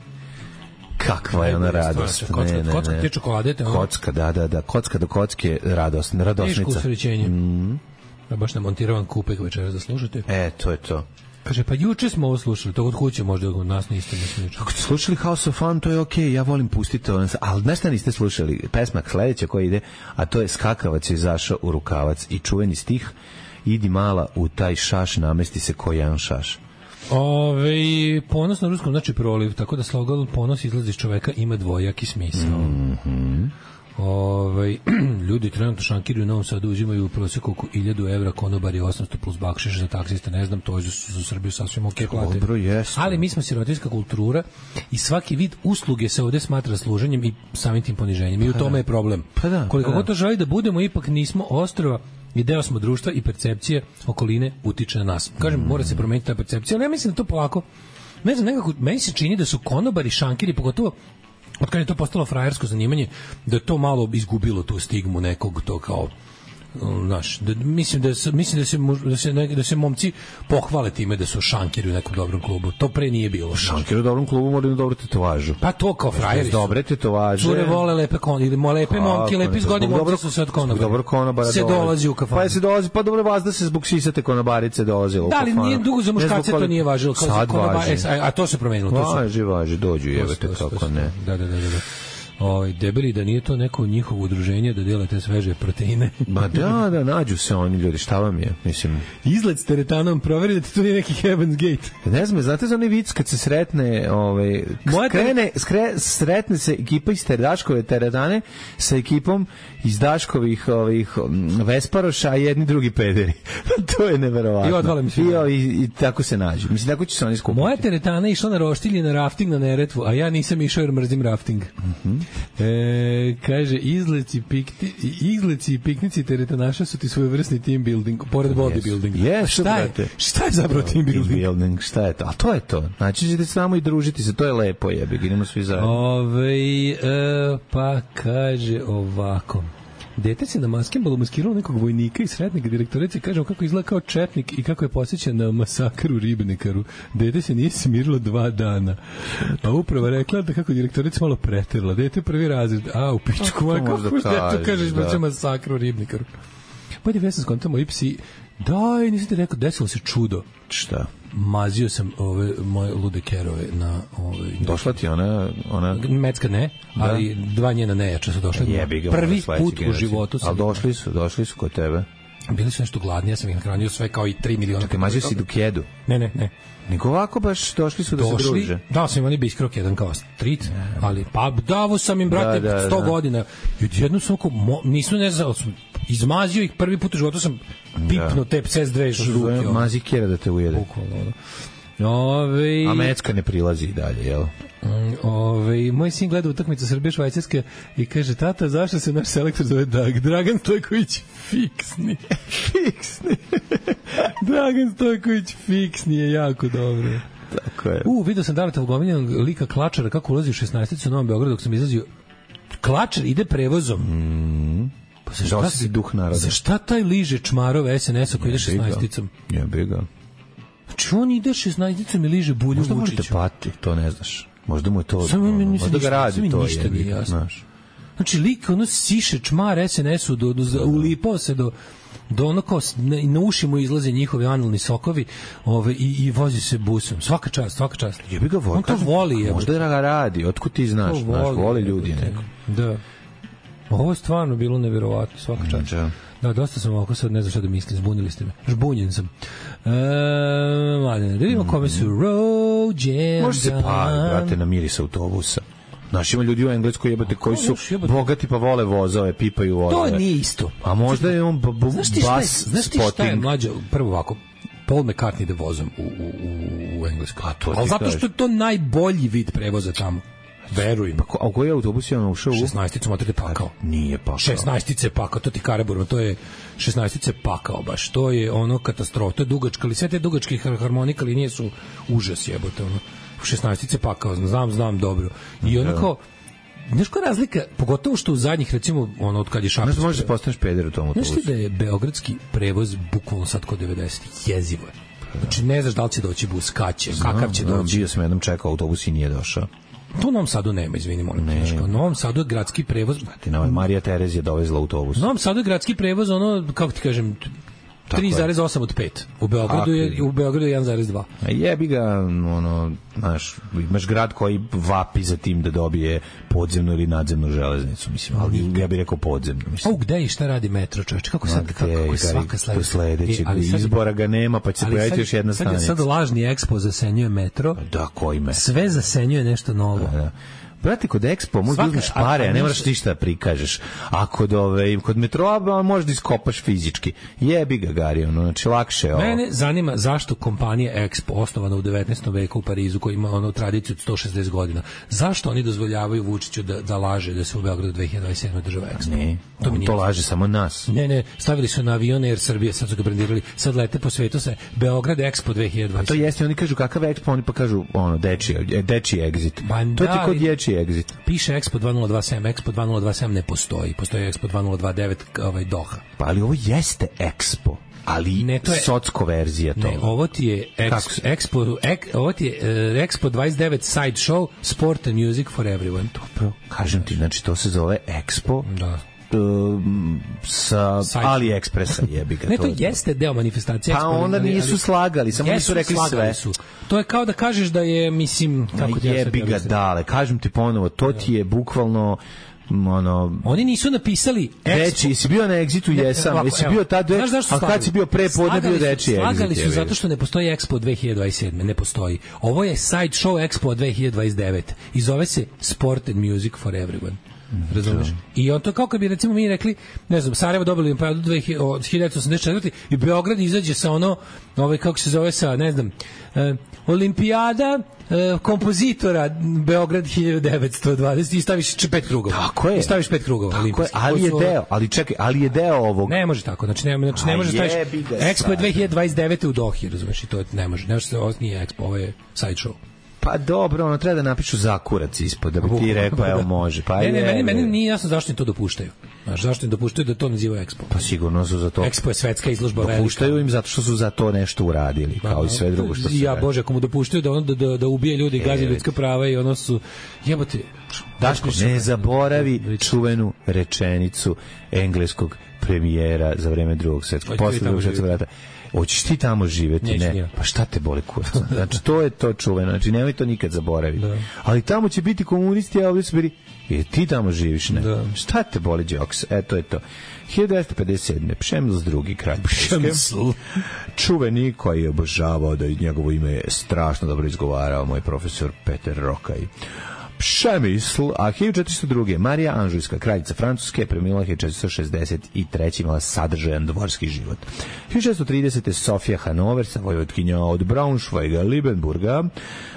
Kakva je ona radost. Kocka, ne, ne, kocka, te čokolade. Te kocka, da, da, da. Kocka do kocke, radost, radosnica. Teško usrećenje. Mm. Ja baš namontirovan kupek večeras da slušate. E, to je to. Kaže, pa juče smo ovo slušali, to od kuće možda od nas niste ne Ako ste slušali House of Fun, to je okej, okay, ja volim pustiti to, ali nešto niste slušali, pesma sledeća koja ide, a to je Skakavac je izašao u rukavac i čuveni stih, idi mala u taj šaš, namesti se ko jedan šaš. Ove, ponos na ruskom znači proliv, tako da slogan ponos izlazi iz čoveka ima dvojaki smisao. Mhm. Ove, ljudi trenutno šankiri u Novom Sadu uzimaju u prosjeku oko hiljadu evra, konobari osamsto plus bakšiš za taksista, ne znam, to je za, za Srbiju sasvim ok plate. Dobro, jes. Ali mi smo sirotinska kultura i svaki vid usluge se ovde smatra služenjem i samim tim poniženjem. I u tome je problem. Pa da, koliko pa da. god to želi da budemo, ipak nismo ostrva i deo smo društva i percepcije okoline utiče na nas. Kažem, mm. mora se promeniti ta percepcija, ali ja mislim da to polako, ne znam, nekako, meni se čini da su konobari, šankiri, pogotovo od kada je to postalo frajersko zanimanje, da je to malo izgubilo tu stigmu nekog to kao znaš, da, mislim da se mislim da se da se ne, da se momci pohvale time da su šankiri u nekom dobrom klubu. To pre nije bilo. Šankiri u dobrom klubu moraju dobro tetovažu. Pa to kao frajeri. Dobre tetovaže. Cure vole lepe kon ili mo lepe momke, lepi zgodni momci su se od konobara. Dobro konobara. Se dolazi u kafanu. Pa se dolazi, pa dobro vas da se zbog sisate konobarice dolazi u kafanu. Da li nije dugo za muškarce to nije važilo kao za konobare, a to se promenilo. To su važi, važi, dođu jebete kako ne. Da, da, da, da. Oj, debeli, da nije to neko njihovo udruženje da dele te sveže proteine. Ma da, da, nađu se oni ljudi, šta vam je, mislim. Izlet s teretanom, proveri da ti to nije neki Heaven's Gate. Ne znam, znate za onaj vic kad se sretne, ovaj, skrene, skre, sretne se ekipa iz Daškove teretane sa ekipom iz Daškovih ovih Vesparoša, a jedni drugi pederi. To je neverovatno. I odvale mi se. I, i, I tako se nađu. Mislim, tako će se oni skupiti. Moja teretana išla na roštilj na rafting na Neretvu, a ja nisam išao jer mrzim rafting. Mhm. E, kaže, izleci, pikti, izleci i piknici teretanaša su ti svojevrsni team building, pored bodybuilding. Yes, šta, je, šta je zapravo team building? Team building, šta je to? A to je to. Znači ćete se tamo i družiti se, to je lepo, jebe, idemo svi zajedno. Ove, e, pa kaže ovako. Dete se na maskembolu maskiralo nekog vojnika i sretnika direktorice, kažemo kako izgleda kao četnik i kako je posjećan na masakr u Ribnikaru. Dete se nije smirilo dva dana. A upravo rekla da kako direktorica malo preterla. Dete prvi razred. A, u pičku, a kako dete kažeš da će masakr u Ribnikaru. Pa da ja sam skontao moji psi. Daj, nisam ti rekao, desilo se čudo. Šta? Mazio sam ove moje lude kerove na ove. Došla ti ona ona Mecka ne, ali da. Dva njena nejača su došla. Jebi ga, prvi put u životu sam. Al došli su, došli su kod tebe. Bili su nešto gladni, ja sam ih nahranio sve kao i tri miliona. Čekaj, mađe si dukedu? Ne, ne, ne. Nego ovako baš došli su da došli, se druže. Dao sam im oni biskrok jedan kao street, ali pa davo sam im, brate, da, da, sto da. godina. I odjedno sam oko, nisu ne znao, izmazio ih prvi put u životu, sam pipnuo te C S dve ruke. Mazi kjera da te ujede. Bukvalno, Ove... A Mecka ne prilazi i dalje, jel? Ove, moj sin gleda utakmicu Srbije-Švajcarske i kaže, tata, zašto se naš selektor zove Dag? Dragan Stojković fiksni. Fiksni. Dragan Stojković fiksni je jako dobro. Tako je. U, vidio sam Daleta Vugominjanog lika Klačara kako ulazi u šesnaesticu u Novom Beogradu dok sam izlazio. Klačar ide prevozom. Mm. Pa za šta, si duh naroda? Za šta taj liže čmarove S N S-a koji ide šesnaesticom? Ja biga. Znači on ide šesnaesticom i liže bulju Vučiću. Možda možete pati, to ne znaš. Možda mu je to... Samo mi ništa, možda ga radi to. Ništa nije jasno. Znaš. Znači lik ono siše čmar S N S-u, do, do, do, ulipao se do... do ono kao na, na uši mu izlaze njihovi analni sokovi ove, i, i vozi se busom. Svaka čast, svaka čast. Jebi ga voli. On to voli. Je, možda ga radi, otkud ti znaš, voli, znaš, voli ljudi neko. Da. Ovo je stvarno bilo nevjerovatno, svaka čast. Da. Da, dosta sam ovako sad, ne znam šta da mislim, zbunili ste me. Žbunjen sam. E, mladine, da vidimo kome su rođendan. Može se pali, brate, na miris autobusa. Znaš, ima ljudi u Engleskoj jebate koji su bogati pa vole vozove, pipaju vozove. To nije isto. A možda je on b- b- znaš ti bas šta je, znaš ti šta je mlađo, prvo ovako, Paul McCartney ide vozom u, u, u Engleskoj. Ali zato što je to najbolji vid prevoza tamo. Verujem. Pa, a u koji autobus je on ušao? šesnaesticu motor pakao. Nije pakao. šesnaestice pakao, to ti Karaburma, to je šesnaestice pakao baš. To je ono katastrofa, to je dugačka, ali sve te dugačke harmonika linije su užas jebote, ono. šesnaestice pakao, znam, znam dobro. I ono kao, znaš koja razlika, pogotovo što u zadnjih, recimo, ono, od kad je Šapec... Znaš, možeš da postaneš peder u tom autobusu. Znaš ti da je beogradski prevoz bukvalno sad kod devedesetih jezivo je. Znači, ne znaš da li će doći bus, kad će, kakav će znam, doći. Bio sam jednom čekao autobus i nije došao. To u Novom Sadu nema, izvini, molim te. U Novom Sadu je gradski prevoz... Ti na Marija Terezija dovezla autobus. U Novom Sadu je gradski prevoz, ono, kako ti kažem, tri zarez osam od pet. U Beogradu je, u Beogradu je jedan zarez dva. A jebi ga, ono, znaš, imaš grad koji vapi za tim da dobije podzemnu ili nadzemnu železnicu, mislim, ali ja bih rekao podzemnu, mislim. A gde i šta radi metro, čoveče? Kako sad, kako, kako je svaka sledeća? Sledećeg izbora ga nema, pa će se pojaviti još jedna stanica. Sad, sad lažni Expo zasenjuje metro. Da, koji metro? Sve zasenjuje nešto novo. Da, da. Brate, kod Expo možda uzmeš pare, a ne moraš ništa da prikažeš. A kod, ove, kod metroa možeš da iskopaš fizički. Jebi ga, Gari, ono, znači lakše je ovo. Mene zanima zašto kompanija Expo, osnovana u devetnaestom veku u Parizu, koja ima ono tradiciju od sto šezdeset godina, zašto oni dozvoljavaju Vučiću da, da laže da se u Beogradu dve hiljade dvadeset sedme država Expo? Ne, to, on to laže samo nas. Ne, ne, stavili su na avion Air Srbije, sad su ga brandirali, sad lete po svetu se Beograd Expo dve hiljade dvadeset sedme. A to jeste, oni kažu kakav Expo, oni pa kažu ono, dečiji, dečiji exit. Ba, to ti kod dječiji exit. Piše Expo dve hiljade dvadeset sedam, Expo dve hiljade dvadeset sedam ne postoji, postoji Expo dve hiljade dvadeset devet, ovaj Doha. Pa ali ovo jeste Expo, ali ne, to je socko verzija toga. Ne, ovo ti je ex, Expo, ek, ovo ti je uh, Expo dvadeset devet Side Show, Sport and Music for Everyone. Dobro, kažem ti, znači to se zove Expo. Da. Um, sa AliExpressa jebi ga. Ne, to jeste deo manifestacije. Pa onda nisu slagali, samo nisu rekli sve. Su. To je kao da kažeš da je, mislim, kako ti jebi ga dale. Kažem ti ponovo, to ti je bukvalno ono, oni nisu napisali Expo. Jesi bio na Exitu, jesam. Jesi bio tad, a kad si bio pre podne bio reči Exit. Slagali su zato što ne postoji Expo dve hiljade dvadeset sedme, ne postoji. Ovo je side show Expo dve hiljade dvadeset devet i zove se Sport and Music for Everyone. Razumeš? I on to kao kad bi recimo mi rekli, ne znam, Sarajevo dobili olimpijadu od hiljadu devetsto osamdeset četvrte i Beograd izađe sa ono, ovaj kako se zove sa, ne znam, eh, olimpijada eh, kompozitora Beograd hiljadu devetsto dvadeset i staviš pet krugova. Tako je. I staviš pet krugova. Tako je, ali je deo, ali čekaj, ali je deo ovog. Ne može tako, znači ne, znači ne može staviš Expo dve hiljade dvadeset devete u Dohi, razumeš, i to ne može. Ne može se, ovo nije Expo, ovo je side show. Pa dobro, ono treba da napišu zakurac ispod, da bi ti rekao, evo može. Pa ne, ne, meni, meni nije jasno zašto im to dopuštaju. Znaš, zašto im dopuštaju da to naziva Expo? Pa sigurno su za to. Expo je svetska izložba velika. Dopuštaju im zato što su za to nešto uradili, kao i sve drugo što su. Ja, Bože, ako mu dopuštaju da, on, da, da, da ubije ljudi, e, gazi ljudska prava i ono su... Jebote... Daško, ne zaboravi čuvenu rečenicu engleskog premijera za vreme drugog svetskog, posle drugog svetskog rata. Hoćeš ti tamo živeti, Neću ne? Ja. Pa šta te boli kurac? Znači, to je to čuveno, znači nemoj to nikad zaboraviti. Da. Ali tamo će biti komunisti, a ovdje su bili, i ti tamo živiš, ne? Da. Šta te boli, Džoks? E, to je to. hiljadu devetsto pedeset sedme. Pšemsl drugi kralj Pšemsl. Čuveni koji je obožavao da njegovo ime je strašno dobro izgovarao moj profesor Peter Rokaj. Pšemisl, a hiljadu četiristo druge. Marija Anžujska, kraljica Francuske, preminula hiljadu četiristo šezdeset treće. imala sadržajan dvorski život. hiljadu šessto tridesete. Sofija Hanoversa, vojvodkinja od Braunschweiga, Liebenburga,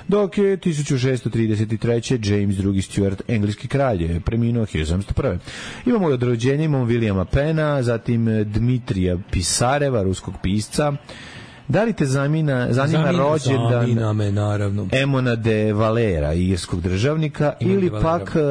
dok je hiljadu šessto trideset treće. James drugi. Stuart, engleski kralj, preminuo hiljadu sedamsto prve. Imamo od rođenja, imamo Williama Penna, zatim Dmitrija Pisareva, ruskog pisca. Da li te zamina, zanima Zamina, rođendan zamina me, naravno. Emona de Valera, irskog državnika, Imam ili pak uh,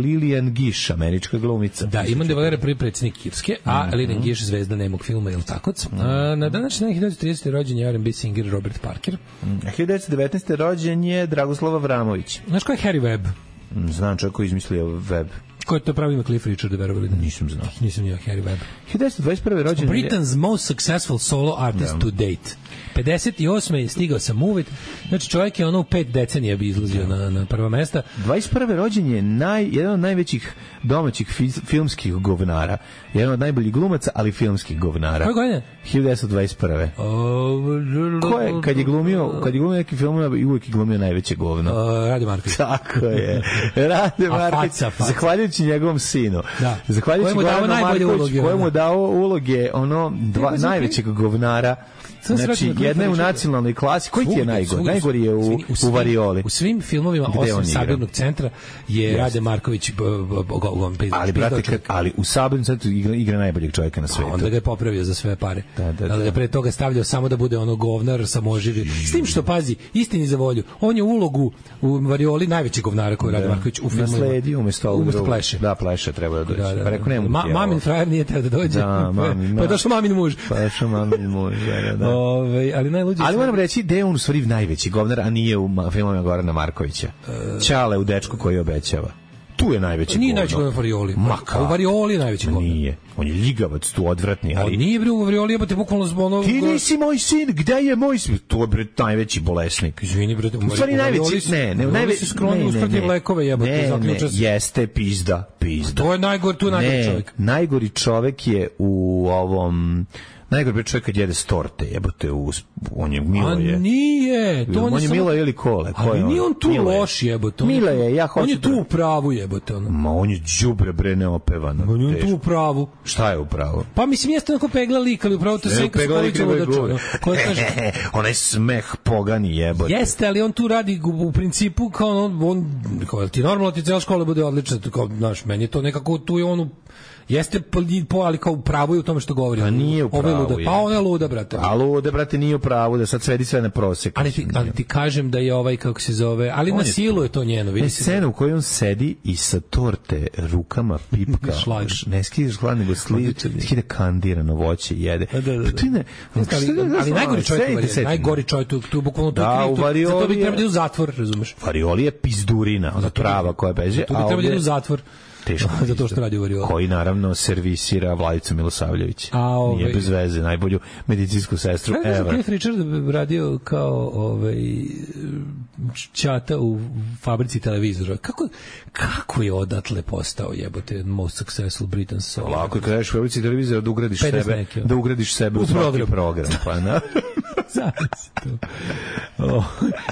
Lilian Gish, američka glumica? Da, Emon de Valera prvi predsjednik Irske, a mm-hmm. Lilian Gish zvezda nemog filma, je li tako? Mm-hmm. A, na današnji dan hiljadu devetsto tridesete. rođen je R and B singer Robert Parker. Mm. hiljadu devetsto devetnaeste. rođen je Dragoslav Avramović. Znaš ko je Harry Webb? Mm, znam čovjek koji izmislio Webb. Ko je to pravi ima Cliff Richard, verovali da? Nisam znao. Nisam ja, Harry Webb. hiljadu devetsto dvadeset prve. rođen je Britain's most successful solo artist yeah. to date. pedeset osme. je stigao sam uvijek. Znači čovjek je ono u pet decenija bi izlazio yeah. na, na prva mesta. dvadeset prve. rođen je naj, jedan od najvećih domaćih fi, filmskih govnara. Jedan od najboljih glumaca, ali filmskih govnara. Koje godine? hiljadu devetsto dvadeset prve. Ko je, kad je glumio, kad je glumio neki film, uvijek je glumio najveće govno. Uh, Rade Marković. Tako je. Rade Marković. Zahvaljujući njegovom sinu. Da. Zahvaljujući Goranu Markoviću, kojemu dao uloge ono dva najvećeg govnara. Znači, jedna je u nacionalnoj klasi. Koji ti je najgori? Najgori je u, u Varioli. U svim filmovima, osim Sabirnog centra, je yes. Rade Marković ali, brate, kad, ali u Sabirnom centru igra, igra najboljeg čovjeka na svetu. A onda ga je popravio za sve pare. Da, da, da. Da pre toga stavljao samo da bude ono govnar, samoživi. S tim što, pazi, istini za volju, on je ulogu u Varioli najveći govnara koji je Rade Marković u filmu. Nasledio umjesto ovog drugog. Pleše. Da, Pleše treba da dođe. Da, da, da. Pa rekao, nema Ma, mamin frajer nije teo da dođe. Da, mamin, pa je došao mamin muž. Pa je došao mamin muž, da, da. Ove, ali najluđe. Ali moram reći da je on u stvari najveći govnar, a nije u filmovima Gorana Markovića. Uh, Ćale u Dečku koji obećava. Tu je najveći nije govnar. Nije najveći govnar u Varioli. Ma, u Varioli je najveći govnar. Nije. On je ljigavac, tu odvratni. Ali... On nije bre u Varioli, jebate bukvalno zbog onog... Ti nisi moj sin, gde je moj sin? To je bre najveći bolesnik. Izvini bre, u stvari najveći, ne, ne, najveći skroni uskrati lekove, jebote, ne, ne, jeste pizda, pizda. To je najgori, tu najgori čovjek. Najgori čovjek je u ovom... Najgore čovjek kad jede s torte, jebote, u, on je Milo je. A nije, to on, on je samo... Milo ili Kole. Ali nije on tu Milo loš, jebote. Milo je, ja hoću. On je tu u pravu, jebote. Ono. Ma on je đubre bre neopevano. On je tu u pravu. Šta je u pravu? Pa mislim jeste onako pegla lik, ali u pravu to se Senka Skolića ludača. Onaj smeh pogani jebote. Jeste, ali on tu radi u principu kao on, on kao ti normalno ti cela škola bude odlična, kao znaš, meni je to nekako tu je on jeste po, ali kao u pravu je u tome što govori. Pa nije u pravu. Luda. Pa ona je luda, brate. A luda, brate, nije u pravu, da sad svedi sve na prosek. Ali ti, ali ti kažem da je ovaj, kako se zove, ali on na silu je to njeno. Vidi se scena u kojoj on sedi i sa torte rukama pipka. Ne skidaš hlad, nego skida kandirano voće jede. Da, da, da. Ne, ali, ali najgori čovjek, najgori čovjek, tu, tu bukvalno tu da, u Varioli, zato bi trebali u zatvor, razumeš? Varioli je pizdurina, ona prava koja beže. Tu bi trebali u zatvor. Teško. Zato što radi u Varioli. Koji naravno servisira Vladicu Milosavljević. A, ovaj... Nije bez veze, najbolju medicinsku sestru ever. Ne znam, Cliff Richard radio kao ovaj, čata u fabrici televizora. Kako, kako je odatle postao jebote most successful Britain solo? Lako je kada ješ u fabrici televizora da ugradiš sebe, neki, da ugradiš sebe u, u program. program pa, na. oh.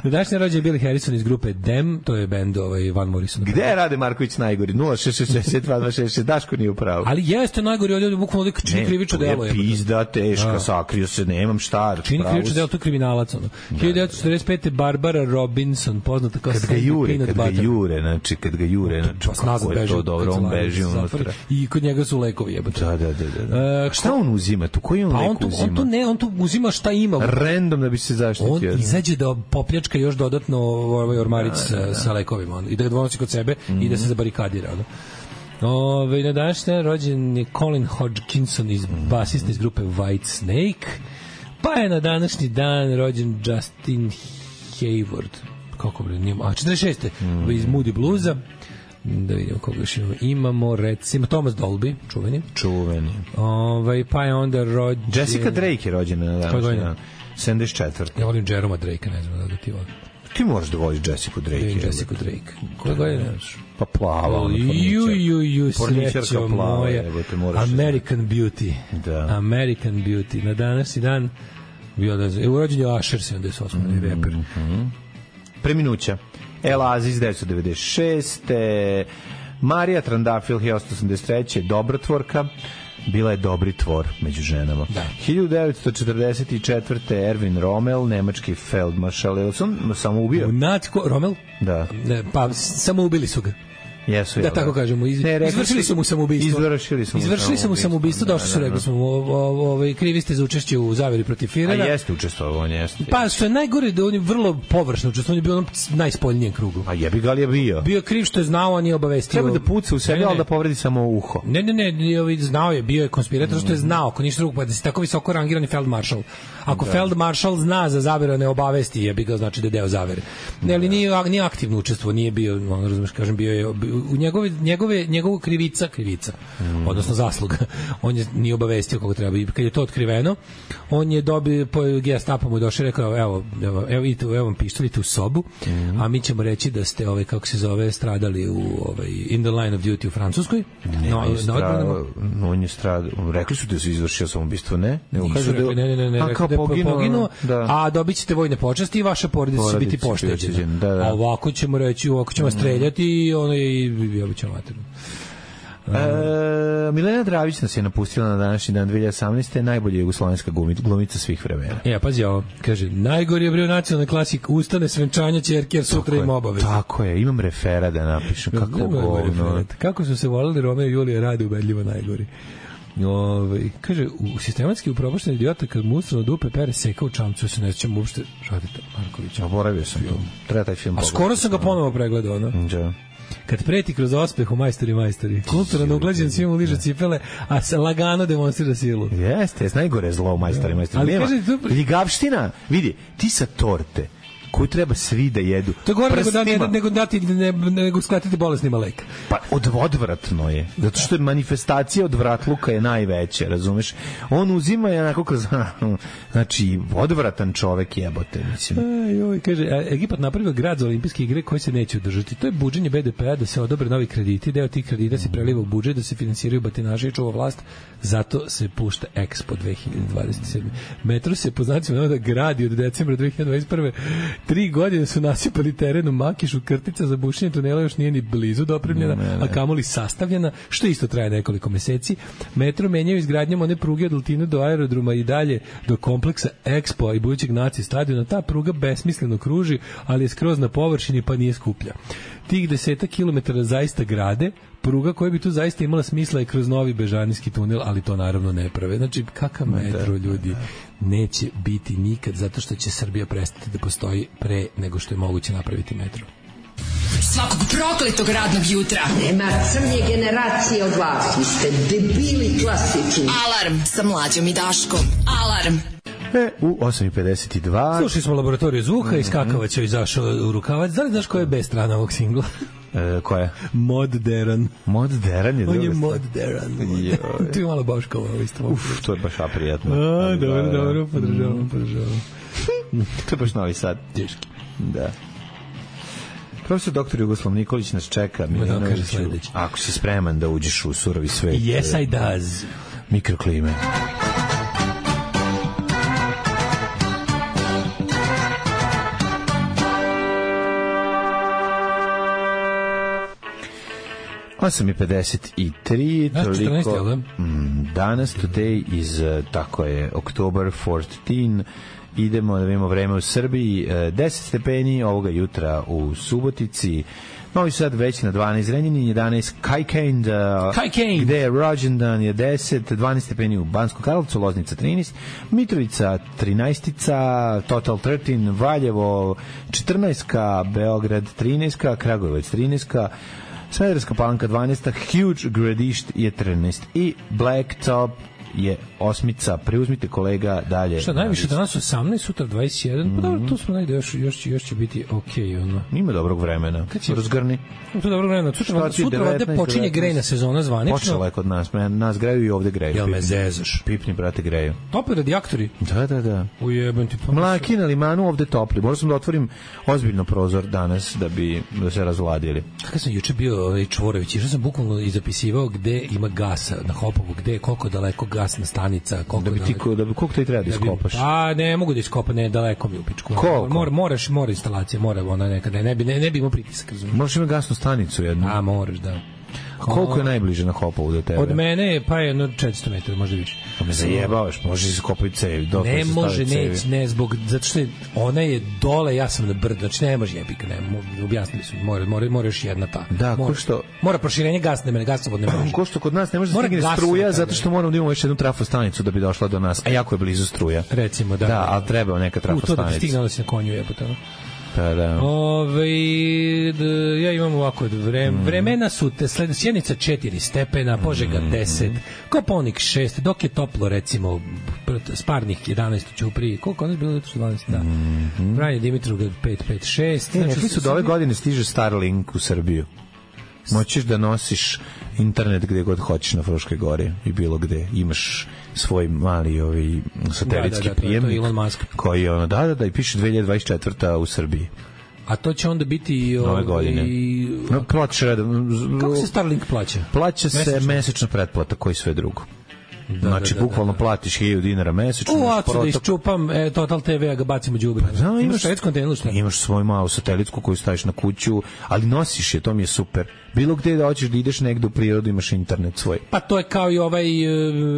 Na današnji rođen je Billy Harrison iz grupe Dem, to je bend ovaj Van Morrison. Gde je Rade Marković najgori? nula šest šest šest dva dva šest šest Daško nije u pravu. Ali jeste najgori, ovdje bukvalno ovdje čini krivično delo. Ne, je pizda, teška, sakrio se, nemam šta. Čini krivično delo, to je kriminalac. Ono. hiljadu devetsto četrdeset pete. Barbara Robinson, poznata kao kad ga jure, kad ga jure, znači, kad ga jure, znači, kako je to dobro, on beži unutra. I kod njega su lekovi, jebote. Da, da, da. da. Uh, šta on uzima tu? Koji on pa lek on tu, uzima? On tu ne, on tu uzima šta ima. Random da bi se zaštitio. On izađe da popljačka još dodatno ovaj ormarić sa, sa lekovima on, i da ga donosi kod sebe mm-hmm. i da se zabarikadira. Ono. Ove, na današnji rođen je Colin Hodgkinson iz mm-hmm. basista iz grupe White Snake. Pa je na današnji dan rođen Justin Hayward. Kako bre, nije, a četrdeset šeste. Mm-hmm. iz Moody Bluesa. Da vidimo koga još imamo. Imamo, recimo, Thomas Dolby, čuveni. Čuveni. Ovaj, pa je onda rođen... Jessica Drake je rođena na današnji dan. sedamdeset četvrte Ja volim Jeroma Drakea, ne znam da ga ti volim. Ti možeš da voliš Jessica Drake. Jessica Drake. Koja godina? Pa plava. Ju, ju, ju, srećo moja. American Beauty. Da. American Beauty. Na današnji dan bio da je urođen je Usher sedamdeset osme mm -hmm. reper. Preminuća. El Aziz devetsto devedeset šeste Marija Trandafil hiljadu osamsto osamdeset treće dobrotvorka. Bila je dobri tvor među ženama. Da. hiljadu devetsto četrdeset četvrte Erwin Rommel, nemački feldmaršal. Je li sam samo ubio? Natko, Rommel? Da. Ne, pa samo ubili su ga. Jesu, da, tako kažemo. Iz, ne, izvršili su mu samoubistvo. Izvršili su mu izvršili su mu samoubistvo, došli su, rekli smo, ovaj krivi ste za učešće u zaveri protiv Firera. A jeste učestvovao, on jeste. Pa što je najgore da on je vrlo površno učestvovao, on je bio onom najspoljnijem krugu. A jebi ga li je bio? Bio kriv što je znao, a nije obavestio. Treba da puca u sebi, ali da povredi samo uho. Ne, ne, ne, znao je, bio je konspirator, što je znao, ako ništa drugo, pa da si tako visoko rangirani feldmaršal. Ako da. Feldmaršal zna za zaveru, ne obavesti, jebi ga, znači da je deo zavere. Ne, ali nije, nije aktivno učestvovao, nije bio, on razumeš, kažem, bio je u njegove njegove njegovu krivica krivica mm. odnosno zasluga on je nije obavestio kako treba i kad je to otkriveno on je dobio po Gestapo mu došao i rekao evo evo evo idite evo vam pištolj u sobu mm. a mi ćemo reći da ste ovaj kako se zove stradali u ovaj in the line of duty u Francuskoj ne, no, no, no, on je stradao rekli su da se izvršio samoubistvo ne nego kažu da ne ne ne ne a kao poginuo, poginuo da. A dobićete vojne počasti i vaša porodica će biti pošteđena da, da. A ovako ćemo reći ovako ćemo mm. streljati i ono i obično E, Milena Dravić nas je napustila na današnji dan dve hiljade osamnaeste najbolja jugoslovenska glumica svih vremena. E, pazi ovo, kaže, najgori je bio nacionalni klasik, ustane svenčanja ćerke, jer sutra ima obaveze. Tako je, imam refera da napišem, kako govno. Kako su se volili Romeo i Julija, rade ubedljivo najgori. Ove, kaže, u sistematski upropašten idiota kad mu ustrano dupe pere seka u čamcu, se ne sjećam uopšte Radeta Markovića. Oboravio sam to, treba taj film a pogledati. Skoro sam ga ponovo pregledao, no? Da. Kad preti kroz ospeh u majstori majstori. Kulturan uglađen svima liže cipele, a se lagano demonstrira silu. Jeste, jest najgore zlo u majstori majstori. Ali nema, kaže, ljigavština, vidi, ti sa torte koju treba svi da jedu. To je gore nego, da, nego, nego dati, ne, nego skratiti bolesnima lek. Pa od, odvratno je. Zato što je manifestacija odvratluka je najveća, razumeš? On uzima je onako kroz... Znači, odvratan čovek jebote, mislim. Aj, oj, kaže, Egipat napravio grad za olimpijske igre koji se neće održati. To je buđenje be de pea da se odobre novi krediti, deo tih kredita se preliva u budžet, da se finansiraju batinaši i čuva vlast. Zato se pušta Expo dve hiljade dvadeset sedme. Metro se po znacima da gradi od decembra dve hiljade dvadeset prve. Tri godine su nasipali teren u Makišu, krtica za bušenje tunela još nije ni blizu dopremljena, ne, ne, ne. a kamoli sastavljena, što isto traje nekoliko meseci. Metro menjaju izgradnjom one pruge od Altine do aerodroma i dalje do kompleksa Expo i budućeg naci stadiona. Ta pruga besmisleno kruži, ali je skroz na površini pa nije skuplja. Tih deseta kilometara zaista grade, pruga koja bi tu zaista imala smisla je kroz novi bežanijski tunel, ali to naravno ne prave. Znači, kakav metro, ljudi, neće biti nikad, zato što će Srbija prestati da postoji pre nego što je moguće napraviti metro. Svakog prokletog radnog jutra. Nema crnje generacije od vas. Vi ste debili klasični. Alarm sa Mlađom i Daškom. Alarm. E, u osam i pedeset dva Slušali smo Laboratoriju zvuka, mm-hmm. iskakavac je izašao u rukavac. Da li znaš koja je B strana ovog singla? E, koja? Modern. Modern je druga. On je modern. Tu je malo Boškova. Uf, to je baš aprijatno. A, dobro, dobro, podržavam, podržavam. To je baš Novi Sad. Teški. Da. Profesor doktor Jugoslav Nikolić nas čeka. Da kaže sledeći. Ako si spreman da uđeš u surovi svet. Yes, I does. Mikroklime. osam i pedeset tri toliko mm, danas today is uh, tako je October fourteenth. Idemo da vidimo vreme u Srbiji, deset stepeni ovoga jutra u Subotici, Novi Sad već na dvanaest, Zrenjanin jedanaest, Kajkend, uh, gde je rođendan je deset, dvanaest stepeni u Banskom Karlovcu, Loznica trinaest, Mitrovica trinaest, Total trinaest, Valjevo četrnaest, Beograd trinaest, Kragujevac trinaest, Smederevska Palanka dvanaest, Huge Gradišt je trinaest i Blacktop je osmica, preuzmite kolega dalje. Šta, najviše danas osamnaest, sutra dvadeset jedan, mm-hmm. pa dobro, tu smo negde, još, još, još će biti okej, okay, ono. Ima dobrog vremena, kad će razgrni. To dobrog vremena, sutra, sutra ovde počinje grejna sezona zvanično. Počela je kod nas, nas greju i ovde greju. Jel me zezaš? Pipni, brate, greju. Topli radijatori? Da, da, da. Ujebem ti. Mlaki na limanu ovde topli. Možda sam da otvorim ozbiljno prozor danas da bi da se razvladili. Kako sam juče bio ovaj Čvorović, išao sam bukvalno i zapisivao gde ima gasa na Hopovu, gde koliko daleko gasna stanica, koliko da bi ti ko, da bi koliko ti treba da iskopaš. A ne mogu da iskopam, ne, daleko mi u pičku. Mora, moraš, mora instalacija, mora ona nekada, ne bi ne, ne bi imao pritisak, razumiješ. Možeš imati gasnu stanicu jednu. A moraš, da. Koliko je najbliže na Hopovu do tebe? Od mene je pa jedno četiristo metara, možda više. Pa me zajebavaš, možeš iskopati cevi. Ne može, ne, ne, zbog, zato što je, ona je dole, ja sam na brdu, znači ne može jebika, ne, objasnili su, mora, mora, mora još jedna ta. Da, mora, ko što... Mora proširenje gasne mene, gasovod ne može. Ko što kod nas ne može da stigne struja, zato što moramo da imamo još jednu trafostanicu da bi došla do nas, a jako je blizu struja. Recimo, da. Da, ali treba neka trafostanica. U to da stigne, onda si na konju jebota, no? Da, da. Ove, d, ja imam ovako vreme, mm. vremena su te sled, Sjenica četiri stepena, Požega deset, Kopaonik šest, dok je toplo recimo Sparnik jedanaest u Ćupriji, koliko ono je bilo jutro dvanaest, da. Mm-hmm. Vranje Dimitrovgrad pet pet šest. E, znači, rekli su da ove godine stiže Starlink u Srbiju. Moćeš da nosiš internet gde god hoćeš na Fruškoj gori i bilo gde. Imaš svoj mali ovaj satelitski da, da, da, prijemnik koji je ono, da, da, da, i piše dve hiljade dvadeset četvrta u Srbiji. A to će onda biti i ove godine. No, plaća, kako se Starlink plaća? Plaća se mesečna, mesečna pretplata, koji sve drugo. Da, znači, da, da, bukvalno da, da. platiš hiljadu dinara mesečno. U, ocu da iščupam e, Total te ve, a ga bacimo đubre. Pa, da, imaš švedsku antenu, šta? Imaš svoju malu satelitsku koju staviš na kuću, ali nosiš je, to mi je super. Bilo gde da hoćeš da ideš negde u prirodu, imaš internet svoj. Pa to je kao i ovaj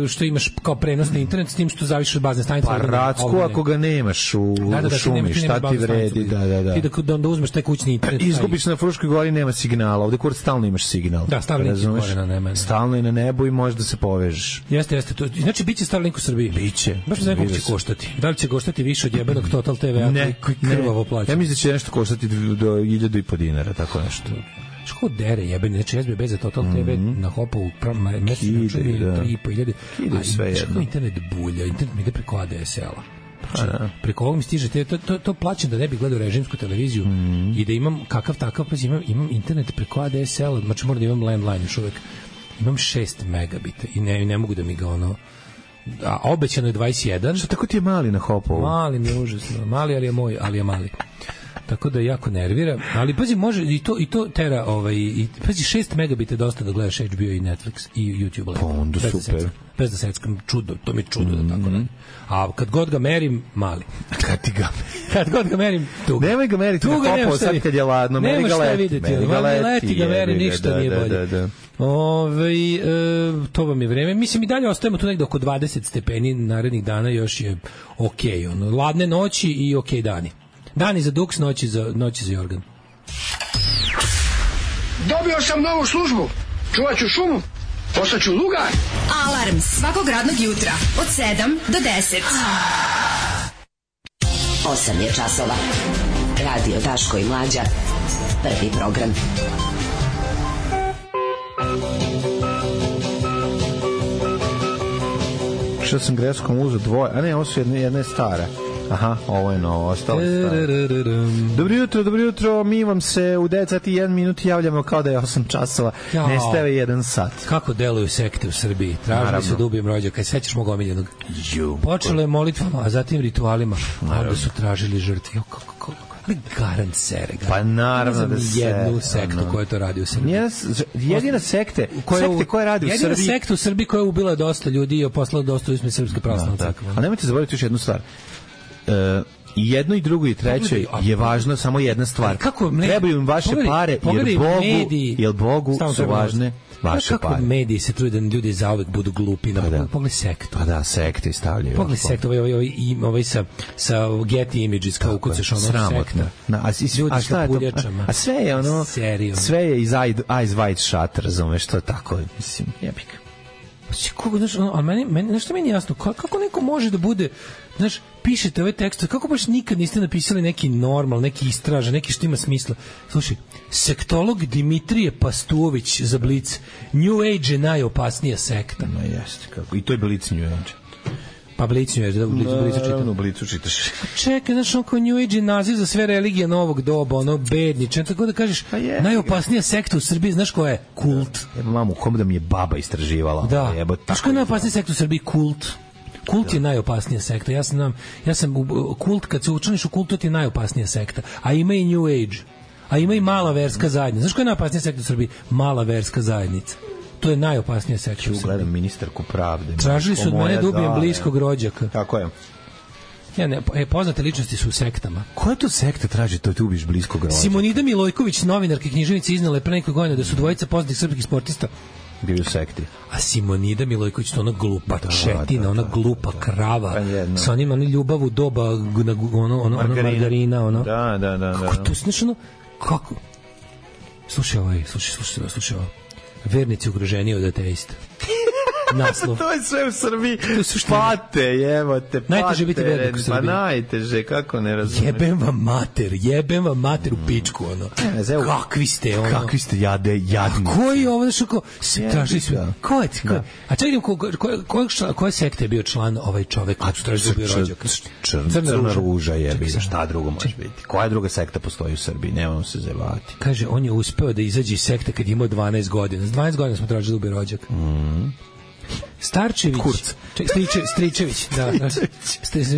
što imaš kao prenosni internet, s tim što zaviš od bazne stanice. Pa racku ako ga nemaš u, da, da, da, šumi, šta ti vredi. Da, da, da. Ti da, da onda uzmeš taj kućni internet. Izgubiš na Fruškoj gori, nema signala. Ovde kod stalno imaš signal. Da, Starlink je gore na nebu. Stalno je na nebu i možeš da se povežeš. Jeste, jeste. To, znači, biće Starlink u Srbiji? Biće. Baš ne znam koliko će koštati. Da li će koštati više od jebenog Total te ve, ne, koji krvavo plaća? Ja mislim da će nešto koštati do hiljadu i po dinara, tako nešto. Što dere jebeni, znači S B B za Total te ve mm-hmm. na Hopovu mesečno čini tri i po hiljade, a sve jedno. Internet bulja, internet mi ide preko A D S L-a. Znači, preko ovog mi stiže, te, to, to, to plaćam da ne bih gledao režimsku televiziju mm. i da imam kakav takav, pa imam, imam internet preko A D S L-a, znači moram da imam landline još uvek. Imam šest megabita i ne, ne mogu da mi ga ono... A obećano je dvadeset jedan. Što tako ti je mali na Hopovu? Mali mi je užasno. Mali, ali je moj, ali je mali. Tako da jako nervira, ali pazi, može i to i to tera ovaj i pazi šest megabita dosta da gledaš H B O i Netflix i YouTube. Pa onda bez super. Da bez da seckam, čudo, to mi je čudo mm-hmm. da tako ne. A kad god ga merim, mali. Kad ti ga kad god ga merim, tuga. Nemoj ga meriti na Hopovu sad kad je ladno, meri ga leti. Meri ga leti, leti ga meri, ništa da, nije bolje. Da, da, da. Ove, e, to vam je vreme. Mislim i dalje ostajemo tu negde oko dvadeset stepeni narednih dana, još je okej. Okay, ono, ladne noći i okej okay dani. Dani za duks, noći za, noći za jorgan. Dobio sam novu službu. Čuvat ću šumu. Postaću lugar. Alarm svakog radnog jutra od sedam do deset. osam je časova. Radio Daško i Mlađa. Prvi program. Što sam greškom uzeo dvoje, a ne, ovo su jedna, jedna je stara. Aha, ovo je novo, ostalo staro. Dobro jutro, dobro jutro, mi vam se u devet sati i jedan minut javljamo kao da je osam časova, ja. Nestave jedan sat. Kako deluju sekte u Srbiji? Tražili se da ubijem rođaka, sećaš mog omiljenog? Počelo je molitvama, a zatim ritualima, a onda su tražili žrtve. Kako, kako, ali garant sere. Garant. Pa naravno da se... jednu sektu no. koja to radi u Srbiji. Yes, jedina sekte, koja, sekte koja radi u Srbiji... Jedina sekta u Srbiji koja je ubila dosta ljudi i poslala dosta u Srpske pravoslavne crkve. A nemojte zaboraviti još jednu stvar. Uh, i jedno i drugo i treće je važno samo jedna stvar. Kako ne, trebaju im vaše pogledaj, pare jer Bogu, mediji, jer Bogu su važne vaše kako pare. Kako mediji se trude da ljudi zauvek budu glupi. Pa da. Pogledaj sektu. Pa da, sekte stavljaju. Pogledaj sektu, ovaj, ovaj, ovaj sa, sa Getty Images kao ukucaš ono sekta. Na, a, ljudi a, sa puljačama. A sve je ono, serio. sve je iz Eyes Wide Shut, razumeš, to tako, mislim, jebik. Kako, znaš, ali meni, meni, znaš što meni jasno, kako neko može da bude, znaš, pišete ove tekste, kako baš nikad niste napisali neki normal, neki istražan, neki što ima smisla. Slušaj, sektolog Dimitrije Pastuović za Blic, New Age je najopasnija sekta. No jeste, kako. I to je Blic New Age. Pa Blic New Age, da u Blicu, Blicu čitam. Naravno, u Blicu čitaš. Čekaj, znaš, oko New Age je naziv za sve religije novog doba, ono, bedniče, tako da kažeš, pa je, najopasnija sekta u Srbiji, znaš koja je? Kult. Evo, mamu, kom da mi je baba istraživala. Da, jebo, znaš koja je najopasnija sekta u Srbiji? Kult. Kult je najopasnija sekta. Ja sam, ja sam kult, kad se učlaniš u kult, to ti je najopasnija sekta. A ima i New Age. A ima i mala verska zajednica. Znaš koja je najopasnija sekta u Srbiji? Mala verska zajednica. To je najopasnija sekta u Srbiji. Gledam ministarku pravde. Tražili su od mene da ubijem bliskog rođaka. Tako je. Ja ne, e, poznate ličnosti su u sektama. Koja to sekta traži to ti ubiš bliskog rođaka? Simonida Milojković, novinarka i književnica, iznala je pre nekog godina da su dvojica poznatih srpskih sportista bili u sekti. A Simonida Milojković, to ona glupa da, četina, da, ona da, glupa da, krava, da, sa onim oni ljubav u doba na, ono, ono, margarina. ono margarina. Ono. Da, da, da. Kako da, to, znaš, ono, kako? Slušaj ovaj, slušaj, slušaj, slušaj ovo. Vernici ugroženiji od ateista. Naslov. To je sve u Srbiji. Pate, jebote, pate. Najteže biti vernik u Srbiji. Pa najteže, kako ne razumeš. Jebem vam mater, jebem vam mater u pičku, ono. Ne, kakvi ste, ono. Kakvi ste jade, jadnici. A koji je ovo, znaš, ko, se traži sve. Ko je ti? Ko je? A čekaj, ko, ko, ko, koje sekte je bio član ovaj čovek? A što je bio rođak? Crna ruža je, šta drugo može biti? Koja druga sekta postoji u Srbiji? Nemamo se zevati. Kaže, on je uspeo da izađe iz sekte kad je imao dvanaest godina. S dvanaest godina smo tražili da ubije rođak. Mhm. Starčević, Striče, Stričević, da,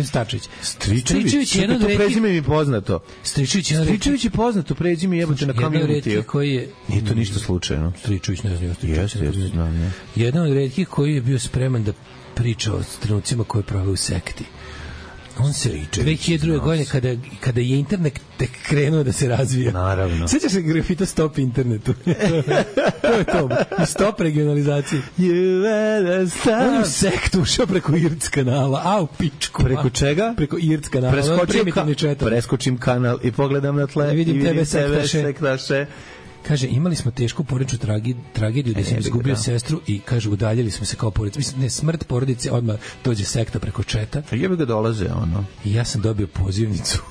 Starčević. Stričević, jedan to prezime mi poznato. Stričević, Stričević je poznato, prezime jebote na Community. Koji je nije to ništa slučajno. Stričević, ne znam, Stričević. Jeste, znam, jedan od retkih koji je bio spreman da priča o trenucima koje prave u sekti. On se dve hiljade druge godine kada, kada je internet tek krenuo da se razvija. Naravno. Sjećaš se grafita Stop internetu? To je to. I Stop regionalizaciji. On je u sektu ušao preko I R C kanala. A u pičku. Preko čega? Preko I R C kanala. Preskočim, ka, preskočim kanal i pogledam na tle. I vidim, i vidim tebe, tebe sektaše. sektaše. Kaže, imali smo tešku porodičnu tragi, tragediju da sam izgubio da. sestru i kaže, udaljili smo se kao porodica. Mislim, ne, smrt porodice, odmah dođe sekta preko četa. A jebe ga dolaze, ono. I ja sam dobio pozivnicu.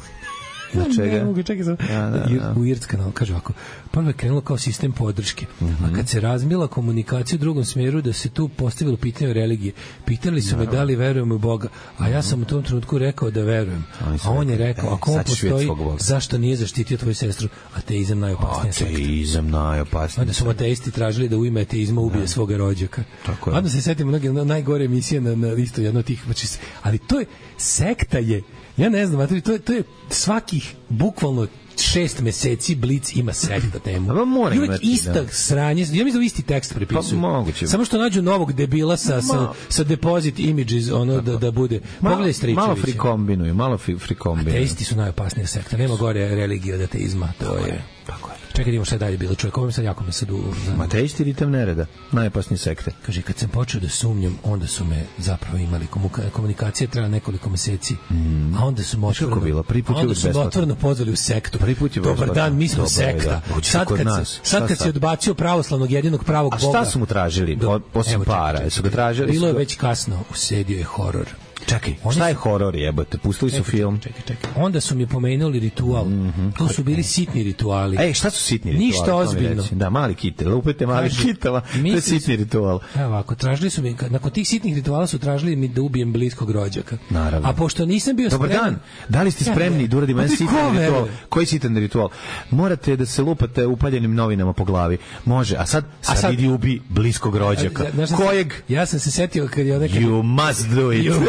Na čega? Ne mogu, čekaj sam. Ja, da, da. U I R C kanal, kaže ovako, prvo je krenulo kao sistem podrške, mm-hmm. a kad se razmila komunikacija u drugom smjeru, da se tu postavilo pitanje o religiji, pitali su Naravno. me da li verujem u Boga, a ja sam u tom trenutku rekao da verujem. A on je rekao, ako on postoji, zašto nije zaštitio tvoju sestru? Ateizam najopasnija sekta. Ateizam najopasnija. Onda su ateisti tražili da u ime ateizma ubije da. svoga rođaka. Tako je. Onda se setimo mnoge najgore emisije na, na isto jedno od tih, znači, ali to je, sekta je, ja ne znam, to je, to je svakih bukvalno šest meseci Blic ima sekta temu. Pa mora I uvijek imati, ista da. sranje, ja mislim da isti tekst prepisuju. Pa moguće. Samo što nađu novog debila sa, sa, sa deposit images, ono da, da bude. Pogledaj Stričevića. Malo frikombinuju, malo frikombinuju. Ateisti su najopasnija sekta, nema gore religije od ateizma, to tako je. Tako je. Čekaj, idemo šta je dalje bilo, čovjek, ovo mi sad jako me sad u... Ateisti ritam nereda, najopasnije sekte. Kaže, kad sam počeo da sumnjam, onda su me zapravo imali, komunikacija trajala nekoliko meseci, mm. a onda su me otvoreno, bilo? onda su me otvoreno pozvali u sektu. Dobar dan, mi smo sekta. Sad kad, se, sad kad si odbacio pravoslavnog jedinog pravog a Boga... A šta su mu tražili? Osim para, jesu ga tražili? Bilo je već kasno, usedio je horor. Čekaj, šta je horor jebote? Pustili su film. Čekaj, čekaj. Onda su mi pomenuli ritual. Mm-hmm. To su bili sitni rituali. Ej, šta su sitni rituali? Ništa ozbiljno. Da, mali kitel, lupete mali kitela. To je sitni ritual. Evo ovako, tražili su mi, nakon tih sitnih rituala su tražili mi da ubijem bliskog rođaka. Naravno. A pošto nisam bio Dobar spreman... dan, da li ste spremni ja, da uradimo jedan sitan ritual? Koji sitan ritual? Morate da se lupate upaljenim novinama po glavi. Može, a sad, sad, a sad idi ubi bliskog rođaka. A, ja, Kojeg? Ja sam se setio kad je nekad... You must do it. You,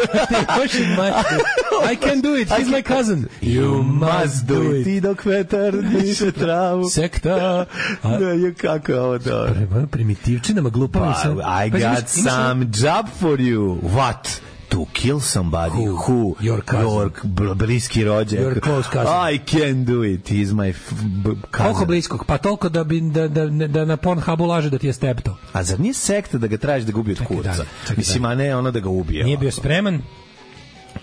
I can do it, he's my cousin. You must do it. Ti dok vetar diše travu. Sekta. A, no, kako je ovo dobro? Primitivčinama, glupavim se. I got some job for you. What? To kill somebody who, who your cousin, your bliski rođak. Your close cousin. I can do it. He's my cousin. Koliko bliskog? Pa toliko da bi da da da na Pornhubu laže da ti je stepto. A zar nije sekta da ga traži da ga ubije od kurca? Mislim, a ne ono da ga ubije. Nije bio spreman.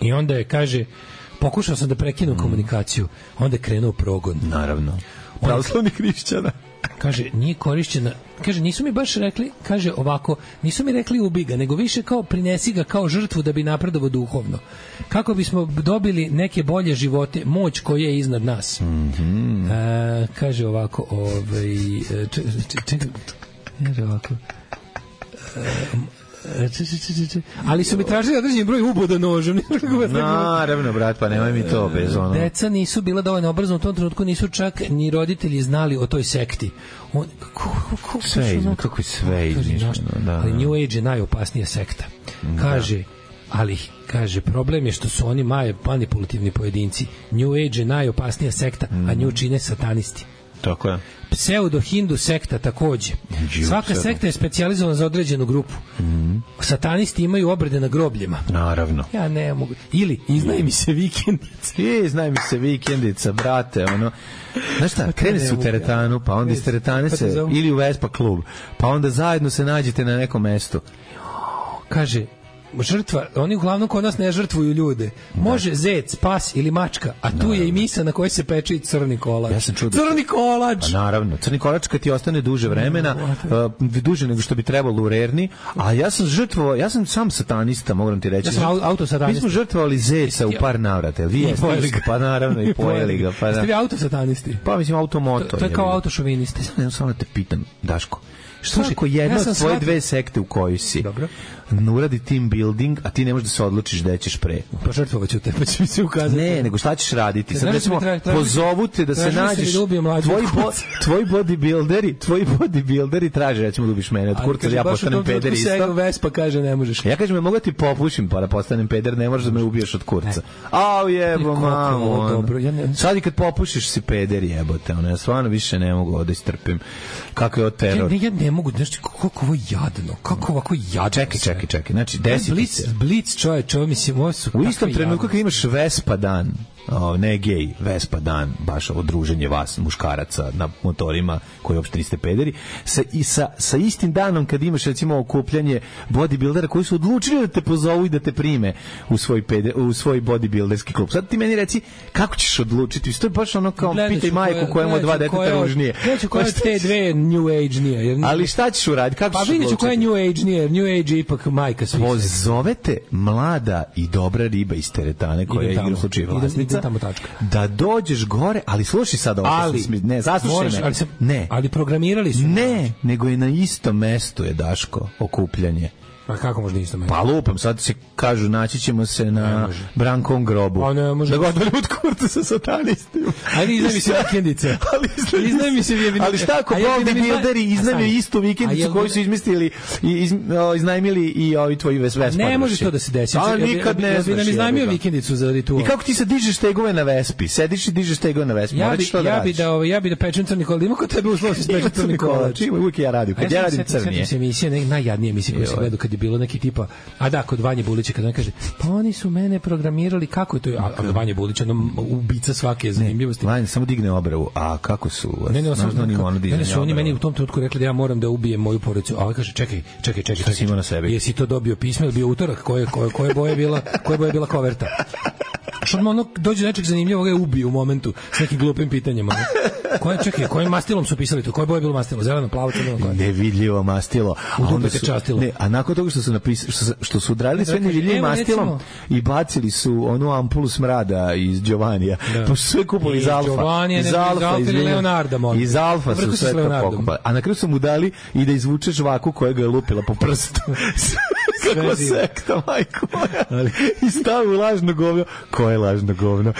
I onda je, kaže, pokušao sam da prekinem mm. komunikaciju. Onda je krenuo progon. Naravno. Pravoslavnih hrišćana. kaže, nije korišćena, kaže, nisu mi baš rekli, kaže ovako, nisu mi rekli ubi ga, nego više kao prinesi ga kao žrtvu da bi napredovao duhovno. Kako bismo dobili neke bolje živote, moć koja je iznad nas. Mm-hmm. A, kaže ovako, ovaj, čekaj, kaže ovako, ali su mi tražili određeni broj uboda nožem. Naravno, brat, pa nemoj mi to bez ono. Deca nisu bila dovoljno obrazna u tom trenutku, nisu čak ni roditelji znali o toj sekti. On, kako, kako, sve izmišljeno, kako je sve izmišljeno. Da, ali New Age je najopasnija sekta. Kaže, ali kaže, problem je što su oni maje manipulativni pojedinci. New Age je najopasnija sekta, a nju čine satanisti. Tako je. Pseudo-hindu sekta takođe. Svaka sekta je specijalizovana za određenu grupu. Mm. Satanisti imaju obrede na grobljima. Naravno. Ja ne mogu. Ili, iznaj mi se vikendica. I, znaj mi se vikendica, brate, ono. Znaš šta, krene se u teretanu, pa onda iz teretane se, ili u Vespa klub, pa onda zajedno se nađete na nekom mestu. Kaže, žrtva, oni uglavnom kod nas ne žrtvuju ljude. Može zec, pas ili mačka, a tu je i misa na kojoj se peče i crni kolač. Ja sam čuo da crni kolač! A naravno, crni kolač kad ti ostane duže vremena, uh, duže nego što bi trebalo u rerni, a ja sam žrtvovao, ja sam sam satanista, moram ti reći. Ja sam autosatanista. Mi smo žrtvovali zeca u par navrata, vi jeste, pa naravno i pojeli ga. Pa, jeste vi autosatanisti? Pa mislim automoto. To, to je kao autošovinisti. Ja samo te pitam, Daško, što ako jedna od tvoje dve sekte u kojoj si dobro uradi team building, a ti ne možeš da se odlučiš da ćeš pre. Pa žrtvovaću te, pa će mi se ukazati. Ne, nego šta ćeš raditi? Sad recimo, pozovu te da se nađeš, tvoji, bo, tvoji bodybuilderi, tvoji bodybuilderi traže, recimo da ubiš mene od kurca, ja postanem peder isto. Vespa kaže ne možeš. Ja kažem, mogu ti popušim pa da postanem peder, ne možeš da me ubiješ od kurca. Au jebo, mamo. Dobro, ja ne... Sad i kad popušiš si peder jebote, ono, ja stvarno više ne mogu da istrpim. Kako je od teror. Ja, ja ne mogu, znaš, kako ovo jadno, kako ovako jadno. Čekaj, čekaj. Čekaj, čekaj, znači desi Blitz, Blitz čovječ, ovo mislim, ovo su... U istom trenutku kad imaš Vespa dan, o, ne gej, Vespa dan, baš ovo druženje vas, muškaraca na motorima, koji uopšte niste pederi, sa, i sa, sa istim danom kad imaš, recimo, okupljanje bodybuildera koji su odlučili da te pozovu i da te prime u svoj, peder, u svoj bodybuilderski klub. Sad ti meni reci, kako ćeš odlučiti? To je baš ono kao, gledaš pitaj majku koja ima dva deteta ružnije. Gledaću koja te dve New Age nije. Jer... Ali šta ćeš uraditi? Kako pa ćeš odlučiti? Pa vidjet ću koja je New Age nije. New Age je ipak majka svih. Pozovete mlada i dobra riba iz teretane koja je igra u slučaju vlasnica. Da dođeš gore, ali slušaj sad ovo. Ali, sam, ne, zaslušaj me. Ali, se, ne. ali programirali su. Ne, nego je na istom mestu je, Daško, okupljanje. A kako može na istom mestu? Pa lupam, sad se kažu, naći ćemo se na Brankovom grobu. A ne, može. Da godinu od kurta sa satanistima. Ajde, iznaj mi se vikendice. Iznaj mi se vikendice. Ali šta ako bodybuilderi iznajmili istu vikendicu koju su izmislili i iz, iznajmili i ovi tvoji Vespa? Ne može to da se desi. A nikad ne znaš. Ja bi iznajmio vikendicu za ritual. I kako ti se dižeš tegove na Vespi? Sediš i dižeš tegove na Vespi. Ja bi, ja bi da, ja bi da pečem crni kolač. Ima kod tebe uslov da se peče crni kolač. Ima uvijek ja radim. Kad ja radim crnije. Se emisija, najjadnije emisije koje se gledaju kad je bilo neki tipa, a da, kod Vanje Bulića kad on kaže, pa oni su mene programirali, kako je to? A, a Vanje Bulić, ono ubica svake zanimljivosti. Vanje samo digne obravu. A kako su? Ne, ne, samo ne, su oni meni u tom trenutku rekli da ja moram da ubijem moju porodicu. A ovaj kaže, čekaj, čekaj, čekaj. Šta si imao na sebi? Jesi to dobio pismo ili bio utorak? Koje, koje, koje boje bila, koje boje bila koverta? Što ono dođe nečeg zanimljivog, ga ubije u momentu s nekim glupim pitanjima. Koje, čekaj, kojim mastilom su pisali to? Koje boje bilo mastilo? Zeleno, plavo, crveno, koje? Nevidljivo mastilo. A onda se častilo. Ne, a nakon toga što su napisali, što, što su odradili sve nevidljivim mastilom recimo, i bacili su onu ampulu smrada iz Giovanija. Da. Pa su sve kupili iz Alfa. Giovanija, iz Alfa, iz Leonarda. Iz Alfa su sve to pokupali. A na kraju su mu dali i da izvuče žvaku koja ga je lupila po prstu. Kako sekta, majko moja. I stavi u lažno govno. Ko je lažno govno?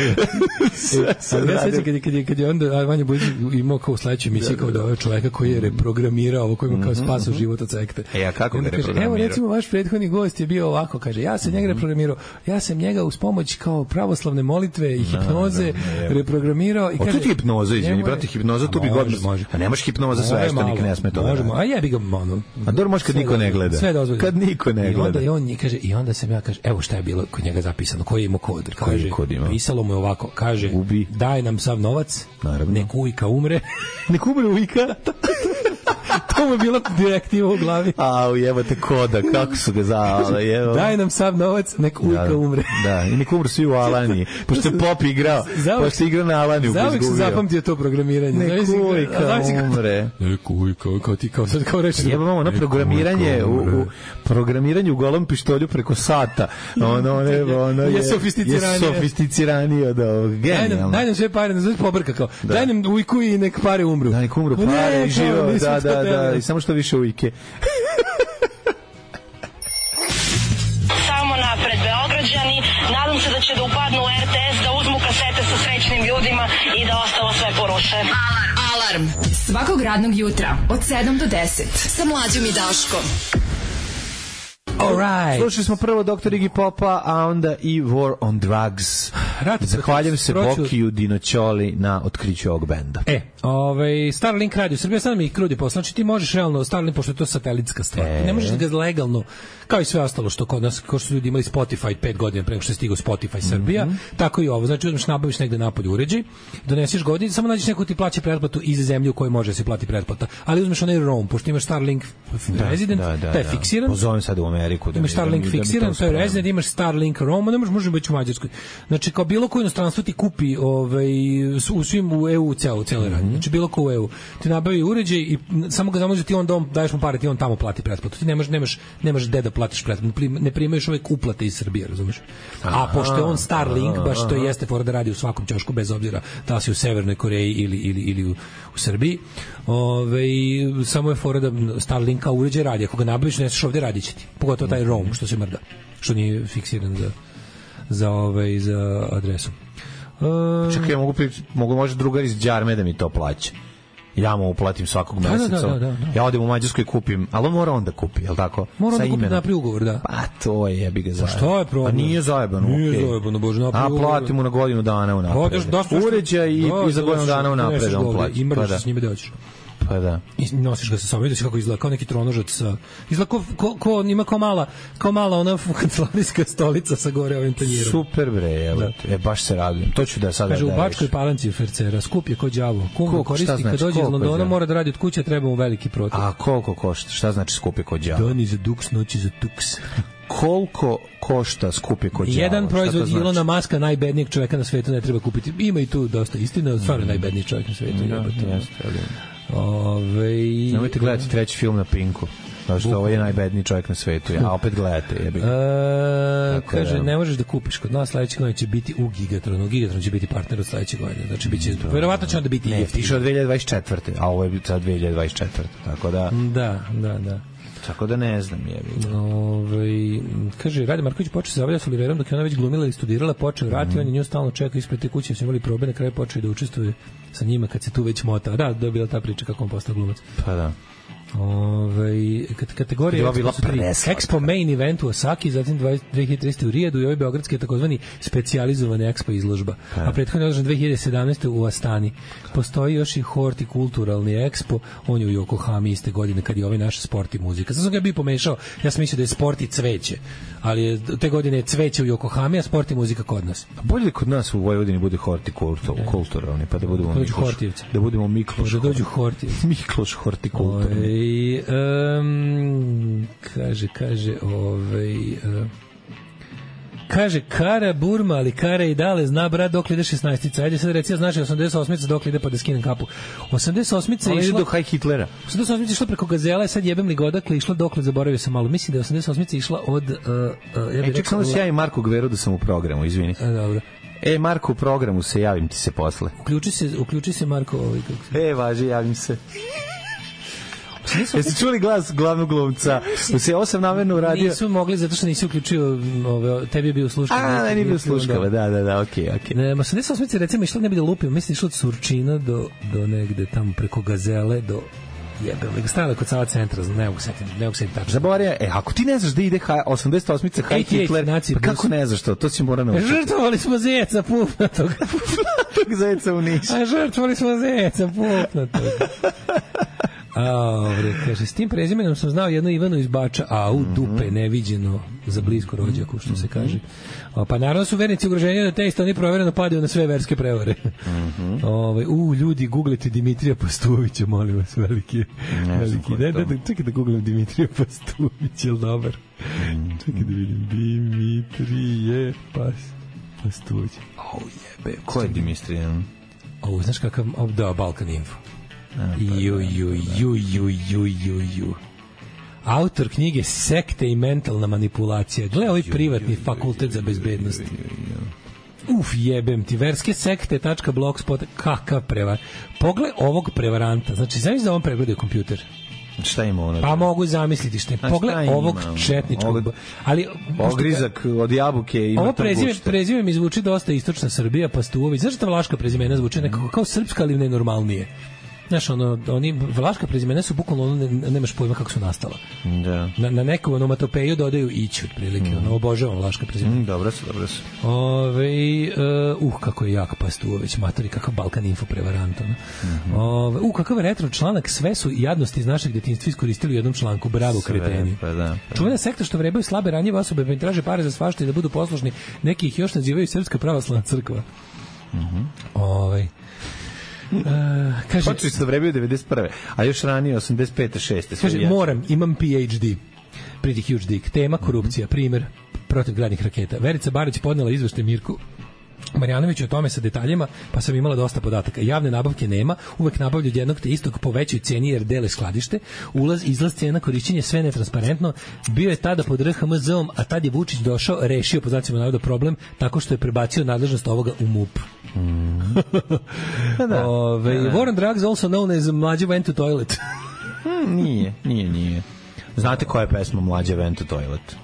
Sve se ja sećam kad je, kad je, kad je onda Vanja Bujić imao kao u sledećoj emisiji kao da ovaj čoveka koji je reprogramirao ovo, koji ima kao spasao život od sekte. E, a kako ga reprogramirao? Evo, recimo, vaš prethodni gost je bio ovako, kaže, ja sam njega reprogramirao, ja sam njega uz pomoć kao pravoslavne molitve i hipnoze reprogramirao. I kaže, tu ti hipnoza, izvini, brate, hipnoza, tu bi godno. A nemaš hipnoza sveštenik, ne sme to da radi. A jebi ga, ono. A dobro, može kad niko ne gleda. Sve dozvoljeno. Kad niko ne gleda. I onda, i on kaže, i onda sam ja, kaže, evo šta je bilo kod njega zapisano, koji je imao kod. Kaže, pisalo mu je ovako, kaže, ubi. Daj nam sav novac, naravno. nek ujka umre. Nek umre ujka? To mu je bila direktiva u glavi. A, ujebate koda, kako su ga zavale, evo. Daj nam sav novac, nek ujka umre. Da, i nek umre svi u Alaniji. Pošto je Pop igrao, pošto je igrao na Alaniju. Zavek se zapamtio to programiranje. Nek ujka umre. Nek ujka, kao ti, kao sad, kao reći. Jebamo, ono programiranje, u, u, programiranje u golom pištolju preko sata. Ono, ne, ono je, je sofisticiranije. Je sofisticiranije od ovog. Genijalno. Daj nam sve pare, ne zove pobrka kao. Daj nam ujku i nek pare umru. Da, nek umru pare i živo. Da, da, da, i samo što više ujke. Samo napred, Beograđani. Nadam se da će da upadnu u er te es, da uzmu kasete sa srećnim ljudima i da ostalo sve poruše. Alarm! Alarm! Svakog radnog jutra od sedam do deset sa Mlađom i Daškom. Alright. Slušali smo prvo doktor Iggy Popa, a onda i War on Drugs. Rat, Zahvaljujem se proću... Bokiju Dinoćoli na otkriću ovog benda. E, ovaj, Starlink radio Srbija, sad mi ih krudi posla. Znači ti možeš realno, Starlink, pošto je to satelitska stvar, e. ne možeš da ga legalno, kao i sve ostalo što kod nas, kao što su ljudi imali Spotify pet godina preko što je stigao Spotify Srbija, mm -hmm. tako i ovo. Znači uzmeš, nabaviš negde napolje uređaj, doneseš godin, samo nađeš neku ti plaća pretplatu iz zemlje u kojoj može se plati pretplata. Ali uzmeš onaj roam, pošto imaš Starlink da, resident, da, da, taj je da. fiksiran. Pozovem sad u Ameriku. Da imaš Starlink da fiksiran, to je resident, imaš Starlink roam, ne možeš, može biti u Mađarskoj. Znači kao bilo koje inostranstvo ti kupi ovaj, u svim u e u celo, cele radnje. Znači bilo ko u e u. Ti nabavi uređaj i samo ga zamoži ti on dom, daješ mu pare, ti on tamo plati pretplatu. Ti nemaš, nemaš, nemaš gde da platiš pretplatu. Ne primaš uvek uplate iz Srbije, razumeš? A pošto je on Starlink, baš to jeste fora da radi u svakom ćošku, bez obzira da li si u Severnoj Koreji ili, ili, ili u, u Srbiji. Ove, samo je fora da Starlinka uređaj radi. Ako ga nabaviš, neseš ovde, radit će ti. Pogotovo taj roam, što se mrda. Što nije fiksiran za, za, ovaj, za adresu. Uh, Čekaj, ja mogu, mogu može drugar iz Đarme da mi to plaća. Ja mu uplatim svakog da, meseca. Da, da, da, da. Ja odem u Mađarsku i kupim, ali on mora onda kupi, je li tako? Mora onda kupi napri ugovor, da. Pa to je, jebi ga zajebano. Pa što je problem? Pa nije zajebano, nije okej. Okay. Zajebano, bože, napri ugovor. A platimo na godinu dana unapred. Uređaj i, i za godinu dana unapred on plati. I mreš pa s njime da hoćeš. Pa da. I nosiš ga sa sobom, vidiš kako izgleda, kao neki tronožac sa... Izgleda ko, ko, ko ima kao mala, kao mala ona kancelarijska stolica sa gore ovim tanjirom. Super bre, evo, da. E, baš se radujem. To ću da sada kaže, da u Bačkoj Palanci Fercera, skup je ko đavo. Kum ko koristi znači, kad dođe iz Londona, mora da radi od kuće, treba mu veliki protok. A koliko košta? Šta znači skup je ko đavo? Dani za duks, noći za tuks. Koliko košta skupi kod đavo? Jedan proizvod znači? Ilona Maska, najbednijeg čoveka na svetu, ne treba kupiti. Ima i tu dosta istina, stvarno mm. najbedniji čovjek na svetu. Ja, jeste, ali... Ove... Nemojte gledati treći film na Pinku. Zato što ovo je najbedniji čovjek na svetu. A opet gledate. Jebi. E, kaže, ne možeš da kupiš kod nas, sledeće godine će biti u Gigatronu. Gigatron će biti partner od sledeće godine. Znači, biće, verovatno će onda biti ne, tiše od dve hiljade dvadeset četvrte. A ovo je sad dve hiljade dvadeset četvrte. Tako da... Da, da, da. Tako da ne znam, jebi. Ove, kaže, Rade Marković počeo se zavljati s Oliverom dok je ona već glumila i studirala, počeo vrati, mm. on je nju stalno čeka ispred te kuće, su imali probe, na kraju počeo da učestvuje sa njima kad se tu već mota. Da, da je bila ta priča kako on postao glumac. Pa da. Ove, kategorije Expo Main Event u Osaki, zatim dve hiljade trinaeste u Rijadu i ovaj beogradski je takozvani specijalizovani Expo izložba. Ha. A prethodno je održan dve hiljade sedamnaeste u Astani. Postoji još i hortikulturalni Expo, on je u Yokohami iste godine kad je ovaj naš sport i muzika. Sad sam ga bio pomešao, ja sam mislio da je sport i cveće, ali je, te godine je cveće u Yokohami, a sport i muzika kod nas. A bolje kod nas u Vojvodini bude hortikulturalni, pa da budemo Mikloš. Da budemo Mikloš. Da dođu Hortivci. Mikloš hortikulturni. I, um, kaže, kaže, ovaj, uh, kaže, Kara Burma, ali Kara i dale zna brat dok ide šesnaestica. Ajde sad reci, znaš, osamdeset osmica dok ide pa da skinem kapu. osamdeset osmica je išla... do Haj Hitlera. osamdeset osmica je išla preko Gazela, sad jebem li godakle, išla dokle, zaboravio sam malo. Mislim da je osamdeset osmica išla od... Uh, uh, ja e, ček sam da se javim Marku Gveru da sam u programu, izvini. A, dobro. E, Marko, u programu se javim ti se posle. Uključi se, uključi se Marko. Ovaj, kako e, važi, javim se. Jeste čuli glas glavnog glumca? Se osam namerno uradio. Nisu mogli zato što nisi uključio, ove, tebi je bio sluškava. A, ne, nije bio sluškava, da, da, da, okej, okej. Ne, ma osamdeset osmice recimo išlo ne bi da lupio, mislim išlo od Surčina do, do negde tamo preko Gazele do jebem, nego stavila kod Sava centra, ne mogu setiti, ne mogu setiti tačno. Zaboravio, e, ako ti ne znaš da ide osamdeset osmica Haj Hitler, pa kako ne znaš to? To si mora naučiti. Žrtvovali smo zeca pupnatog. Pupnatog zeca u Nišu. A žrtvovali smo zeca pupnatog. A, kaže, s tim prezimenom sam znao jednu Ivanu iz Bača, a u dupe neviđeno za blisko rođaku, što se kaže. A, pa naravno su vernici ugroženja da te isto oni provereno padaju na sve verske prevare. Mm-hmm. Ove, u, ljudi, googlite Dimitrija Pastuvića, molim vas, veliki. veliki. Da, da, da, čekaj da googlam Dimitrija Pastuvića, je li dobar? Mm-hmm. Čekaj da vidim, Dimitrije Pas, Pastuvić. O, jebe. Ko je Dimitrijan? O, znaš kakav, o, da, Balkan Info. Ju, ju, ju, ju, ju, ju, ju. Autor knjige Sekte i mentalna manipulacija. Gle, ovaj privatni fakultet za bezbednost. Uf, jebem ti. Verske sekte tačka blogspot. Kakav prevar. Pogled ovog prevaranta. Znači, znam da on pregledaju kompjuter. Šta ima ono? Pa mogu zamisliti što je. Pogled ovog četničkog. Ali ogrizak od jabuke ima. Ovo prezime, prezime mi zvuči dosta istočna Srbija, Pastuović. Zašto ta vlaška prezimena zvuči nekako kao srpska, ali nenormalnije? Znaš, ono, oni, vlaška prezimena su bukvalno, ono, ne, nemaš pojma kako su nastala. Da. Na, na neku onomatopeju dodaju ići, otprilike, mm. ono, obožavam vlaška prezimena. Mm, dobro su, dobro su. Ove, uh, uh, kako je jak Pastuović, matori, kakav Balkan Info prevarant, ono. Mm-hmm. Ove, uh, kakav retro članak, sve su jadnosti iz našeg detinjstva iskoristili u jednom članku, bravo sve, kreteni. Pa da, pa. Čuvena sekta što vrebaju slabe ranjive osobe, pa im traže pare za svašta i da budu poslušni, neki ih još nazivaju Srpska pravoslavna crkva. Mhm. Ove, Uh, kaže počeli su da vrebaju devedeset prve a još ranije osamdeset pete šeste Kaže, jače. Moram, imam P H D. Pretty huge dick. Tema korupcija, mm-hmm. primer protivgradnih raketa. Verica Barać podnela izveštaj Mirku Marjanović o tome sa detaljima, pa sam imala dosta podataka. Javne nabavke nema, uvek nabavljaju od jednog te istog po većoj ceni jer dele skladište. Ulaz, izlaz, cena, korišćenje, sve netransparentno. Bio je tada pod R H M Z-om, a tad je Vučić došao, rešio po znacima navoda problem tako što je prebacio nadležnost ovoga u M U P. Mm. da. Ove, da, da. War on Drugs, also known as Mlađe Went to Toilet. hmm, nije, nije, nije. Znate koja je pesma Mlađe Went to Toilet?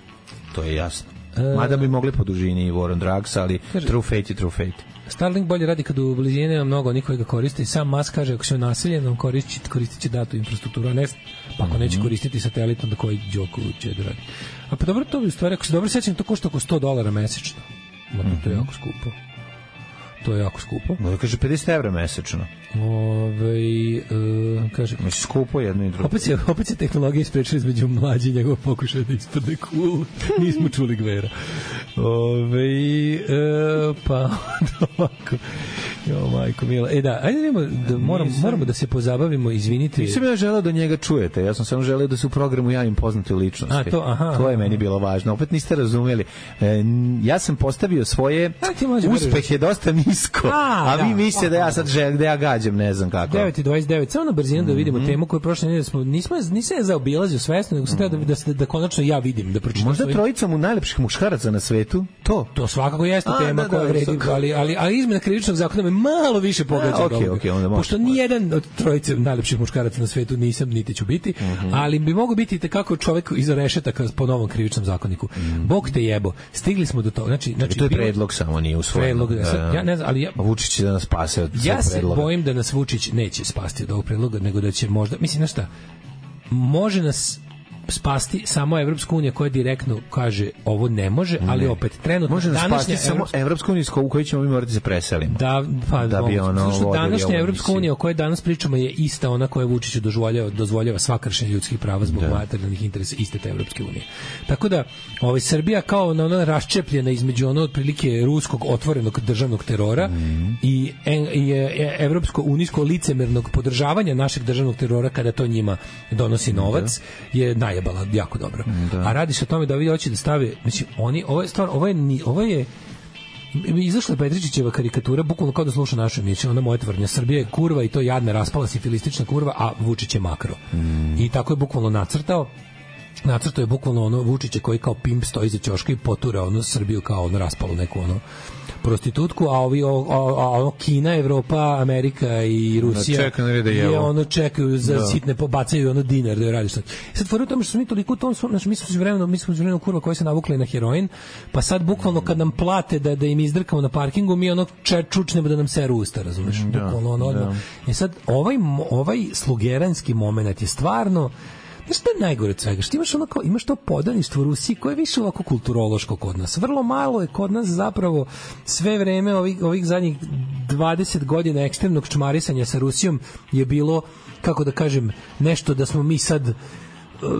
To je jasno. Mada bi mogli po dužini War on Drugs, ali kaže, True Fate je True Fate. Starlink bolje radi kad u blizini nema mnogo niko ga koriste i sam Musk kaže ako se naseljen on koristi, koristit će datu infrastrukturu, a ne pa ako mm-hmm. neće koristiti satelit onda koji Đoku će da radi. A pa dobro, to bi u stvari, ako se dobro sećam, to košta oko sto dolara mesečno. Ma mm-hmm. to je jako skupo. To je jako skupo. No, kaže pedeset evra mesečno. Ove, uh, kaže... Mislim, skupo jedno i drugo. Opet se, opet se tehnologija isprečila između mlađi i njegov pokušaj da ispadne cool. Nismo čuli Gvera. Ove, uh, pa, ovako. Jo, majko mila. E da, ajde nemo, da moram, Nisam... moramo da se pozabavimo, izvinite. Nisam ja želeo da njega čujete, ja sam samo želeo da se u programu javim poznate ličnosti. A, to, aha, to je aha. meni bilo važno. Opet niste razumeli. E, ja sam postavio svoje uspehe dosta nisko, a, a vi da, mislite da ja sad želim, da ja gađam, ne znam kako. devet i dvadeset devet, samo na brzinu mm-hmm. da vidimo temu koju prošle nedelje smo, nismo, nisam je zaobilazio svesno, nego sam mm-hmm. treba da, da, da konačno ja vidim, da pročitam. Možda svoj... trojica mu najlepših muškaraca na svetu, to? To svakako jeste a, tema da, koja da, vredi, ali, ali, ali izmena krivičnog zakona me malo više pogađa. A, okay, okay, onda pošto nijedan od trojice najlepših muškaraca na svetu nisam, niti ću biti, mm-hmm. ali bi mogo biti tekako čovek iza rešetaka po novom krivičnom zakoniku. Mm-hmm. Bog te jebo, stigli smo do toga. Znači, znači, to je predlog samo, nije usvojen. Predlog, da, sad, ja ne znam, ali ja... Vučić će da nas spase od ja predloga. Ja se bojim da nas Vučić neće spasti od ovog predloga, nego da će možda, mislim, znaš šta, može nas spasti samo Evropska unija koja direktno kaže ovo ne može, ali ne. Opet trenutno može nas spasti samo Evropska unija u kojoj ćemo mi morati da se preselimo. Da, pa da bi ono današnja Evropska unija o kojoj danas pričamo je ista ona koja Vučiću dozvoljava dozvoljava sva kršenja ljudskih prava zbog da. materijalnih interesa iste te Evropske unije. Tako da ovaj Srbija kao na ona raščepljena između ono otprilike ruskog otvorenog državnog terora mm. i i evropsko unijsko licemernog podržavanja našeg državnog terora kada to njima donosi novac da. je najebala jako dobro. Da. A radi se o tome da ovi hoće da stave, znači oni ovo je stvar, ovo je ovo je izašla Petričićeva karikatura, bukvalno kao da sluša našu emisiju, ona moja tvrdnja, Srbija je kurva i to jadna, raspala sifilistična kurva, a Vučić je makro. Mm. I tako je bukvalno nacrtao. Nacrtao je bukvalno ono Vučića koji kao pimp stoji za ćoška i potura ono Srbiju kao ono raspalu neku ono prostitutku, a ovi o, a, a Kina, Evropa, Amerika i Rusija da je ono čekaju za da. Sitne, pobacaju ono dinar da je radi sad. Sad fora u tome što smo mi toliko u tom, znači mi smo vremeno, mi smo vremeno kurva koji se navukli na heroin, pa sad bukvalno kad nam plate da da im izdrkamo na parkingu, mi ono čučnemo da nam seru usta, razumeš? Da, bukvalno ono odmah. I sad ovaj ovaj slugeranski momenat je stvarno. Znaš što je najgore od svega? Što imaš, ono kao, imaš to podaništvo Rusiji koje je više ovako kulturološko kod nas. Vrlo malo je kod nas zapravo sve vreme ovih, ovih zadnjih dvadeset godina ekstremnog čmarisanja sa Rusijom je bilo kako da kažem, nešto da smo mi sad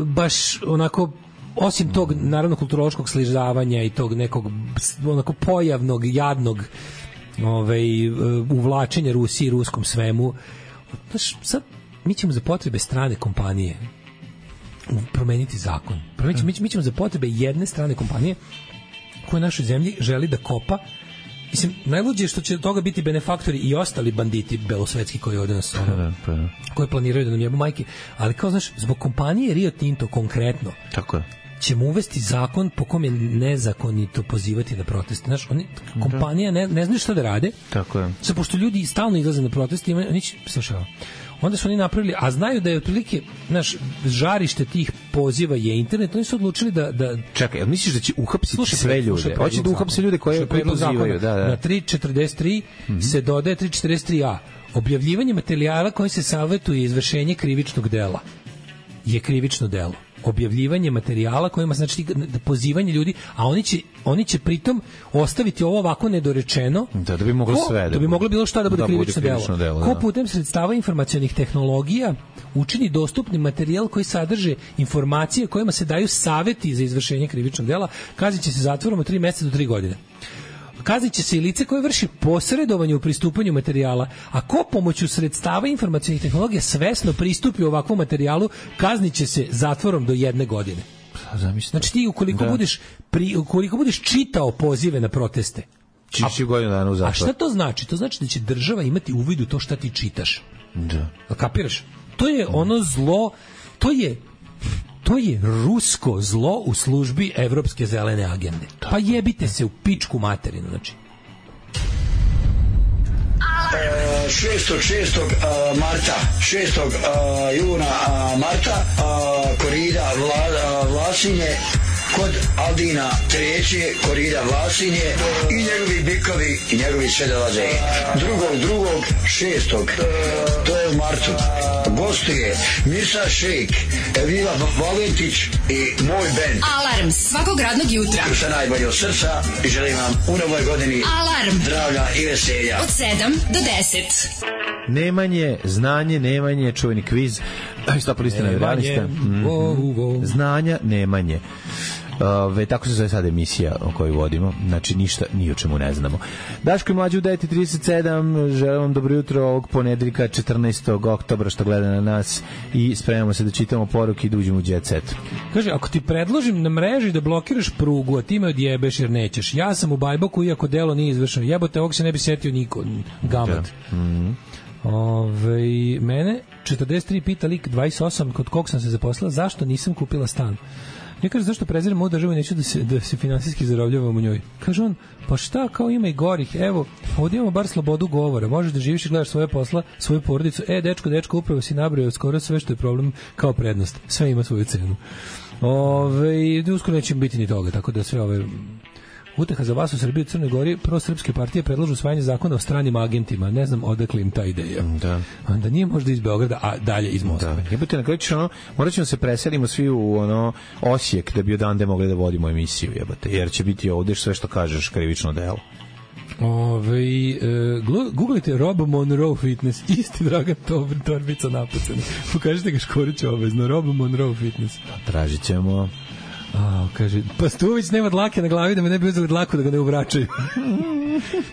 baš onako, osim tog naravno kulturološkog sližavanja i tog nekog onako pojavnog, jadnog ovaj, uvlačenja Rusiji i ruskom svemu, znaš, sad mi ćemo za potrebe strane kompanije promeniti zakon. Promeniti, mi, mi ćemo za potrebe jedne strane kompanije koja u našoj zemlji želi da kopa. Mislim, najluđe je što će od toga biti benefaktori i ostali banditi belosvetski koji ovde nas ono, koji planiraju da nam jebu majke, ali kao znaš, zbog kompanije Rio Tinto konkretno, tako je, ćemo uvesti zakon po kom je nezakonito pozivati na proteste. Znaš, oni, kompanija ne, ne znaju šta da rade. Tako je. Sad, pošto ljudi stalno izlaze na proteste, oni će, slušaj, onda su oni napravili, a znaju da je otprilike, znaš, žarište tih poziva je internet, oni su odlučili da... da čekaj, jel misliš da će uhapsiti slušaj, sve ljude? Hoće da uhapse ljude koje, koje pozivaju. Da, da. Na tri četrdeset tri mm-hmm. se dodaje tri četrdeset tri a. Objavljivanje materijala koji se savjetuje izvršenje krivičnog dela je krivično delo. Objavljivanje materijala kojima znači pozivanje ljudi, a oni će oni će pritom ostaviti ovo ovako nedorečeno, da, da bi moglo ko, sve da bi moglo bilo šta da bude da krivično, bude krivično delo. delo ko putem sredstava informacionih tehnologija učini dostupni materijal koji sadrži informacije kojima se daju saveti za izvršenje krivičnog dela, kazniće se zatvorom od tri meseca do tri godine. Kazniće se i lice koje vrši posredovanje u pristupanju materijala, a ko pomoću sredstava informacionih tehnologija svesno pristupi ovakvom materijalu, kazniće se zatvorom do jedne godine. Znači ti ukoliko da. budeš pri, ukoliko budeš čitao pozive na proteste, čiši godinu dana u zatvor. A šta to znači? To znači da će država imati uvid u to šta ti čitaš. Da. A kapiraš? To je ono zlo, to je To je rusko zlo u službi evropske zelene agende. Pa jebite se u pičku materinu, znači. šestog šestog marta, šestog juna marta, korida Vla, Vlasinje, kod Aldina treće, korida Vlasinje i njegovi bikovi i njegovi sve dolaze. Drugog, drugog, šestog, to je u martu. Gostuje Mirsa Šejk, Elvira Valentić i moj band. Alarm svakog radnog jutra. Sa najbolje od srca i želim vam u novoj godini Alarm. Zdravlja i veselja. Od sedam do deset. Nemanje, znanje, nemanje, čuveni kviz. Sto polistina realista. Mm-hmm. Znanja, nemanje. Ove, tako se zove sad emisija o kojoj vodimo, znači ništa, ni o čemu ne znamo. Daško i Mlađa u devet i trideset sedam, želim vam dobro jutro ovog ponedeljka četrnaestog oktobra što gleda na nas i spremamo se da čitamo poruke i da uđemo u jet set. Kaže, ako ti predložim na mreži da blokiraš prugu, a ti me odjebeš jer nećeš, ja sam u Bajboku iako delo nije izvršeno, jebote, ovog se ne bi setio niko, gamat. Da. Mm-hmm. Ove, mene četrdeset tri pita lik dvadeset osam kod kog sam se zaposlila, zašto nisam kupila stan? Ja kaže, zašto preziram ovu državu i neću da se, da se finansijski zarobljavam u njoj? Kaže on, pa šta, kao ima i gorih, evo, ovdje imamo bar slobodu govora, možeš da živiš i gledaš svoje posla, svoju porodicu, e, dečko, dečko, upravo si nabrojao skoro sve što je problem kao prednost, sve ima svoju cenu. Ove, uskoro neće biti ni toga, tako da sve ove... Uteha za vas u Srbiji i Crnoj Gori, prosrpske partije predlažu usvajanje zakona o stranim agentima. Ne znam odakle im ta ideja. Da. Onda nije možda iz Beograda, a dalje iz Moskve. Da. Jebote, na kraju ćeš ono, morat ćemo se preselimo svi u ono Osijek da bi odande mogli da vodimo emisiju, jebote, jer će biti ovdje sve što kažeš krivično delo. Ove, e, googlite Rob Monroe Fitness, isti Dragan Torbica napucani. Pokažite ga Škoriću obavezno, Rob Monroe Fitness. Tražit ćemo. A, kaže, Pastuvić nema dlake na glavi da me ne bi uzeli dlaku da ga ne uvračaju.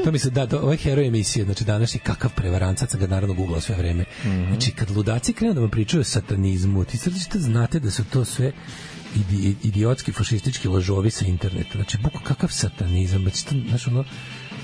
To mi se da, ovo je heroj emisije, znači današnji kakav prevarancac, ga naravno googlao sve vreme. Mm-hmm. Znači, kad ludaci krenu da vam pričaju o satanizmu, ti središte znate da su to sve idi, idiotski, fašistički lažovi sa interneta. Znači, buko kakav satanizam, znači, to, znaš, ono,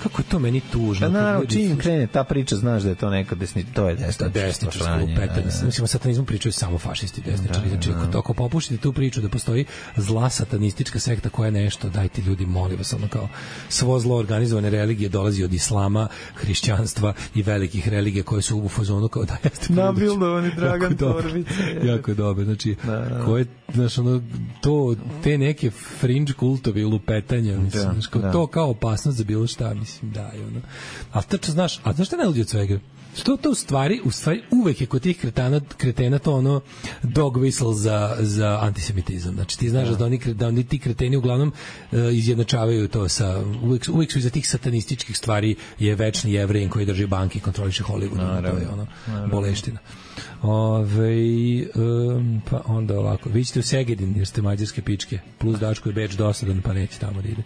kako je to meni tužno. Da, naravno, čim krene ta priča, znaš da je to neka desni, to je desničarsko desničarsko lupetanje. Mislim, o satanizmu pričaju samo fašisti desničari. Znači, ako, ako popuštite tu priču da postoji zla satanistička sekta koja je nešto, dajte ljudi, molim vas, ono kao svo zlo organizovane religije dolazi od islama, hrišćanstva i velikih religija koje su u fazonu kao da jeste nabildovani Dragan Torbica. Jako je dobro. Znači, koje, znaš, ono, to, te neke fringe kultovi lupetanja, mislim, da, kao, da. To kao opasnost za bilo šta, mislim, da, i ono. Ali tačno znaš, a znaš šta je najluđe od svega? što to u stvari, u stvari uvek je kod tih kretana, kretena to ono dog whistle za, za antisemitizam. Znači ti znaš da, da, oni, da oni ti kreteni uglavnom uh, izjednačavaju to sa, uvek, uvek su iza tih satanističkih stvari je večni Jevrijin koji drži banke i kontroliše Hollywood. Naravno, to je ono naravno. Boleština. Ove, um, pa onda ovako, vi ćete u Segedin jer ste mađarske pičke, plus Daško je Beč dosadan pa neće tamo da ide.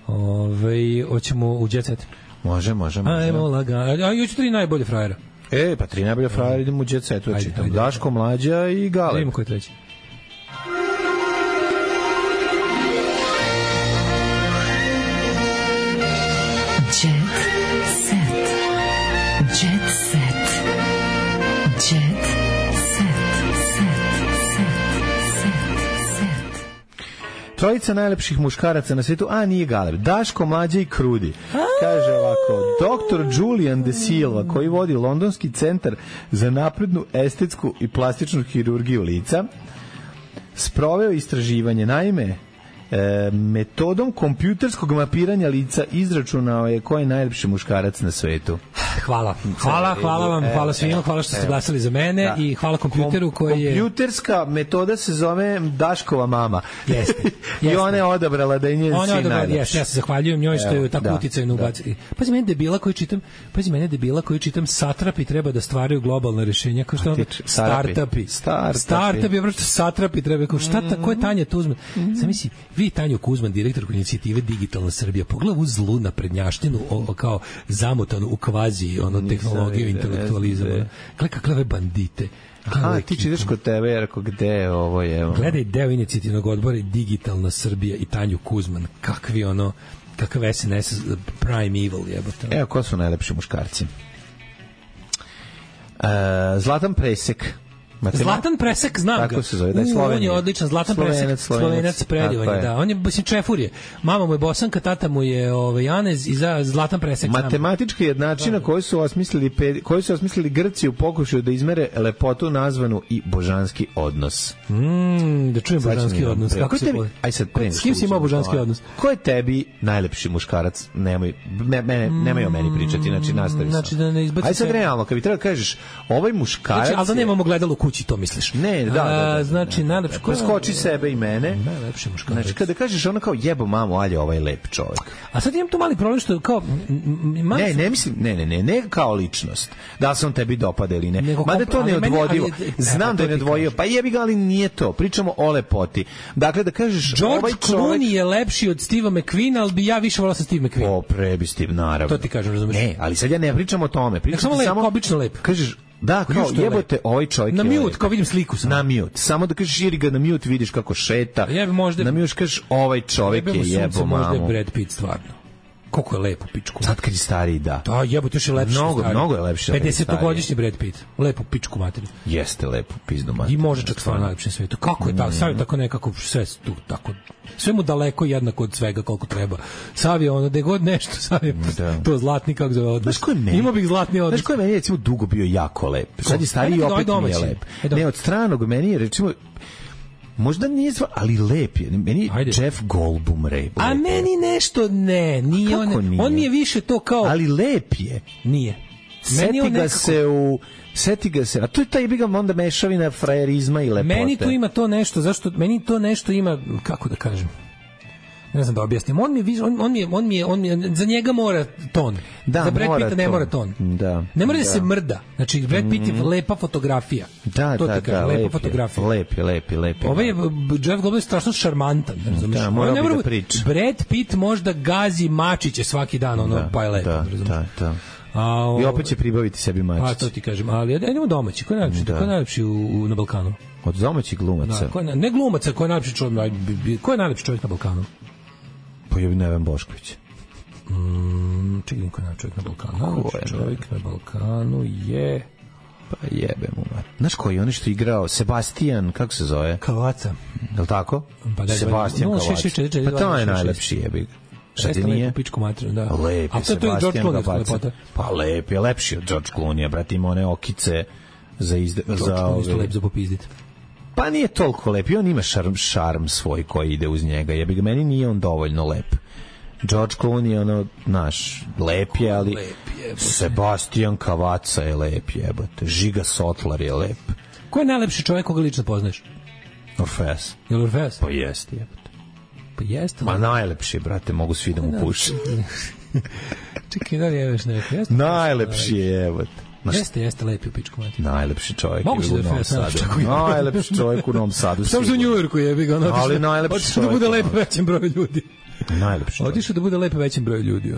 Ove, hoćemo u Jet Set. Može, može, može. Ajmo lagano. A još tri najbolje frajera. E, pa tri najbolje frajera idemo u Jet Setu. Daško, Mlađa i Galeb. Idemo koji treći. Jet Set. Jet Set. Jet Trojica najlepših muškaraca na svetu, a nije Galeb. Daško, Mlađa i Krudi. Kaže ovako, doktor Julian De Silva, koji vodi Londonski centar za naprednu estetsku i plastičnu hirurgiju lica, sproveo istraživanje. Naime, e, metodom kompjuterskog mapiranja lica izračunao je ko je najlepši muškarac na svetu. Hvala. Hvala, hvala vam, hvala svima, hvala što ste glasali za mene da. I hvala kompjuteru koji je... Kompjuterska metoda se zove Daškova mama. Jeste. I ona je odabrala da je njen sin najlepši. Jeste, ja se zahvaljujem njoj što je tako uticajno ubaciti. Pazi, mene debila koju čitam, pazi, mene debila koju čitam, satrapi treba da stvaraju globalna rješenja, kao što startupi. Startupi. Startupi, obraćate satrapi treba, kao šta, ko je Tanja Kuzman? Zamisli, vi Tanju Kuzman, direktorku inicijative Digitalna Srbija, pogledaj u zlu naprednjaštinu, kao zamotanu u kvazi ono tehnologiju, intelektualizam. Gledaj kakve bandite. Aha, ti čitaš kod tebe, jer ako gde ovo je... Gledaj deo inicijativnog odbora Digitalna Srbija i Tanju Kuzman. Kakvi ono, kakav S N S Prime Evil jebote. Evo, ko su najlepši muškarci? Uh, Zlatan Presek. Matema... Zlatan Presek, znam ga. Tako se zove, da je Slovenija. On je odličan, Zlatan Slovenac, Presek, Slovenac, predivan je, da. On je, mislim, čefur je. Mama mu je Bosanka, tata mu je ovaj, Janez i za Zlatan Presek. Matematička jednačina koju su osmislili, koju su osmislili Grci u pokušaju da izmere lepotu nazvanu i božanski odnos. Mm, da čujem božanski odnos. Kako je tebi? Aj sad pre. S kim si imao božanski odnos? Ko je tebi najlepši muškarac? Nemoj, ne, ne, nemoj o meni pričati, znači nastavi znači, da ne Aj sad realno, kad bi treba kažeš, ovaj muškarac... Znači, ali da nemamo gledalo kući, to misliš? Ne, da, da, da, da. Znači, najlepši... Preskoči sebe i mene. Najlepši muškarac. Znači, kada kažeš ono kao jebo mamu, alje, ovaj lep čovjek. A sad imam tu mali problem što kao... Ne, ne mislim, ne, ne, ne, ne kao ličnost. Da li se on tebi dopada ili ne. Mada to ne odvodivo. Znam da je neodvojio. Pa jebi ga, ali nije to. Pričamo o lepoti. Dakle, da kažeš... George ovaj čovjek... Clooney je lepši od Steva McQueena, ali bi ja više volao sa Steve McQueen. O, prebi Steve, naravno. To ti kažem, razumiješ? Ne, ali sad ja ne pričam o tome. Pričam samo lep, samo... obično lep. Kažeš, da, kao jebote, ovaj čovjek na mute, kao vidim sliku sam. Na mute. Samo da kažeš jeri ga na mute, vidiš kako šeta. Jebi možda. Na mute kažeš ovaj čovjek je jebo mamu. Možda je Brad Pitt stvarno. Koliko je lepo pičku. Sad kad je stariji, da. Da, jebote, još je lepši. Mnogo, mnogo je lepši. pedesetogodišnji Brad Pitt. Lepo pičku materiju. Jeste lepo pizdu materiju. I može čak stvarno najlepši na svetu. Kako je tako? Sav je tako nekako sve tu tako. Sve mu daleko jednako od svega koliko treba. Sav je ono, da god nešto, sav je to zlatni, kako zove odnos. Ima bih zlatni odnos. Znaš ko je meni recimo dugo bio jako lep? Sad je stariji opet nije lep. Ne, od stranog meni je recimo možda nije zva, ali lep je. Meni Ajde. Jeff Goldblum lep. A meni nešto ne, nije on. Nije? On mi je više to kao... Ali lep je. Nije. Seti ga nekako... se u... Seti ga se. A to je taj biga onda mešavina frajerizma i lepote. Meni tu ima to nešto, zašto... Meni to nešto ima, kako da kažem... Ne znam da objasnim. On mi je, on, on mi je, on mi je, on mi je, za njega mora ton. Da, za Brad Pitta ne mora ton. Da. Ne mora da, da se mrda. Znači Brad Pitt je lepa fotografija. Da, to da, ti kažem, da, lepa lep fotografija. Je, lep je, lep je, lep je. Ovaj je Jeff Goldblum je strašno šarmantan, razumiješ? Da, mora bi da priča. Brad Pitt možda gazi mačiće svaki dan, ono da, pa je lepo, da, razumiješ? Da, da. A, o, I opet će pribaviti sebi mačić. Pa to ti kažem, ali idemo domaći. Ko je najlepši? Da. Ko je najlepši u, u, na Balkanu? Od domaćih glumaca. Da, ko je, ne glumaca, ko je najlepši čovjek, ko je najlepši čovjek na Balkanu? Pa je Neven Bošković. Mm, čekaj, ko je najlepši čovjek na Balkanu? Ko je čovjek na Balkanu je... Pa jebe mu. Znaš koji, on što je igrao? Sebastian, kako se zove? Kavaca. Je li tako? Pa da, Sebastian no, Kavaca. Pa to je najlepši jebik. Šta ti nije? Pičku materiju, da. Lep je Sebastian Kavaca. Pa lep je, lepši od George Clooney, brate, ima one okice za izde... George Clooney je lep za popizdit. Pa nije toliko lep, i on ima šarm, šarm svoj koji ide uz njega, jebi ga, meni nije on dovoljno lep George Clooney je ono, naš, lep je, ali lep je, Sebastian Kavaca je lep, jebote. Žiga Sotlar je lep. Ko je najlepši čovjek koga lično poznaš? Orfeas. Je li Orfeas? Pa jeste, jebote. Pa jeste. Ma najlepši, brate, mogu svi da mu puše. Čekaj, da li je već neko? Jeste, najlepši je, jebote. Jeste, jeste lepi u pičku mati. Najlepši čovjek je u Novom Sadu. Najlepši čovjek u Novom Sadu. Samo u Njujorku je, bi ga ono. Ali najlepši čovjek. Otišao da bude lep većem broju ljudi. Najlepši. Otišao da bude lep većem broju ljudi.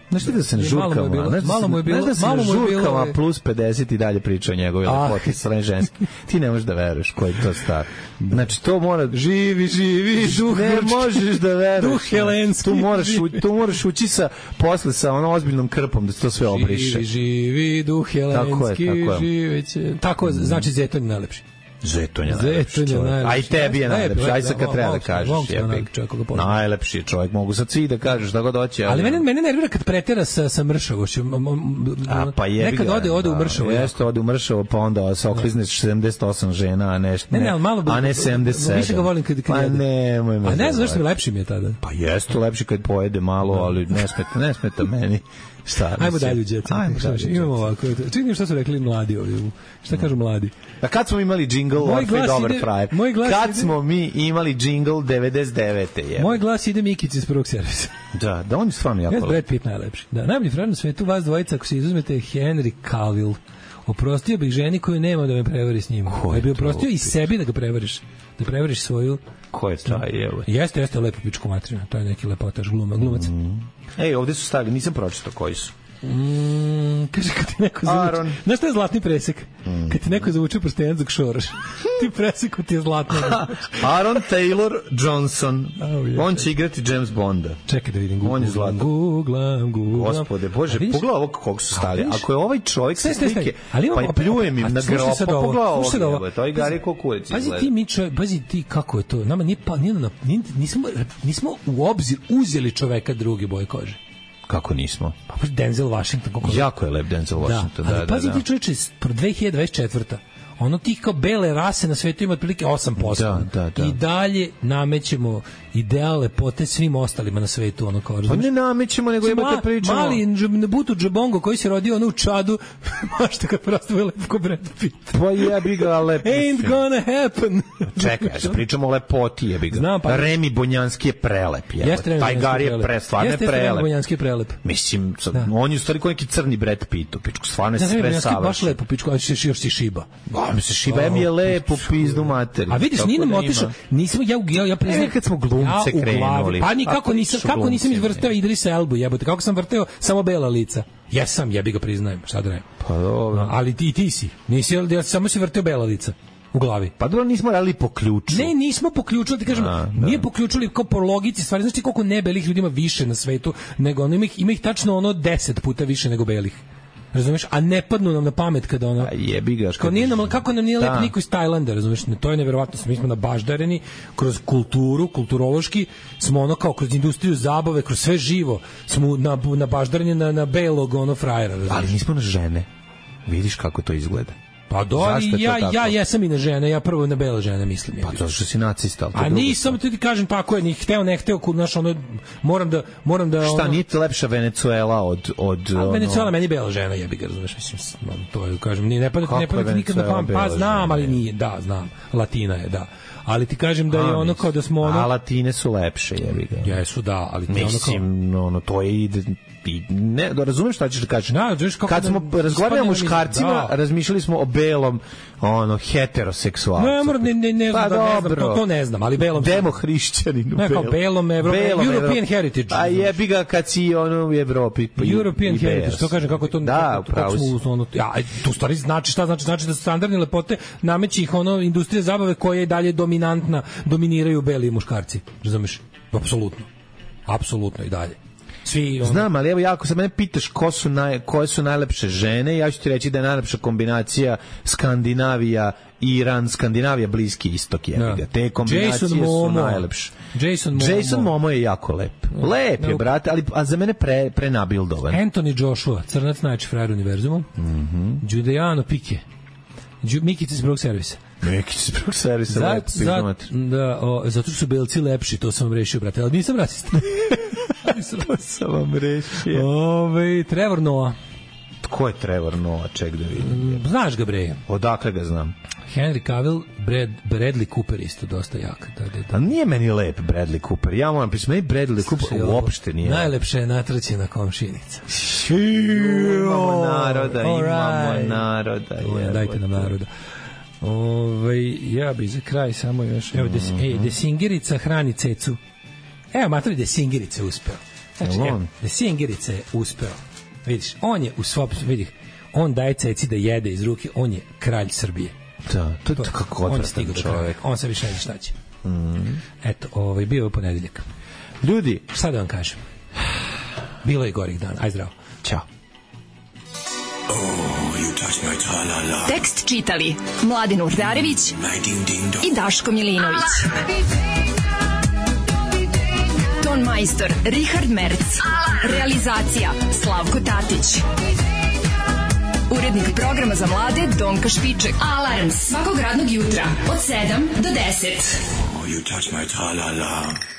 Znaš ti da se ne žurkama? Malo mu je bilo. Znaš da se ne žurkama plus pedeset i dalje priča o njegovoj lepoti strane ženski. Ti ne možeš da veruješ koji je to star. Znači to mora... Živi, živi, duh. Ne možeš da veruješ. Duh helenski. Tu moraš, tu moraš ući sa, posle sa ono ozbiljnom krpom da se to sve obriše. Živi, živi, duh helenski, živeće. Tako, znači Zeton je najlepši. Zeton je najlepši čovjek. A i tebi je najlepši. Aj sad kad treba da kažeš. Najlepši je čovjek. Mogu sad svi da kažeš da god hoće. Ali mene, mene nervira kad pretera sa, sa mršavošću. A pa jebi nekad ga. ode, ode u mršavo. Jeste, ode u mršavo, pa onda se oklizneš sedamdeset osam žena, a ne, ne, ne, malo a ne sedamdeset sedam. Više ga volim kad, kad pa ne, moj a ne znam što mi lepši mi je tada. Pa jeste lepši kad pojede malo, ali ne smeta, ne smeta meni. Šta? Ajmo dalje u džet. Imamo ovako. Čini što su rekli mladi ovdje. Šta kažu mladi? A kad smo imali džingl Orfe dobar frajer? Kad smo mi imali džingl devedeset devete je. Moj glas ide Mikici iz prvog servisa. Da, da on je stvarno jako. Ja Brad Pitt najlepši. Da, najbolji frajer na svetu vas dvojica ako se izuzmete Henry Cavill. Oprostio bih ženi koju nema da me prevari s njim. Ja bih oprostio i sebi da ga prevariš. Da prevariš svoju... Ko je taj, evo? Jeste, jeste lepo pičku materina. To je neki lepotaš gluma, glumac. Mm. Ej, ovde su stavili, nisam pročitao koji su. Mm, kaže kad ti neko zavuče. Znaš šta je zlatni presek? Mm. Kad ti neko zavuče prstenac dok šoraš. Ti preseku ti je zlatno. Aaron Taylor Johnson. Oh, yeah, on će igrati James Bonda. Čekaj da vidim. On je zlatan. Googlam, googlam. Gospode, Bože, pogledaj ovog kog su stavili. Ako je ovaj čovjek sa slike, pa i pljujem im na grob, pa pogledaj ovog. To je Gari Kokuric. Pazi ti, Mičo, pazi ti kako je to. Nama nije pa, nismo, nismo u obzir uzeli čoveka druge boje kože. Kako nismo? Pa Denzel Washington. Kako jako je lep Denzel Washington. Da, ali da, pazi da, ti čovječe, dve hiljade dvadeset četvrta ono tih kao bele rase na svetu ima otprilike osam posto. Da, da, da. I dalje namećemo ideal lepote svim ostalima na svetu. Ono kao, pa ne namećemo, nego imate ma, pričamo. Mali Butu Džabongo koji se rodio ono u Čadu, mašta kad prosto je lepo ko Brad Pitt. Pa jebi ga lep. Ain't gonna happen. Čekaj, ja se pričamo o lepoti, jebi ga. Znam, pa, Remi Bonjanski je prelep. Taj Gari je pre, stvarno je prelep. Jeste Remi Bonjanski je prelep. Mislim, da. On je u stvari koji neki crni Brad Pitt, u pičku, stvarno je sve savršen. Baš lepo pičku, ali još si šiba. A mi se šiba mi je lepo pizdu materiju. A vidiš, nije nam otišao, nismo, ja, ja, ja priznam, e, kad smo glumce ja krenuli. Pa nikako nisam, kako nisam izvrteo Idrisa Elbu, jebote, kako sam vrteo samo bela lica. Jesam, jebi ga priznajem, šta da ne. Pa dobro. Ali ti, ti si, nisi, ja samo si vrteo bela lica u glavi. Pa dobro, nismo radili po ključu. Ne, nismo po ključu, ti kažem, a, nije da. po ključu, kao po logici stvari. Znaš ti koliko nebelih ljudi ima više na svetu, nego ono, ima ih, ima ih tačno ono deset puta više nego belih. Razumeš, a ne padnu nam na pamet kada ono. A jebi ga. Kao nije nam, kako nam nije lep niko iz Tajlanda, razumeš? To je neverovatno, mi smo nabaždareni kroz kulturu, kulturološki, smo ono kao kroz industriju zabave, kroz sve živo, smo na nabaždareni na na belog ono frajera, razumeš? Ali nismo na žene. Vidiš kako to izgleda. Pa do, ja, ja jesam i na žene, ja prvo na bele žene mislim. Pa zato što si nacista. A nisam, ti kažem tako je, ni hteo, ne hteo, znaš, ono, moram da... Moram da šta, ono, nije lepša Venezuela od... od a ono... Venezuela meni bela žena, jebi ga, znaš, mislim, to je, kažem, nije, ne pada, ne pada nikad na pamet, pa znam, ali nije, da, znam, Latina je, da. Ali ti kažem da je ono kao da smo ono... A Latine su lepše, jebi ga. Jesu, da, ali ti mislim, ono kao... ono, to je ide... I ne, da razumeš šta ćeš da kažeš. Da, kad smo razgovarali o muškarcima, da. razmišljali smo o belom, ono, heteroseksualcu. Ne, mora, ne, ne, ne, pa, znam, ne znam, to, to ne znam, ali belom... Demohrišćaninu. Ne, kao belom, Evro, belom European Evro... Heritage. A jebi ga kad si ono u Evropi. Pa European i Heritage, to kažem kako to... Da, upravo si. Ono, ja, tu stvari znači šta, znači, znači da su standardne lepote nameći ih ono, industrija zabave koja je dalje dominantna, dominiraju beli muškarci, razumeš? Apsolutno. Apsolutno i dalje. Svi, ono... Znam, ali evo jako se mene pitaš ko su naj, koje su najlepše žene, ja ću ti reći da je najlepša kombinacija Skandinavija, Iran, Skandinavija, Bliski istok je. Da. Te kombinacije su najlepše. Jason Momo. Jason Momo je jako lep. Lep je, brate, ali a za mene pre, prenabildovan. Anthony Joshua, crnac najjači frajer univerzumu. Mm-hmm. Giuliano Pike. Mikica iz prvog servisa. Mikica iz prvog servisa. Zat, zat, da, o, zato što su belci lepši, to sam vam rešio, brate, ali nisam rasista. stari sranje. Sam vam rešio. Ove, Trevor Noah. Ko je Trevor Noah? Ček da vidim. Znaš ga, bre. Odakle ga znam? Henry Cavill, Brad, Bradley Cooper isto dosta jak. Da, da, da. A nije meni lep Bradley Cooper. Ja moram pisati, meni Bradley Cooper uopšte nije. Najlepša je natraćena komšinica. Imamo naroda, imamo naroda. Je, dajte nam naroda. Ove, ja bi za kraj samo još... Evo, des, mm-hmm. ej, Desingerica hrani cecu. Evo, matori, Desingerica uspeo. Znači, evo, Desingerica je uspeo. Vidiš, on je u svop... Vidih, on daje ceci da jede iz ruke, on je kralj Srbije. Da, to je to, kako odvratan čovjek. On se više ne zna šta će. Mm. Eto, ovaj, bio je ponedeljak. Ljudi, šta da vam kažem? Bilo je gorih dana. Aj zdravo. Ćao. Oh, you touch my tra-la-la. Tekst čitali Mladin Urdarević i Daško Milinović. Ton majstor Richard Merc. Realizacija Slavko Tatić. Urednik programa za mlade Donka Špiček. Alarms svakog radnog jutra od sedam do deset. Oh, you touch my tra-la-la.